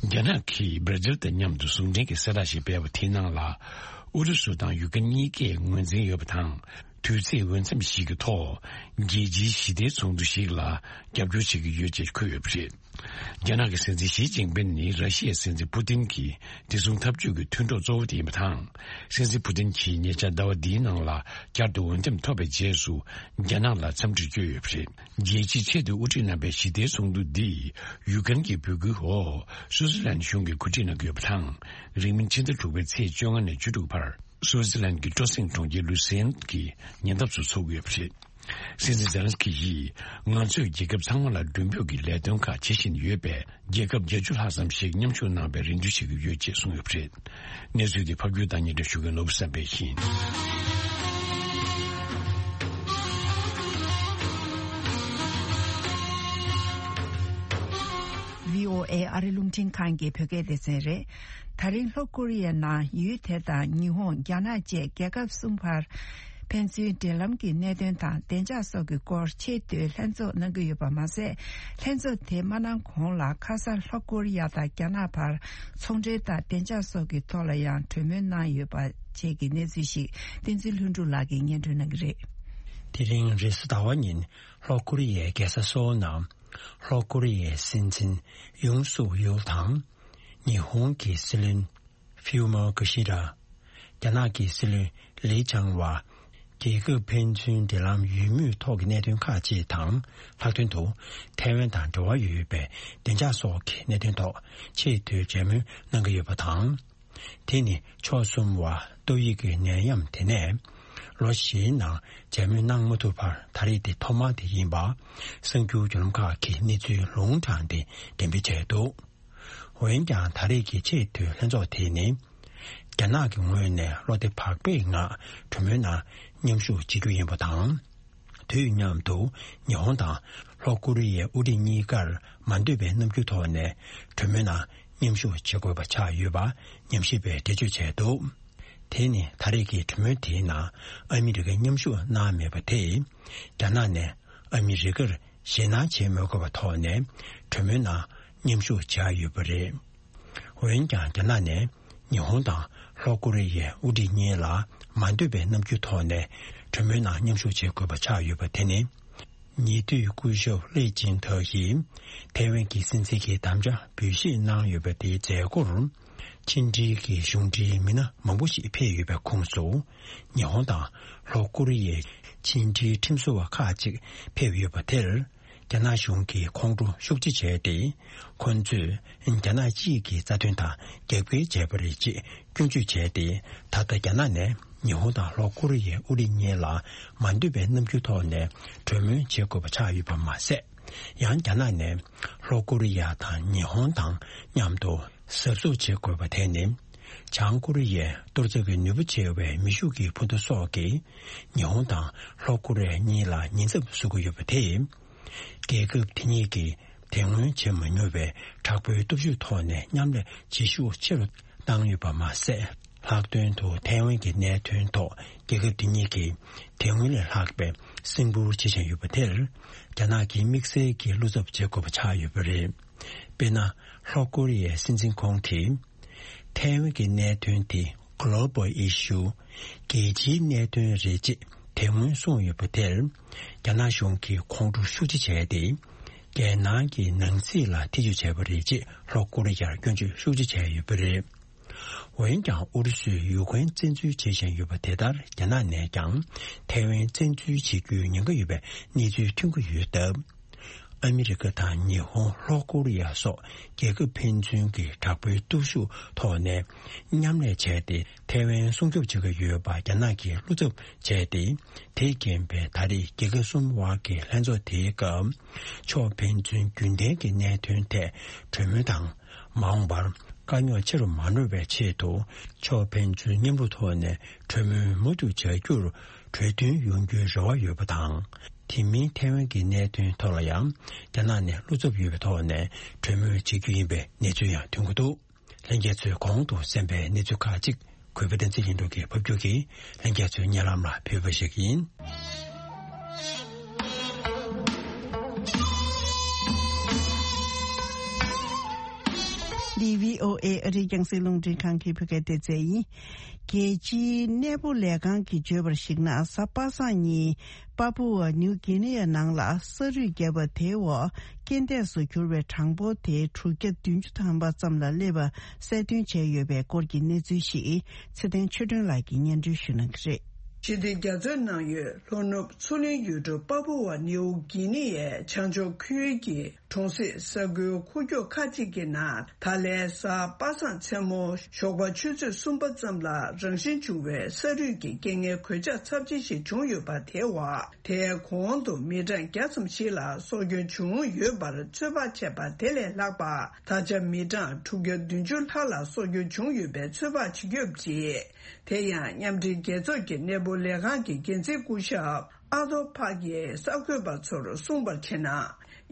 རྒྱ་ནག་གིས་བྷར་ཛིལ་དང་མཉམ་དུ་ཟུང་འབྲེལ་གྱི་གསལ་བསྒྲགས་ཤིག་སྤེལ་བ་དེའི་ནང་ལ། ཨུ་རུ་སུ་དང་ཡུ་ཀེ་རེན་གཉིས་ཀས་ངོས་འཛིན་ཡོད་པ་དང་། དུས་ཚིགས་འོས་འཚམ་ཞིག་གི་ཐོག་རྒྱལ་སྤྱིའི་ཞི་བདེའི་ཚོགས་འདུ་ཞིག་ལ་རྒྱབ་སྐྱོར་བྱེད་ཀྱི་ཡོད་ཅེས་འཁོད་ཡོད་པ་རེད། རྒྱ་ནག་གི་སྲིད་འཛིན་ཞི་ཅིན་ཕིན་ནི་ར་ཤི་ཡའི་སྲིད་འཛིན་པུ་ཏིན་གྱི་བདེ་སྲུང་འཐབ་ཇུས་ཀྱི་མཐུན་གྲོགས་གཙོ་བོ་དེ་ཡིན་པ་དང་། སྲིད་འཛིན་པུ་ཏིན་གྱིས་ཉེ་ཆར་ཟླ་བ་འདིའི་ནང་ལ་བསྐྱར་དུ་འོས་འདེམས་ཐོབ་པའི་རྗེས་སུ། རྒྱ་ནག་ལ་འཚམས་འདྲི་བསྐྱོན་ཡོད་པ་རེད། རྒྱལ་སྤྱིའི་ཆེས་མཐོའི་དབུ་ཁྲིད་རྣམ་པའི་ཞི་བདེའི་ཚོགས་འདུ་འདིས་ཡུ་ཀེ་རེན་གྱི་འབོད་སྐུལ་འོག་སུའུ་ཙི་ལན་གཞུང་གིས་གོ་སྒྲིག་གནང་གི་ཡོད་པ་དང་། རིང་མིན་ཕྱི་ཟླ་དྲུག་པའི་ཚེས་བཅོ་ལྔ་ནས་བཅུ་དྲུག་བར། སུའུ་ཙི་ལན་གྱི་སྤྲོ་གསེང་གྲོང་ཁྱེར་ལུ་སེན་གྱི་ཉེ་འདབས་སུ་འཚོགས་ཀྱི་ཡོད་པ་རེད། སྲིད་འཛིན་ཛེ་ལན་སི་ཀི་ཡིས། ང་ཚོས་རྒྱལ་ཁབ་ཚང་མ་ལ་མགྲོན་འབོད་ཀྱི་ལས་དོན་ཁག་བྱེད་བཞིན་ཡོད་པས། རྒྱལ་ཁབ་བརྒྱད་ཅུ་ལྷག་ཙམ་ཞིག་མཉམ་ཞུགས་གནང་བའི་རེ་འདུན་བྱེད་ཀྱི་ཡོད་ཅེས་གསུངས་ཡོད་པ་རེད། གནས་ཚུལ་འདི་ཕབ་སྒྱུར་དང་སྙན་སྒྲོན་ཞུ་མཁན་ནོར་བུ་བསམ་འཕེལ་ཡིན། བྷི་ཨོ་ཨེ་ཨ་རི་རླུང་འཕྲིན་ཁང་གི་བོད་སྐད་སྡེ་ཚན་རེད། ད་རིང་ལྷོ་ཀོ་རི་ཡའི་ནང་ཡུལ་དེ་དང་ཉི་ཧོང་། རྒྱ་ནག་བཅས་རྒྱལ་ཁབ་གསུམ་བར། ཕན་ཚུན་འབྲེལ་ལམ་གྱི་གནད་དོན་དང་བདེ་འཇགས་སོགས་ཀྱི་སྐོར་ཆེས་མཐོའི་ལྷན་ཚོགས་གནང་གི་ཡོད་པ་མ་ཟད། ལྷན་ཚོགས་དེ་མ་གནང་གོང་ལ་ཁ་སང་ལྷོ་ཀོ་རི་ཡ་དང་རྒྱ་ནག་བར་ཚོང་འབྲེལ་དང་བདེ་འཇགས་སོགས་ཀྱི་ཐོག་ལ་ཡང་གྲོས་མོལ་གནང་ཡོད་པ་བཅས་ཀྱི་གནས་ཚུལ་ཞིག་བསྟན་འཛིན་ལྷུན་གྲུབ་ལགས་ཀྱིས་སྙན་སྒྲོན་གནང་གི་རེད། དེ་རིང་རེས་གཟའ་ཟླ་བ་ཉིན་ལྷོ་ཀོ་རི་ཡའི་རྒྱལ་ས་སོའོ་ནང་ལྷོ་ཀོ་རི་ཡའི་སྲིད་འཛིན་ཡུང་སུག་ཡུལ་དང་། ཉི་ཧོང་གི་སྲིད་བློན། ཕིའུ་མོ་ཀི་ཤི་ར། རྒྱ་ནག་གི་སྲིད་བློན་ལི་ཆང་ཝ། རྒྱལ་ཁབ་ཕན་ཚུན་འབྲེལ་ལམ་ཡོད་མུས་ཐོག་གི་གནད་དོན་ཁག་ཅིག་དང་། ལྷག་དོན་དུ་ཐའེ་ཝན་དང་འབྲེལ་བ་ཡོད་པའི་བདེ་འཇགས་སོགས་ཀྱི་གནད་དོན་ཐོག་ཆེས་མཐོའི་མཇལ་མོལ་གནང་གི་ཡོད་པ་དང་། དེ་ནི་ཕྱོགས་གསུམ་བར་ཏོག་དབྱིབས་ཀྱི་ནད་ཡམས་དེ་ནས་ལོ་བཞིའི་ནང་མཇལ་མོལ་གནང་མ་ཐུབ་པར་ད་རེས་འདི་ཐོག་མ་དེ་ཡིན་པ། གསར་འགྱུར་བརྒྱུད་ལམ་ཁག་གིས་གནས་ཚུལ་ལུང་དྲངས་ཏེ་འགྲེམས་སྤེལ་བྱས་འདུག་འོན་ཀྱང་ད་རེས་ཀྱི་ཆེས་མཐོའི་ལྷན་ཚོགས་དེ་ནི། རྒྱ་ནག་གི་ངོས་ནས་བློ་བདེ་བག་ཕེབས་ངང་གྲོས་མོལ་ནང་མཉམ་ཞུགས་བྱེད་རྒྱུ་ཡིན་པ་དང་། དུས་མཉམ་དུ་ཉི་ཧོང་དང་ལྷོ་ཀོ་རི་ཡའི་དབུ་ཁྲིད་གཉིས་ཀར་མ་འདོད་པའི་རྣམ་འགྱུར་ཐོག་ནས་གྲོས་མོལ་ནང་མཉམ་ཞུགས་བྱེད་དགོས་པ་ཆགས་ཡོད་པ་ཉམས་ཞིབ་པས་འགྲེལ་བརྗོད་བྱས་འདུག་དེ་ནི་ད་རེས་ཀྱི་གྲོས་མོལ་དེའི་ནང་ཨ་མི་རི་ཀས་མཉམ་ཞུགས་གནང་མེད་པ་དེས། རྒྱ་ནག་ནས་ཨ་མི་རི་ཀར་ཞེད་སྣང་བྱེད་མི་དགོས་པའི་ཐོག་ནས་གྲོས་མོལ་ནང་མཉམ་ཞུགས་བྱས་ཡོད་པ་རེད། འོན་ཀྱང་། རྒྱ་ནག་ནས་ཉི་ཧོང་དང་ལྷོ་ཀོ་རི་ཡའི་དབུ་ཁྲིད་གཉིས་ལ་མ་འདོད་པའི་རྣམ་འགྱུར་ཐོག་ནས་གྲོས་མོལ་ནང་མཉམ་ཞུགས་བྱེད་དགོས་པ་ཆགས་ཡོད་པ་དེ་ནི། ཉེ་དུས་སྐུ་ཞབས་ལེ་ཅིན་ཐའོ་ཡིས་ཐའེ་ཝན་གྱི་སྲིད་འཛིན་གྱི་དམ་བཅའ་འབུལ་བཞེས་གནང་ཡོད་པ་དེའི་མཛད་སྒོར། ཕྱི་འབྲེལ་གྱི་གཞུང་འབྲེལ་མི་སྣ་མང་པོ་ཞིག་ཕེབས་ཡོད་པའི་ཁོངས་སུ། ཉི་ཧོང་དང་ལྷོ་ཀོ་རི་ཡའི་ཕྱི་འབྲེལ་ཁྲིམས་བཟོ་བ་ཁག་ཅིག་ཕེབས་ཡོད་པ་དེར། རྒྱ་ནག་གཞུང་གིས་ཁོང་ཁྲོ་ཤུགས་ཆེ་བྱས་ཏེ། ཁོང་ཚོས་རྒྱ་ནག་གཅིག་གི་རྩ་དོན་དང་རྒྱབ་འགལ་བྱས་པ་རེད་ཅེས་སྐྱོན་བརྗོད་བྱས་ཏེ། ད་ལྟ་རྒྱ་ནག་ནས་ཉི་ཧོང་དང་ལྷོ་ཀོ་རི་ཡའི་དབུ་ཁྲིད་གཉིས་ལ་མ་འདོད་པའི་རྣམ་འགྱུར་ཐོག་ནས་གྲོས་མོལ་བྱེད་དགོས་པ་ཆགས་ཡོད་པ་མ་ཟད། ཡང་རྒྱ་ནག་ནས་ལྷོ་ཀོ་རི་ཡ་དང་ཉི་ཧོང་དང་མཉམ་དུ་གཟབ་གཟབ་བྱེད་དགོས་པ་དེ་ནི། བྱང་ཀོ་རི་ཡའི་གཏོར་རྒྱག་གི་ནུས་པ་ཆེ་བའི་མེ་ཤུགས་ཀྱི་འཕུར་མདའ་སོགས་ཀྱིས་ཉི་ཧོང་དང་ལྷོ་ཀོ་རི་ཡ་གཉིས་ལ་ཉེན་ཚབས་བཟོ་གི་ཡོད་པ་དེས། རྒྱལ་ཁབ་དེ་གཉིས་ཀྱིས་དེ་སྔོན་བྱེད་མ་མྱོང་བའི་དྲག་པོའི་སྟོབས་ཤུགས་ཐོག་ནས་མཉམ་ལས་བྱེད་ཤུགས་ཆེ་རུ་བཏང་ཡོད་པ་མ་ཟད། ལྷག་དོན་དུ་ཐའེ་ཝན་གྱི་གནད་དོན་ཐོག་རྒྱལ་ཁབ་དེ་གཉིས་ཀྱིས་དེ་སྔོན་ལས་ལྷག་པའི་སེམས་ཁུར་བྱེད་བཞིན་ཡོད་པ་དེར། རྒྱ་ནག་གིས་དམིགས་བསལ་གྱི་བློ་འཚབ་བྱེད་དགོས་པ་ཆགས་ཡོད་པ་རེད། དཔེར་ན། ལྷོ་ཀོ་རི་ཡའི་སྲིད་འཛིན་ཁོང་གིས། ཐའེ་ཝན་གྱི་གནད་དོན་དེ་Global Issue། རྒྱལ་སྤྱིའི་གནད་དོན་རེད་ཅེས་དེ་སྔོན་གསུངས་ཡོད་པ་དེར། རྒྱ་ནག་གཞུང་གིས་ཁོང་ཁྲོ་ཤུགས་ཆེ་བྱས་ཏེ། རྒྱལ་ནང་གི་ནང་སྲིད་ལ་ཐེ་ཇུས་བྱས་པ་རེད་ཅེས་ལྷོ་ཀོ་རི་ཡར་སྐྱོན་བརྗོད་ཤུགས་ཆེ་བྱས་ཡོད་པ་རེད། འོན་ཀྱང་ཨུ་རུ་སུས་ཡུ་ཀེ་རེན་བཙན་འཛུལ་བྱེད་བཞིན་ཡོད་པ་དེ་ལྟར། རྒྱ་ནག་ནས་ཀྱང་ཐའེ་ཝན་བཙན་འཛུལ་བྱེད་རྒྱུའི་ཉེན་ཁ་ཡོད་པའི་གནས་ཚུལ་ཐོན་གྱི་ཡོད་སྟབས། ཨ་མི་རི་ཀ་དང་ཉི་ཧོང་། ལྷོ་ཀོ་རི་ཡ་སོགས་རྒྱལ་ཁབ་ཕན་ཚུན་གྱི་དྲག་པོའི་སྟོབས་ཤུགས་ཐོག་ནས་མཉམ་ལས་བྱས་ཏེ། ཐའེ་ཝན་སྲུང་སྐྱོབ་བྱེད་ཀྱི་ཡོད་པ་རྒྱ་ནག་གིས་བློ་འཚབ་བྱས་ཏེ། དེས་རྐྱེན་པས་ད་རེས་རྒྱལ་ཁབ་གསུམ་དབར་གྱི་ལྷན་ཚོགས་དེའི་སྐབས། ཕྱོགས་ཕན་ཚུན་རྒྱུན་ལྡན་གྱི་གནད་དོན་ཐད་གྲོས་མོལ་དང་། མ་འོངས་པར་དཀའ་རྙོག་ཆེ་རུ་མ་འགྲོ་བའི་ཆེད་དུ། ཕྱོགས་ཕན་ཚུན་མཉམ་རུབ་ཐོག་ནས་གྲོས་མོལ་མུ་མཐུད་བྱ་རྒྱུར་གྲོས་མཐུན་ཡོང་རྒྱུའི་རེ་བ་ཡོད་པ་དང་། དེ་མིན་ཐའེ་ཝན་གྱི་གནད་དོན་ཐོག་ལ་ཡང་རྒྱ་ནག་ནས་བློ་འཚབ་ཡོད་པའི་ཐོག་ནས་གྲོས་མོལ་བྱེད་རྒྱུ་ཡིན་པའི་གནས་ཚུལ་ཡང་ཐོན་གྱི་འདུག། ལྷན་རྒྱས་ཚོས་གོང་དུ་གསན་པའི་གནས་ཚུལ་ཁག་ཅིག་གུས་པ་བསྟན་འཛིན་ལྷུན་གྲུབ་ཀྱིས་ཕབ་སྒྱུར་གྱིས་ལྷན་རྒྱས་ཚོའི་སྙན་ལམ་ལ་ཕུལ་བ་ཞིག་ཡིན། འདི་བྷི་ཨོ་ཨེ་ཨ་རིའི་རྒྱང་སྲིང་རླུང་འཕྲིན་ཁང་གི་བོད་སྐད་སྡེ་ཚན་ཡིན། རྒྱལ་སྤྱིའི་གནས་སྤོ་ལས་ཁང་གིས་བརྗོད་པར་གཞིགས་ན། གཟའ་པ་སངས་ཉིན་པཱ་པུ་ཝ་ནིའུ་གྷི་ནི་ཡ་ནང་ལ་ས་རུད་བརྒྱབ་པ་དེའི་འོག་རྐྱེན་འདས་སུ་གྱུར་བའི་གྲངས་འབོར་དེ་དྲུག་བརྒྱ་བདུན་ཅུ་ཐམ་པ་ཙམ་ལ་སླེབས་པ་གསལ་སྟོན་བྱས་ཡོད་པའི་སྐོར་གྱི་གནས་ཚུལ་ཞིག་ཚེ་བརྟན་ཆོས་སྒྲོན་ལགས་ཀྱིས་སྙན་སྒྲོན་ཞུ་གནང་གི་རེད། ཞི་བདེ་རྒྱ་མཚོའི་ནང་ཡོད་ལྷོ་ནུབ་མཚོ་གླིང་ཡུལ་གྲུ་པཱ་པུ་ཝ་ནིའུ་གྷི་ནི་ཡའི་བྱང་ཕྱོགས་ཁུལ་གྱི་གྲོང་གསེབ་ས་ཁུལ་ཁུག་ཀྱོག་ཁག་ཅིག་གི་ནང་ད་ལན་གཟའ་པ་སངས་མཚན་མོ་ཞོགས་པ་ཆུ་ཚོད་གསུམ་པ་ཙམ་ལ་རང་བཞིན་བྱུང་བའི་ས་རུད་ཀྱི་རྐྱེན་ངན་གོད་ཆག་ཚབས་ཆེ་ཞིག་བྱུང་ཡོད་པ་དེའི་འོག་དེའི་གོང་དུ་མི་གྲངས་བརྒྱ་ཙམ་ཞིག་ལ་སྲོག་སྐྱོན་བྱུང་ཡོད་པར་ཚོད་དཔག་བྱས་པ་དེ་ལས་ལྷག་པ། ད་ཆ་མི་གྲངས་དྲུག་བརྒྱ་བདུན་ཅུ་ལྷག་ལ་སྲོག་སྐྱོན་བྱུང་ཡོད་པའི་ཚོད་དཔག་བྱེད་ཀྱི་ཡོད་པ་རེད། དེ་ཡང་མཉམ་འབྲེལ་རྒྱལ་ཚོགས་ཀྱི་གནས་སྤོ་ལས་ཁང་གི་འགན་འཛིན་སྐུ་ཞབས་ཨ་ཐོ་ཕག་གིས་གསར་འགོད་པ་ཚོར་གསུངས་པར་བྱས་ན།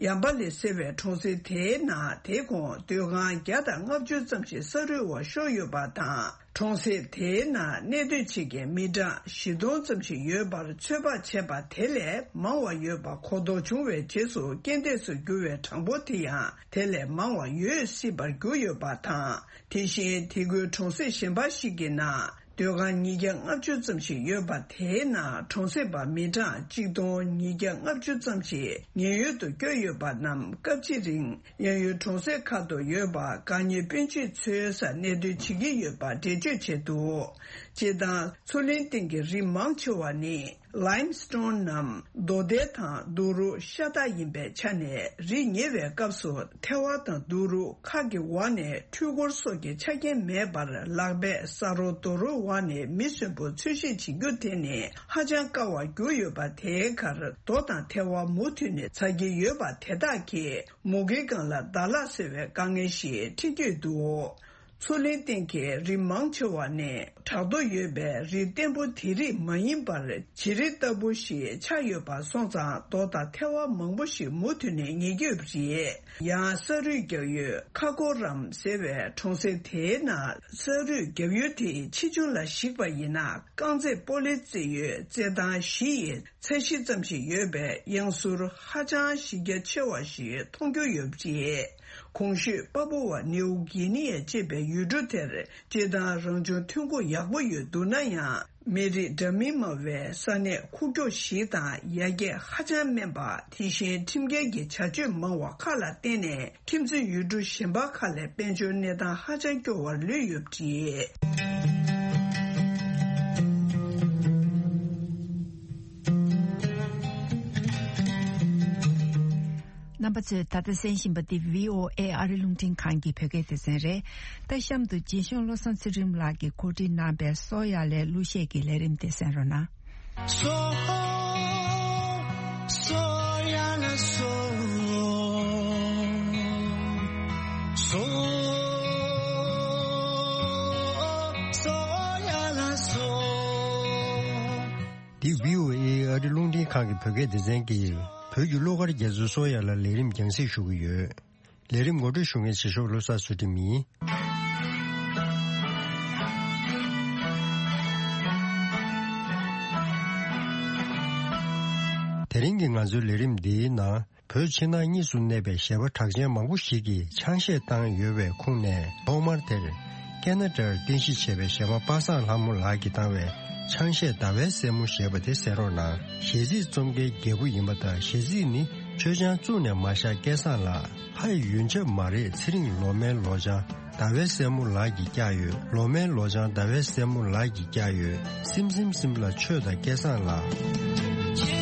ཡམ་པ་ལི་ཟེར་བའི་གྲོང་གསེབ་དེའི་ནང་དེ་གོང་སྡོད་ཁང་བརྒྱ་དང་ལྔ་བཅུ་ཙམ་ཞིག་ས་རུད་འོག་ཤོར་ཡོད་པ་དང་། གྲོང་གསེབ་དེའི་ནང་གནས་སྡོད་བྱེད་མཁན་མི་གྲངས་བཞི་སྟོང་ཙམ་ཞིག་ཡོད་པར་ཚོད་དཔག་བྱས་པ་དེ་ལས་མང་བ་ཡོད་པ་གོ་རྟོགས་བྱུང་བའི་རྗེས་སུ་རྐྱེན་འདས་སུ་གྱུར་བའི་གྲངས་འབོར་དེ་ཡང་དེ་ལས་མང་བ་ཡོད་སྲིད་པར་གྱུར་ཡོད་པ་དང་། དེ་བཞིན་དེ་ཁུལ་གྲོང་གསེབ་གཞན་པ་ཞིག་གི་ནང་སྡོད་ཁང་ཉིས་བརྒྱ་ལྔ་བཅུ་ཙམ་ཞིག་ཡོད་པ་དེའི་ནང་གྲོང་གསེབ་པ་མི་གྲངས་གཅིག་སྟོང་ཉིས་བརྒྱ་ལྔ་བཅུ་ཙམ་ཞིག་ཉེན་གཡོལ་དུ་བསྐྱོད་ཡོད་པ་རྣམས་སྐབས་གཅིག་རིང་། གཡས་གཡོན་གྲོང་གསེབ་ཁག་ཏུ་ཡོད་པ་དགག་གཉེར་དཔོན་ཆེན་ཚོའི་སར་གནས་སྡོད་བྱེད་ཀྱི་ཡོད་པ་འགྲེལ་བརྗོད་བྱས་འདུག། སྤྱིར་བཏང་མཚོ་གླིང་སྟེང་གི་རི་མང་ཆེ་བ་ནི་ལའིམ་སི་ཊོན་ནམ་རྡོ་ཐལ་དང་རྡོ་རུག་ཤ་སྟག་ཡིན་པའི་ཆ་ནས། རི་ཉེ་བའི་སྐབས་སུ་ཐལ་བ་དང་རྡོ་རུག་ཁ་གི་འོག་ནས་འཕྲུལ་འཁོར་སོགས་ཀྱི་ཆ་རྐྱེན་མེད་པར་ལག་པས་ས་རོ་རྡོ་རོག་འོག་ནས་མི་གསོན་པོ་འཚོལ་ཞིབ་བྱེད་རྒྱུ་དེ་ནི་ཧ་ཅང་དཀའ་བར་གྱུར་ཡོད་པ། དེའི་ཁར་རྡོ་དང་ཐལ་བ་མུ་མཐུད་ནས་འཛག་གི་ཡོད་པ་དེ་དག་གིས། མུ་གེའི་སྒང་ལ་ཟླ་ལྷག་ཟེར་བའི་དཀའ་ངལ་ཞིག་འཕྲད་ཀྱི་འདུག། མཚོ་གླིང་སྟེང་གི་རི་མང་ཆེ་བ་ནི་བྲག་རྡོ་ཡོད་པའི་རི་བརྟན་པོ་དེ་རིགས་མ་ཡིན་པར། བྱེ་རི་ལྟ་བུ་ཞིག་ཆགས་ཡོད་པ་སོང་ཙང་རྡོ་དང་ཐལ་བ་མང་པོ་ཞིག་མུ་མཐུད་ནས་ཉིལ་གྱི་ཡོད་པ་རེད། ཡང་ས་རུད་རྒྱག་ཡུལ་ཁ་ཀོ་རམ་ཟེར་བའི་གྲོང་གསེབ་དེའི་ནང་ས་རུད་རྒྱག་ཡུལ་དེའི་ཆེ་ཆུང་ལ་གཞིགས་པ་ཡིན་ན། རྐང་རྩེད་སྤོ་ལོ་རྩེད་ཡུལ་རྩེད་ཐང་བཞི་ཡི་ཚད་གཞི་ཙམ་ཞིག་ཡོད་པའི་གཡང་ཟུར་ཧ་ཅང་གཞི་རྒྱ་ཆེ་བ་ཞིག་མཐོང་རྒྱུ་ཡོད་པ་རེད། གོང་ཞུས་པཱ་པུ་ཝ་ནིའུ་གྷི་ནི་ཡ་ཅེས་པའི་ཡུལ་གྲུ་དེར་སྤྱིར་བཏང་རང་བྱུང་ཐོན་ཁུངས་ཡག་པོ་ཡོད་འདུག་ན་ཡང་། མི་རིགས་འདྲ་མིན་མང་བའི་ས་གནས་ཁུག་ཀྱོག་ཞིག་དང་། ཡར་རྒྱས་ཧ་ཅང་དམན་པ། དེ་བཞིན་ཁྲིམས་འགལ་གྱི་བྱ་སྤྱོད་མང་བ་ཁག་ལ་བརྟེན་ནས། ཁྱིམ་མཚེས་ཡུལ་གྲུ་གཞན་པ་ཁག་ལས་དཔལ་འབྱོར་གནས་སྟངས་ཧ་ཅང་སྐྱོ་བར་ལུས་ཡོད་པ་རེད། རྣམ་པ་ཚོས་ད་ལྟ་གསན་བཞིན་པ་འདི་བྷི་ཨོ་ཨེ་ཨ་རི་རླུང་འཕྲིན་ཁང་གི་བོད་སྐད་སྡེ་ཚན་རེད། ད་གཤམ་དུ་རྗེ་གཞུང་བློ་བཟང་ཚུལ་ཁྲིམས་ལགས་ཀྱིས་གོ་སྒྲིག་གནང་པའི་སོ་ཡ་ལའི་གླུ་གཞས་ཀྱི་ལས་རིམ་དེ་གསན་རོགས་གནང་། འདི་བྷི་ཨོ་ཨེ་ཨ་རི་རླུང་འཕྲིན་ཁང་གི་བོད་སྐད་སྡེ་ཚན་གྱིས་བོད་ཀྱི་གླུ་གར་རྒྱལ་མཚན་བསོད་ཡར་ལགས་ལས་རིམ་རྒྱང་སྲིང་ཞུ་གི་ཡོད། ལས་རིམ་ངོ་སྤྲོད་ཞུ་མཁན་ཚེ་ཤོག་བློ་བཟང་ཚུལ་ཁྲིམས་ཡིན། དེ་རིང་གི་ང་ཚོའི་ལས་རིམ་འདིའི་ནང་། བོད་ཕྱི་ནང་གཉིས་སུ་གནས་པའི་གཞས་པ་གྲགས་ཅན་མང་པོ་ཞིག་གིས་ཆང་གཞས་བཏང་ཡོད་པའི་ཁུངས་ནས། ཐོག་མར་དེར་ཀེ་ན་ཌར་རྟེན་གཞི་བྱས་པའི་གཞས་མ་པ་སངས་ལྷ་མོ་ལགས་ཀྱིས་བཏང་བའི་ཆང་གཞས་ཟླ་བའི་སྲས་མོ་ཞེས་པ་དེ་གསན་རོགས་གནང་། གཞས་ཚིག་རྩོམ་མཁན་རྒྱལ་པོ་ཡིན་པ་དང་། གཞས་ཚིག་ནི་མཆོད་ཆང་བཙུགས་ནས་མ་བཞག་སྐལ་བཟང་ལགས། ལྷ་ཡི་ཡོན་ཆབ་མ་རེད་ཚེ་རིང་ལོ་མའི་ལོ་ཆང་། ཟླ་བའི་སྲས་མོ་ལགས་ཀྱིས་བཀྱག་ཡོད། ལོ་མའི་ལོ་ཆང་ཟླ་བའི་སྲས་མོ་ལགས་ཀྱིས་བཀྱག་ཡོད། སིམ་སིམ་སིམ་ལ་ཆོས་དང་སྐལ་བཟང་ལགས།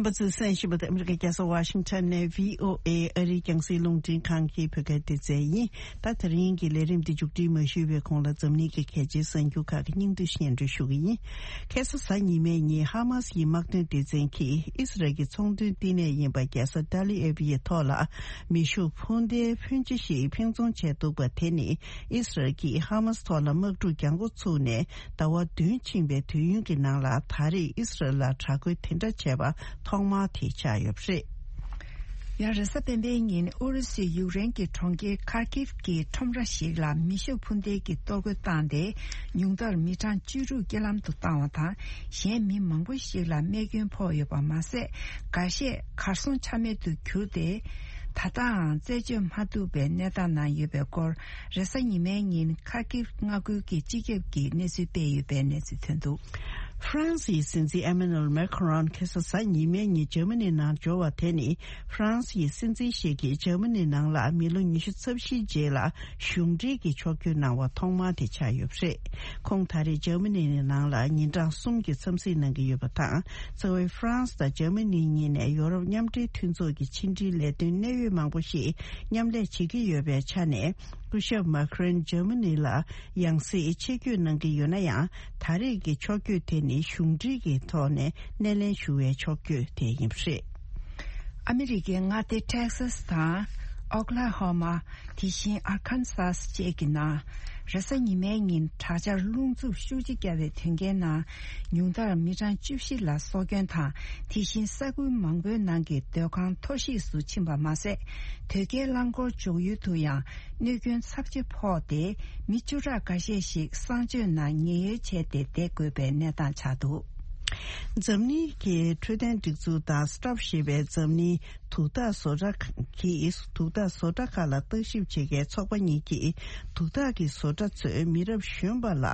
རྣམ་པ་ཚོས་གསན་བཞིན་པ་དེ་ཨ་མི་རི་ཀའི་རྒྱལ་ས་ཝ་ཤིང་ཊོན་ནས་བྷི་ཨོ་ཨེ་ཨ་རིའི་རྒྱང་སྲིང་རླུང་འཕྲིན་ཁང་གི་བོད་སྐད་སྡེ་ཚན་ཡིན། ད་དེ་རིང་གི་ལས་རིམ་འདི་མཇུག་སྒྲིལ་མ་ཞུས་པའི་གོང་ལ་འཛམ་གླིང་གི་གལ་ཆེའི་གསར་འགྱུར་ཁག་གི་སྙིང་བསྡུས་སྙན་སྒྲོན་ཞུ་གི་ཡིན། ཁ་སང་གཟའ་ཉི་མའི་ཉིན་ཧ་མཱ་སི་ཡི་དམག་དོན་སྡེ་ཚན་གྱིས་ཨི་སི་རལ་གྱི་ཚོང་དོན་བསྟི་གནས་ཡིན་པ་རྒྱལ་ས་ཏཱ་ལི་ཨེབ་ཡི་ཐོག་ལ་མེ་ཤུགས་འཕུར་མདེལ་ཕོན་ཆེ་ཞིག་འཕེན་རྫོང་བྱས་འདུག་པ་དེ་ནི་ཨི་སི་རལ་གྱིས་ཧ་མཱ་སི་ཐོག་ལ་དམག་འཁྲུག་རྒྱག་འགོ་ཚུགས་ནས་ཟླ་བ་བདུན་ཕྱིན་པའི་དུས་ཡུན་གྱི་ནང་ལ་ད་རེས་ཨི་སི་རལ་ལ་དྲག་རྒོལ་དེ་འདྲ་བྱས་པ་ཐོག་མ་དེ་ཆགས་ཡོད་པ་རེད། ཡང་རེས་གཟའ་སྤེན་པའི་ཉིན་ཨུ་རུ་སུའི་ཡུཀ་རེན་གྱི་གྲོང་ཁྱེར་ཁར་ཀིབ་ཀྱི་ཁྲོམ་ར་ཞིག་ལ་མེ་ཤུགས་འཕུར་མདེལ་གྱིས་གཏོར་རྒོལ་བཏང་སྟེ། ཉུང་མཐར་མི་གྲངས་བཅུ་དྲུག་རྐྱེན་ལམ་དུ་བཏང་བ་དང་། གཞན་མི་མང་པོ་ཞིག་ལ་རྨས་སྐྱོན་ཕོག་ཡོད་པ་མ་ཟད། འགའ་ཤས་གར་སོང་ཆ་མེད་དུ་གྱུར་ཏེ། ད་ལྟའང་རྩད་གཅོད་མ་ཐུབ་པའི་གནས་སྟངས་ནང་ཡོད་པའི་སྐོར། རེས་གཟའ་ཉི་མའི་ཉིན་ཁ་ཀིབ་མངའ་ཁུལ་གྱི་སྤྱི་ཁྱབ་ཀྱིས་གནས་ཚུལ་སྤེལ་ཡོད་པའི་གནས་ཚུལ་ཐོན་འདུག། ཧྥ་རན་སིའི་སྲིད་འཛིན་ཨེ་མེ་ནུ་ཨེལ་མེ་ཁ་རོན་ཁ་སང་གཟའ་ཉི་མའི་ཉིན་འཇར་མ་ནི་ནང་འབྱོར་བ་དེ་ནི། ཧྥ་རན་སིའི་སྲིད་འཛིན་ཞིག་གིས་འཇར་མ་ནི་ནང་ལ་མི་ལོ་ཉི་ཤུ་རྩ་བཞིའི་རྗེས་ལ་གཞུང་འབྲེལ་གྱི་ཕྱོགས་བསྐྱོད་གནང་བ་ཐོག་མ་དེ་ཆགས་ཡོད་པ་རེད། ཁོང་ད་རེས་འཇར་མ་ནི་ནང་ལ་ཉིན་གྲངས་གསུམ་གྱི་འཚམས་གཟིགས་གནང་གི་ཡོད་པ་དང་། རྩ་བའི་ཧྥ་རན་སི་དང་འཇར་མ་ནི་གཉིས་ནས་ཡོ་རོབ་མཉམ་འབྲེལ་མཐུན་ཚོགས་ཀྱི་ཕྱི་འབྲེལ་ལས་དོན་གནད་ཡོད་མང་པོ་ཞིག་མཉམ་ལས་བྱེད་ཀྱི་ཡོད་པའི་ཆ་ནས། སྐུ་ཞབས་མཱ་ཁ་རོན་འཇར་མ་ནི་ལ་ཡང་སེ་ཆེད་བསྐྱོད་གནང་གི་ཡོད་ན་ཡང་། ད་རེས་ཀྱི་ཕྱོགས་བསྐྱོད་དེ་ནི་གཞུང་འབྲེལ་གྱི་ཐོག་ནས་སྣེ་ལེན་ཞུ་བའི་ཕྱོགས་བསྐྱོད་དེ་ཡིན་པ་རེད། ཨ་མི་རི་ཀའི་མངའ་སྡེ་ཊེག་སཱ་སི་དང་། ཨོ་ཀ་ལ་ཧོ་མ། དེ་བཞིན་ཨར་ཁན་སཱ་སི་བཅས་ཀྱི་ནང་། རེས་གཟའ་ཉི་མའི་ཉིན་དྲག་ཆར་རླུང་འཚུབ་ཤུགས་ཆེ་བརྒྱབ་པའི་དོན་རྐྱེན་ནང་། ཉུང་མཐར་མི་གྲངས་བཅུ་བཞི་ལ་སྲོག་སྐྱོན་དང་། དེ་བཞིན་ས་ཁུལ་མང་པོའི་ནང་གི་སྡོད་ཁང་མཐོ་གཤིས་སུ་ཕྱིན་པ་མ་ཟད། དོས་སྐྱེལ་རླངས་འཁོར་འཇོག་ཡུལ་དུ་ཡང་། གནོད་སྐྱོན་ཚབས་ཆེ་ཕོག་སྟེ། མི་བཅུ་ཕྲག་འགའ་ཤས་ཤིག་གསང་སྤྱོད་ནང་ཉེན་གཡོལ་བྱས་ཏེ་བསྡད་དགོས་པའི་གནས་སྟངས་ཆགས་འདུག། འཛམ་གླིང་གི་འཕྲོད་བསྟེན་སྒྲིག་འཛུགས་དང་སི་ཊོབ་ཞེས་པའི་འཛམ་གླིང་དུག་རྟགས་བཟོ་གྲྭ་གིས་དུག་རྟགས་བཟོ་གྲྭ་ཁག་ལ་བརྟག་ཞིབ་བྱེད་མཁན་ཚོགས་པ་གཉིས་ཀྱིས་དུག་རྟགས་ཀྱི་བཟོ་གྲྭ་ཚོས་མི་རབས་གཞོན་པ་ལ་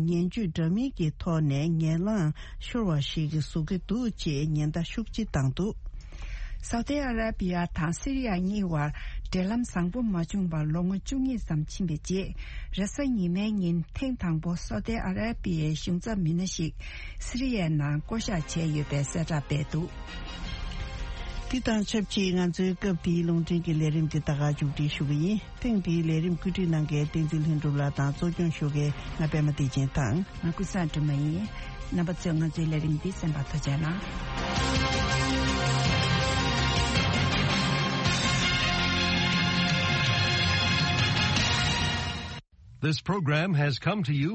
ངན་ཇུས་འདྲ་མིན་གྱི་ཐོག་ནས་ངན་ལངས་ཤོར་བ་ཞིག་བཟོ་གི་འདུག་ཅེས་ཉེན་བརྡ་ཤུགས་ཆེ་བཏང་འདུག། སའུ་ཏི་ཨ་ར་པི་ཡ་དང་སི་རི་ཡ་གཉིས་བར་འབྲེལ་ལམ་བཟང་པོ་མ་བྱུང་བར་ལོ་ངོ་བཅུ་གཉིས་ཙམ་ཕྱིན་པའི་རྗེས། རེས་གཟའ་ཉི་མའི་ཉིན་ཐེངས་དང་པོ་སའུ་ཏི་ཨ་ར་པི་ཡའི་གཞུང་ཚབ་མི་སྣ་ཞིག་སི་རི་ཡའི་ནང་བསྐོ་གཞག་བྱས་ཡོད་པའི་གསལ་བསྒྲགས་སྤེལ་འདུག། དེ་དང་ཆབས་ཅིག་ང་ཚོའི་སྐབས་འདིའི་རླུང་འཕྲིན་གྱི་ལས་རིམ་འདི་ད་ག་མཇུག་སྒྲིལ་ཞུ་གི་ཡིན། ཐེངས་འདིའི་ལས་རིམ་བཀོད་སྒྲིག་གནང་མཁན་བསྟན་འཛིན་ལྷུན་གྲུབ་ལགས་དང་གཙོ་སྐྱོང་ཞུ་མཁན་ང་པད་མ་བདེ་ཆེན་དང་། ང་ཀུན་བཟང་སྒྲོལ་མ་ཡིན། རྣམ་པ་ཚོས་ང་ཚོའི་ལས་རིམ་འདི་གསན་པར་ཐུགས་རྗེ་གནང་། This program has come to you